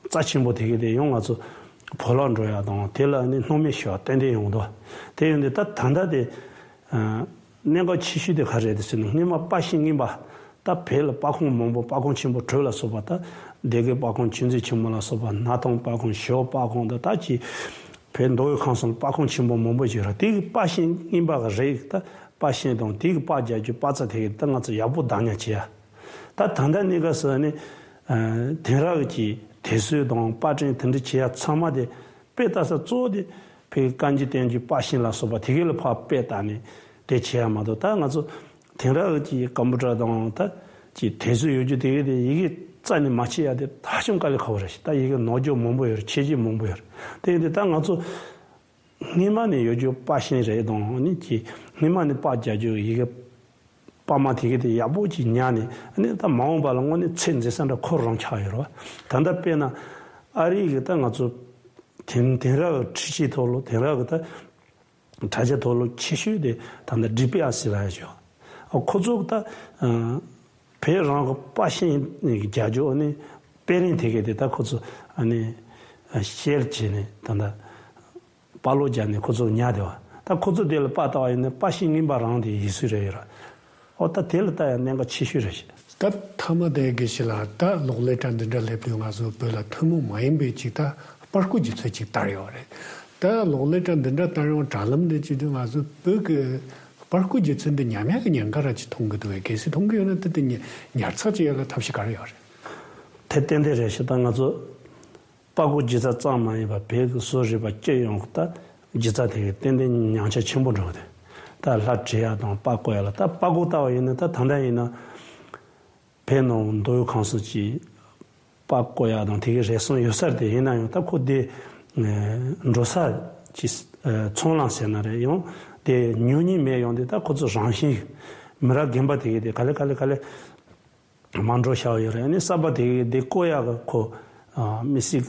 རྩ་ཆེན་པོ་དེ་གི་དེ་ཡང་ང་ཚོ་བོར་བརླག་འགྲོ་ཡ་དང་དེ་ལ་ཨ་ནི་སྣང་མེད་ཞེ་པོ་ཏན་ཏན་ཡོང་འདུག་དེ་ཡོང་དུས་ད་ད་ལྟ་དེ་གནད་འགག་ཆེ་ཤོས་དེ་ག་རེད་ཟེར་ན་སྔོན་མ་པར་ཤིང་རྔན་པ། ད་བོད་ལ་པར་ཁང་མང་པོ་པར་ཁང་ཆེན་པོ་དྲུག་ལ་སོགས་པ་ད་སྡེ་དགེ་པར་ཁང་ཆོས་མཛོད་ཆེན་མོ་ལ་སོགས་པ་སྣར་ཐང་པར་ཁང་ཞོལ་པར་ཁང་ད་ད་ཅི་བོད་མདོ་དབུས་ཁམས་གསུམ་ལ་པར་ཁང་ཆེན་པོ་མང་པོ་ཞིག་རེད། དེ་གི་པར་ཤིང་རྔན་པ་གི་རིགས་ད་པར་ཤིང་དང་དེ་གི་པར་རྒྱག་རྒྱུ་པར་ཚྭ་དེ་གི་ད་ང་ཚོ་ཡག་པོ་བདག་ཉར་བྱེད་ཡ། ད་ད་ལྟ་གནས་སྐབས་སུ་ནི་དེང་རབས་ཀྱི་དུས་ཚོད་དང་པར་སྐྲུན་དེ་འདྲ་བྱེད་ཡ་ཚང་མ་དེ་དཔེ་ལྟ་ས་གཙོ་བོ་དེ་བོད་ཀྱི་བཀའ་འགྱུར་བསྟན་འགྱུར་པར་ཤིང་ལ་སོགས་པ་དེ་གའི་ལ་ཕར་དཔེ་ལྟ་ནས་དེ་བྱེད་ཡ་མ་གཏོགས་ད་ང་ཚོ་དེང་རབས་ཀྱི་ཀམ་པུ་ཊར་དང་ད་ཀྱི་དུས་ཚོད་ཡོད་རྒྱུ་དེ་གའི་དེ་ཡི་གེ་རྩ་ནས་མ་ཕྱེ་ཡ་དེ་ད་ཧ་ཅང་དཀའ་ལས་ཁག་པོ་རེད་ཤག་ད་ཡི་གེ་ནོར་རྒྱུ་མང་པོ་ཡོད་རེད། ཆད་རྒྱུ་མང་པོ་ཡོད་རེད། དེ་ཡིན་དུས་ད་ང་ཚོ་སྔོན་མ་ནས་ཡོད་རྒྱུ་པར་ཤིང་རེད་དང་ནི་ཀྱི་སྔོན་མ་ནས་པར་རྒྱག་རྒྱུ་ཡི་གེ་པར་མ་དེ་གའི་དེ་ཡག་པོ་ཅིག་ཉར་ནས་ཨ་ནི་ད་མ་འོངས་པ་ལ་དངོས་གནས་ཚད་འཛིན་ས་འདྲ་ཁོ་རང་ཆགས་ཡོད་རེད་བ། ད་ལྟ་དཔེར་ན་ཨ་རི་གི་ད་ང་ཚོ་དེང་དེང་རབས་འཕྲུལ་ཆས་ཐོག་ལ་དེང་རབས་གི་ད་དྲ་རྒྱ་ཐོག་ལ་ཆེ་ཤོས་དེ་ད་ལྟ་ཌི་པི་ཨར་ཟེར་བ་ཡོད་ཅོག་ཨ་ཁོ་ཚོ་ད་བོད་རང་གི་པར་ཤིང་རྒྱག་རྒྱུ་ཨ་ནི་དཔེ་རིང་དེ་གའི་དེ་ད་ཁོ་ཚོ་ཨ་ནི་ཤེར་བྱས་ནས་ད་ལྟ། པར་ལོག་རྒྱག་ནས་ཁོ་ཚོ་ཉར་བསྡད་པ། ད་ཁོ་ཚོ་དེ་ལ་པར་ལྟ་བ་ཡིན་ན་པར་ཤིང་རྔན་པ་རང་དེ་ཡིན་སྲིད་རེད་ཡོད་ར། ཨོ་ད་དེ་ལ་ལྟ་ཡང་གནད་འགག་ཆེ་ཤོས་རེད་ཤག་ད་མཐའ་མ་དེ་དགེ་བཤེས་ལགས་ད་གློག་ཀླད་དྲ་འདི་འདྲ་སླེབས་དུས་ང་ཚོ་བོད་ལ་ཐུན་མོང་མ་ཡིན་པའི་ཅིག་ད་པར་བརྐོས་སྒྱུ་རྩལ་ཅིག་དར་ཡོད་རེད། ད་གློག་ཀླད་དྲ་འདི་འདྲ་དར་ཡོང་དྲ་ལམ་འདི་བྱེད་དུས་ང་ཚོ་བོད་ཀྱི་པར་བརྐོས་སྒྱུ་རྩལ་འདི་ཉམས་ཡག་གི་ཉེན་ཁ་ར་ཅིག་མཐོང་གི་འདུག་བས། གལ་སྲིད་མཐོང་གི་ཡོད་ན་ད་དེ་ཉར་ཚགས་བྱེད་ཡག་གི་ཐབས་ཤེས་ག་རེ་ཡོད་རེད། དེ་ཏན་ཏན་རེད་ཤག་ད་ང་ཚོ། པར་བརྐོས་སྒྱུ་རྩལ་ཙམ་མ་ཡིན་པར་བོད་ཀྱི་བཟོ་རིག་པ་སྤྱི་ཡོངས་ཀྱི་ད་སྒྱུ་རྩལ་དེ་གའི་ཏན་ཏན་ཉམས་ཆག་ཆེན་པོ་འགྲོ་གི་འདུག་ད་ལྷ་བྲིས་ཡ་དང་པར་བརྐོས་ཡ་ལ་ད་པར་བརྐོས་ལྟ་བ་ཡིན་ན་ད་ད་ལྟ་ཡིན་ན་བོད་ནང་མདོ་དབུས་ཁམས་གསུམ་གྱི་པར་བརྐོས་ཡ་དང་དེ་གའི་རེ་ཟུང་ཡོད་ས་རེད། དེ་ཡིན་ན་ཡང་ད་ཁོ་དེ་འགྲོ་ས་ཀྱི་ཚོང་ལམ་ཟེར་ན་རེད། ཡང་དེ་ཉོ་མཁན་མེད། ཡང་དེ་ད་ཁོ་ཚོ་རང་བཞིན་མི་རབས་རྒན་པ་དེ་གའི་དེ་ག་ལེ་ག་ལེ་ག་ལེ། མ་འགྲོ་ཤག་ཡོད་རེད། ཨ་ནི་གསར་པ་དེ་གི་དེ་བརྐོ་ཡག་གི་ཁོ་ཨ་མི་སྲིད་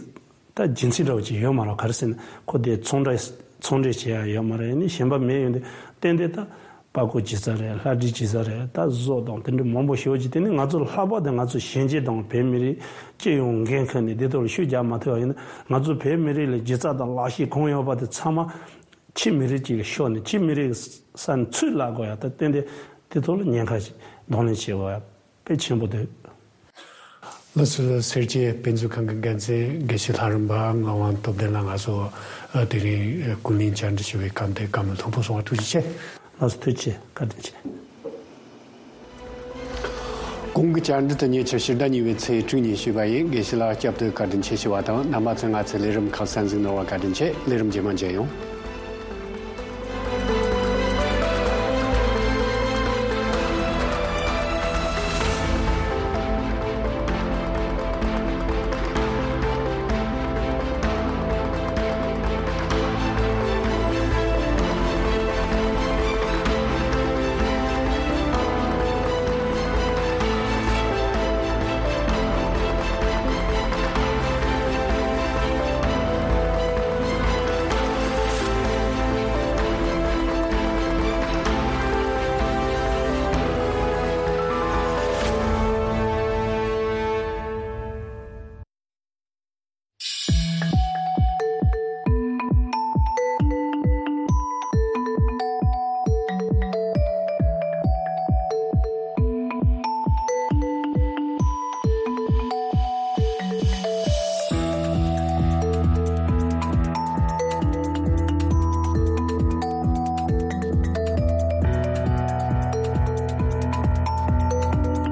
ད་རྒྱུ་མཚན་འདྲ་བོ་ཅིག་ཡོད་མ་རེད། ག་རེ་ཟེར་ན་ཁོ་དེ་ཚོང་འབྲེལ་ཚོང་འབྲེལ་བྱེད་ཡག་ཡོད་མ་རེད། ཨ་ནི་གཞན་པ་མེད། ཡོད་འདི་ཏན་ཏན་ད་པར་བརྐོས་སྒྱུ་རྩལ་རེད། ལྷ་བྲིས་སྒྱུ་རྩལ་རེད། ད་བཟོ་དང་དེ་འདྲ་མང་པོ་ཞེ་པོ་ཅིག་དེ་ནི་ང་ཚོ་ལྷག་པར་དུ་ང་ཚོ་གཞོན་སྐྱེས་དང་བོད་མི་རིགས་སྤྱི་ཡོངས་འགན་ཁུར་ནས་དེ་ཐོག་ལ་ཤུགས་རྒྱག་མ་ཐུབ་པ་ཡིན་ན་ང་ཚོ་བོད་མི་རིགས་ལ་སྒྱུ་རྩལ་དང་ལག་ཤེས་གང་ཡོད་པ་དེ་ཚང་མ་ཕྱི་མི་རིགས་ཅིག་ལ་ཤོར་ནས་ཕྱི་མི་རིགས་ས་ནས་ཚུར་བརླག་དགོས་ཡ། ད་ཏན་ཏན་དེ་ཐོག་ལ་ཉེན་ཁ་ཞིག་གདོང་ལེན་བྱེད་དགོས་ཡ། དཔེ་ཆེན་པོ་འདུག་ལགས་སོ། སེར་བྱེས་དཔེ་མཛོད་ཁང་གི་འགན་འཛིན་དགེ་བཤེས་ལྷ་རམས་པ་ངག་དབང་སྟོབས་ལྡན་ལགས་ང་ཚོ་དེ་རིང་ཀུན་གླེང་བཅར་འདྲི་ཞུ་བའི་སྐབས་འདི་བཀའ་མོལ་ལྷུག་པོ་གསུང་བ་ཐུགས་རྗེ་ཆེ། ལགས་སོ། ཐུགས་རྗེ་ཆེ། བཀའ་དྲིན་ཆེ། གོང་གི་བཅར་འདྲི་དེ་ཉེ་ཆར་ཕྱི་ཟླ་གཉིས་པའི་ཚེས་དྲུག་ཉིན་ཞུས་པ་ཡིན། དགེ་བཤེས་ལགས་སྐྱབས་དུ་བཀའ་དྲིན་ཆེ་ཞུ་བ་དང་། རྣམ་པ་ཚོས་ང་ཚོའི་ལས་རིམ་ཁ་གསན་གཟིགས་གནང་བར་བཀའ་དྲིན་ཆེ། ལས་རིམ་རྗེས་མ་མཇལ་ཡོང་།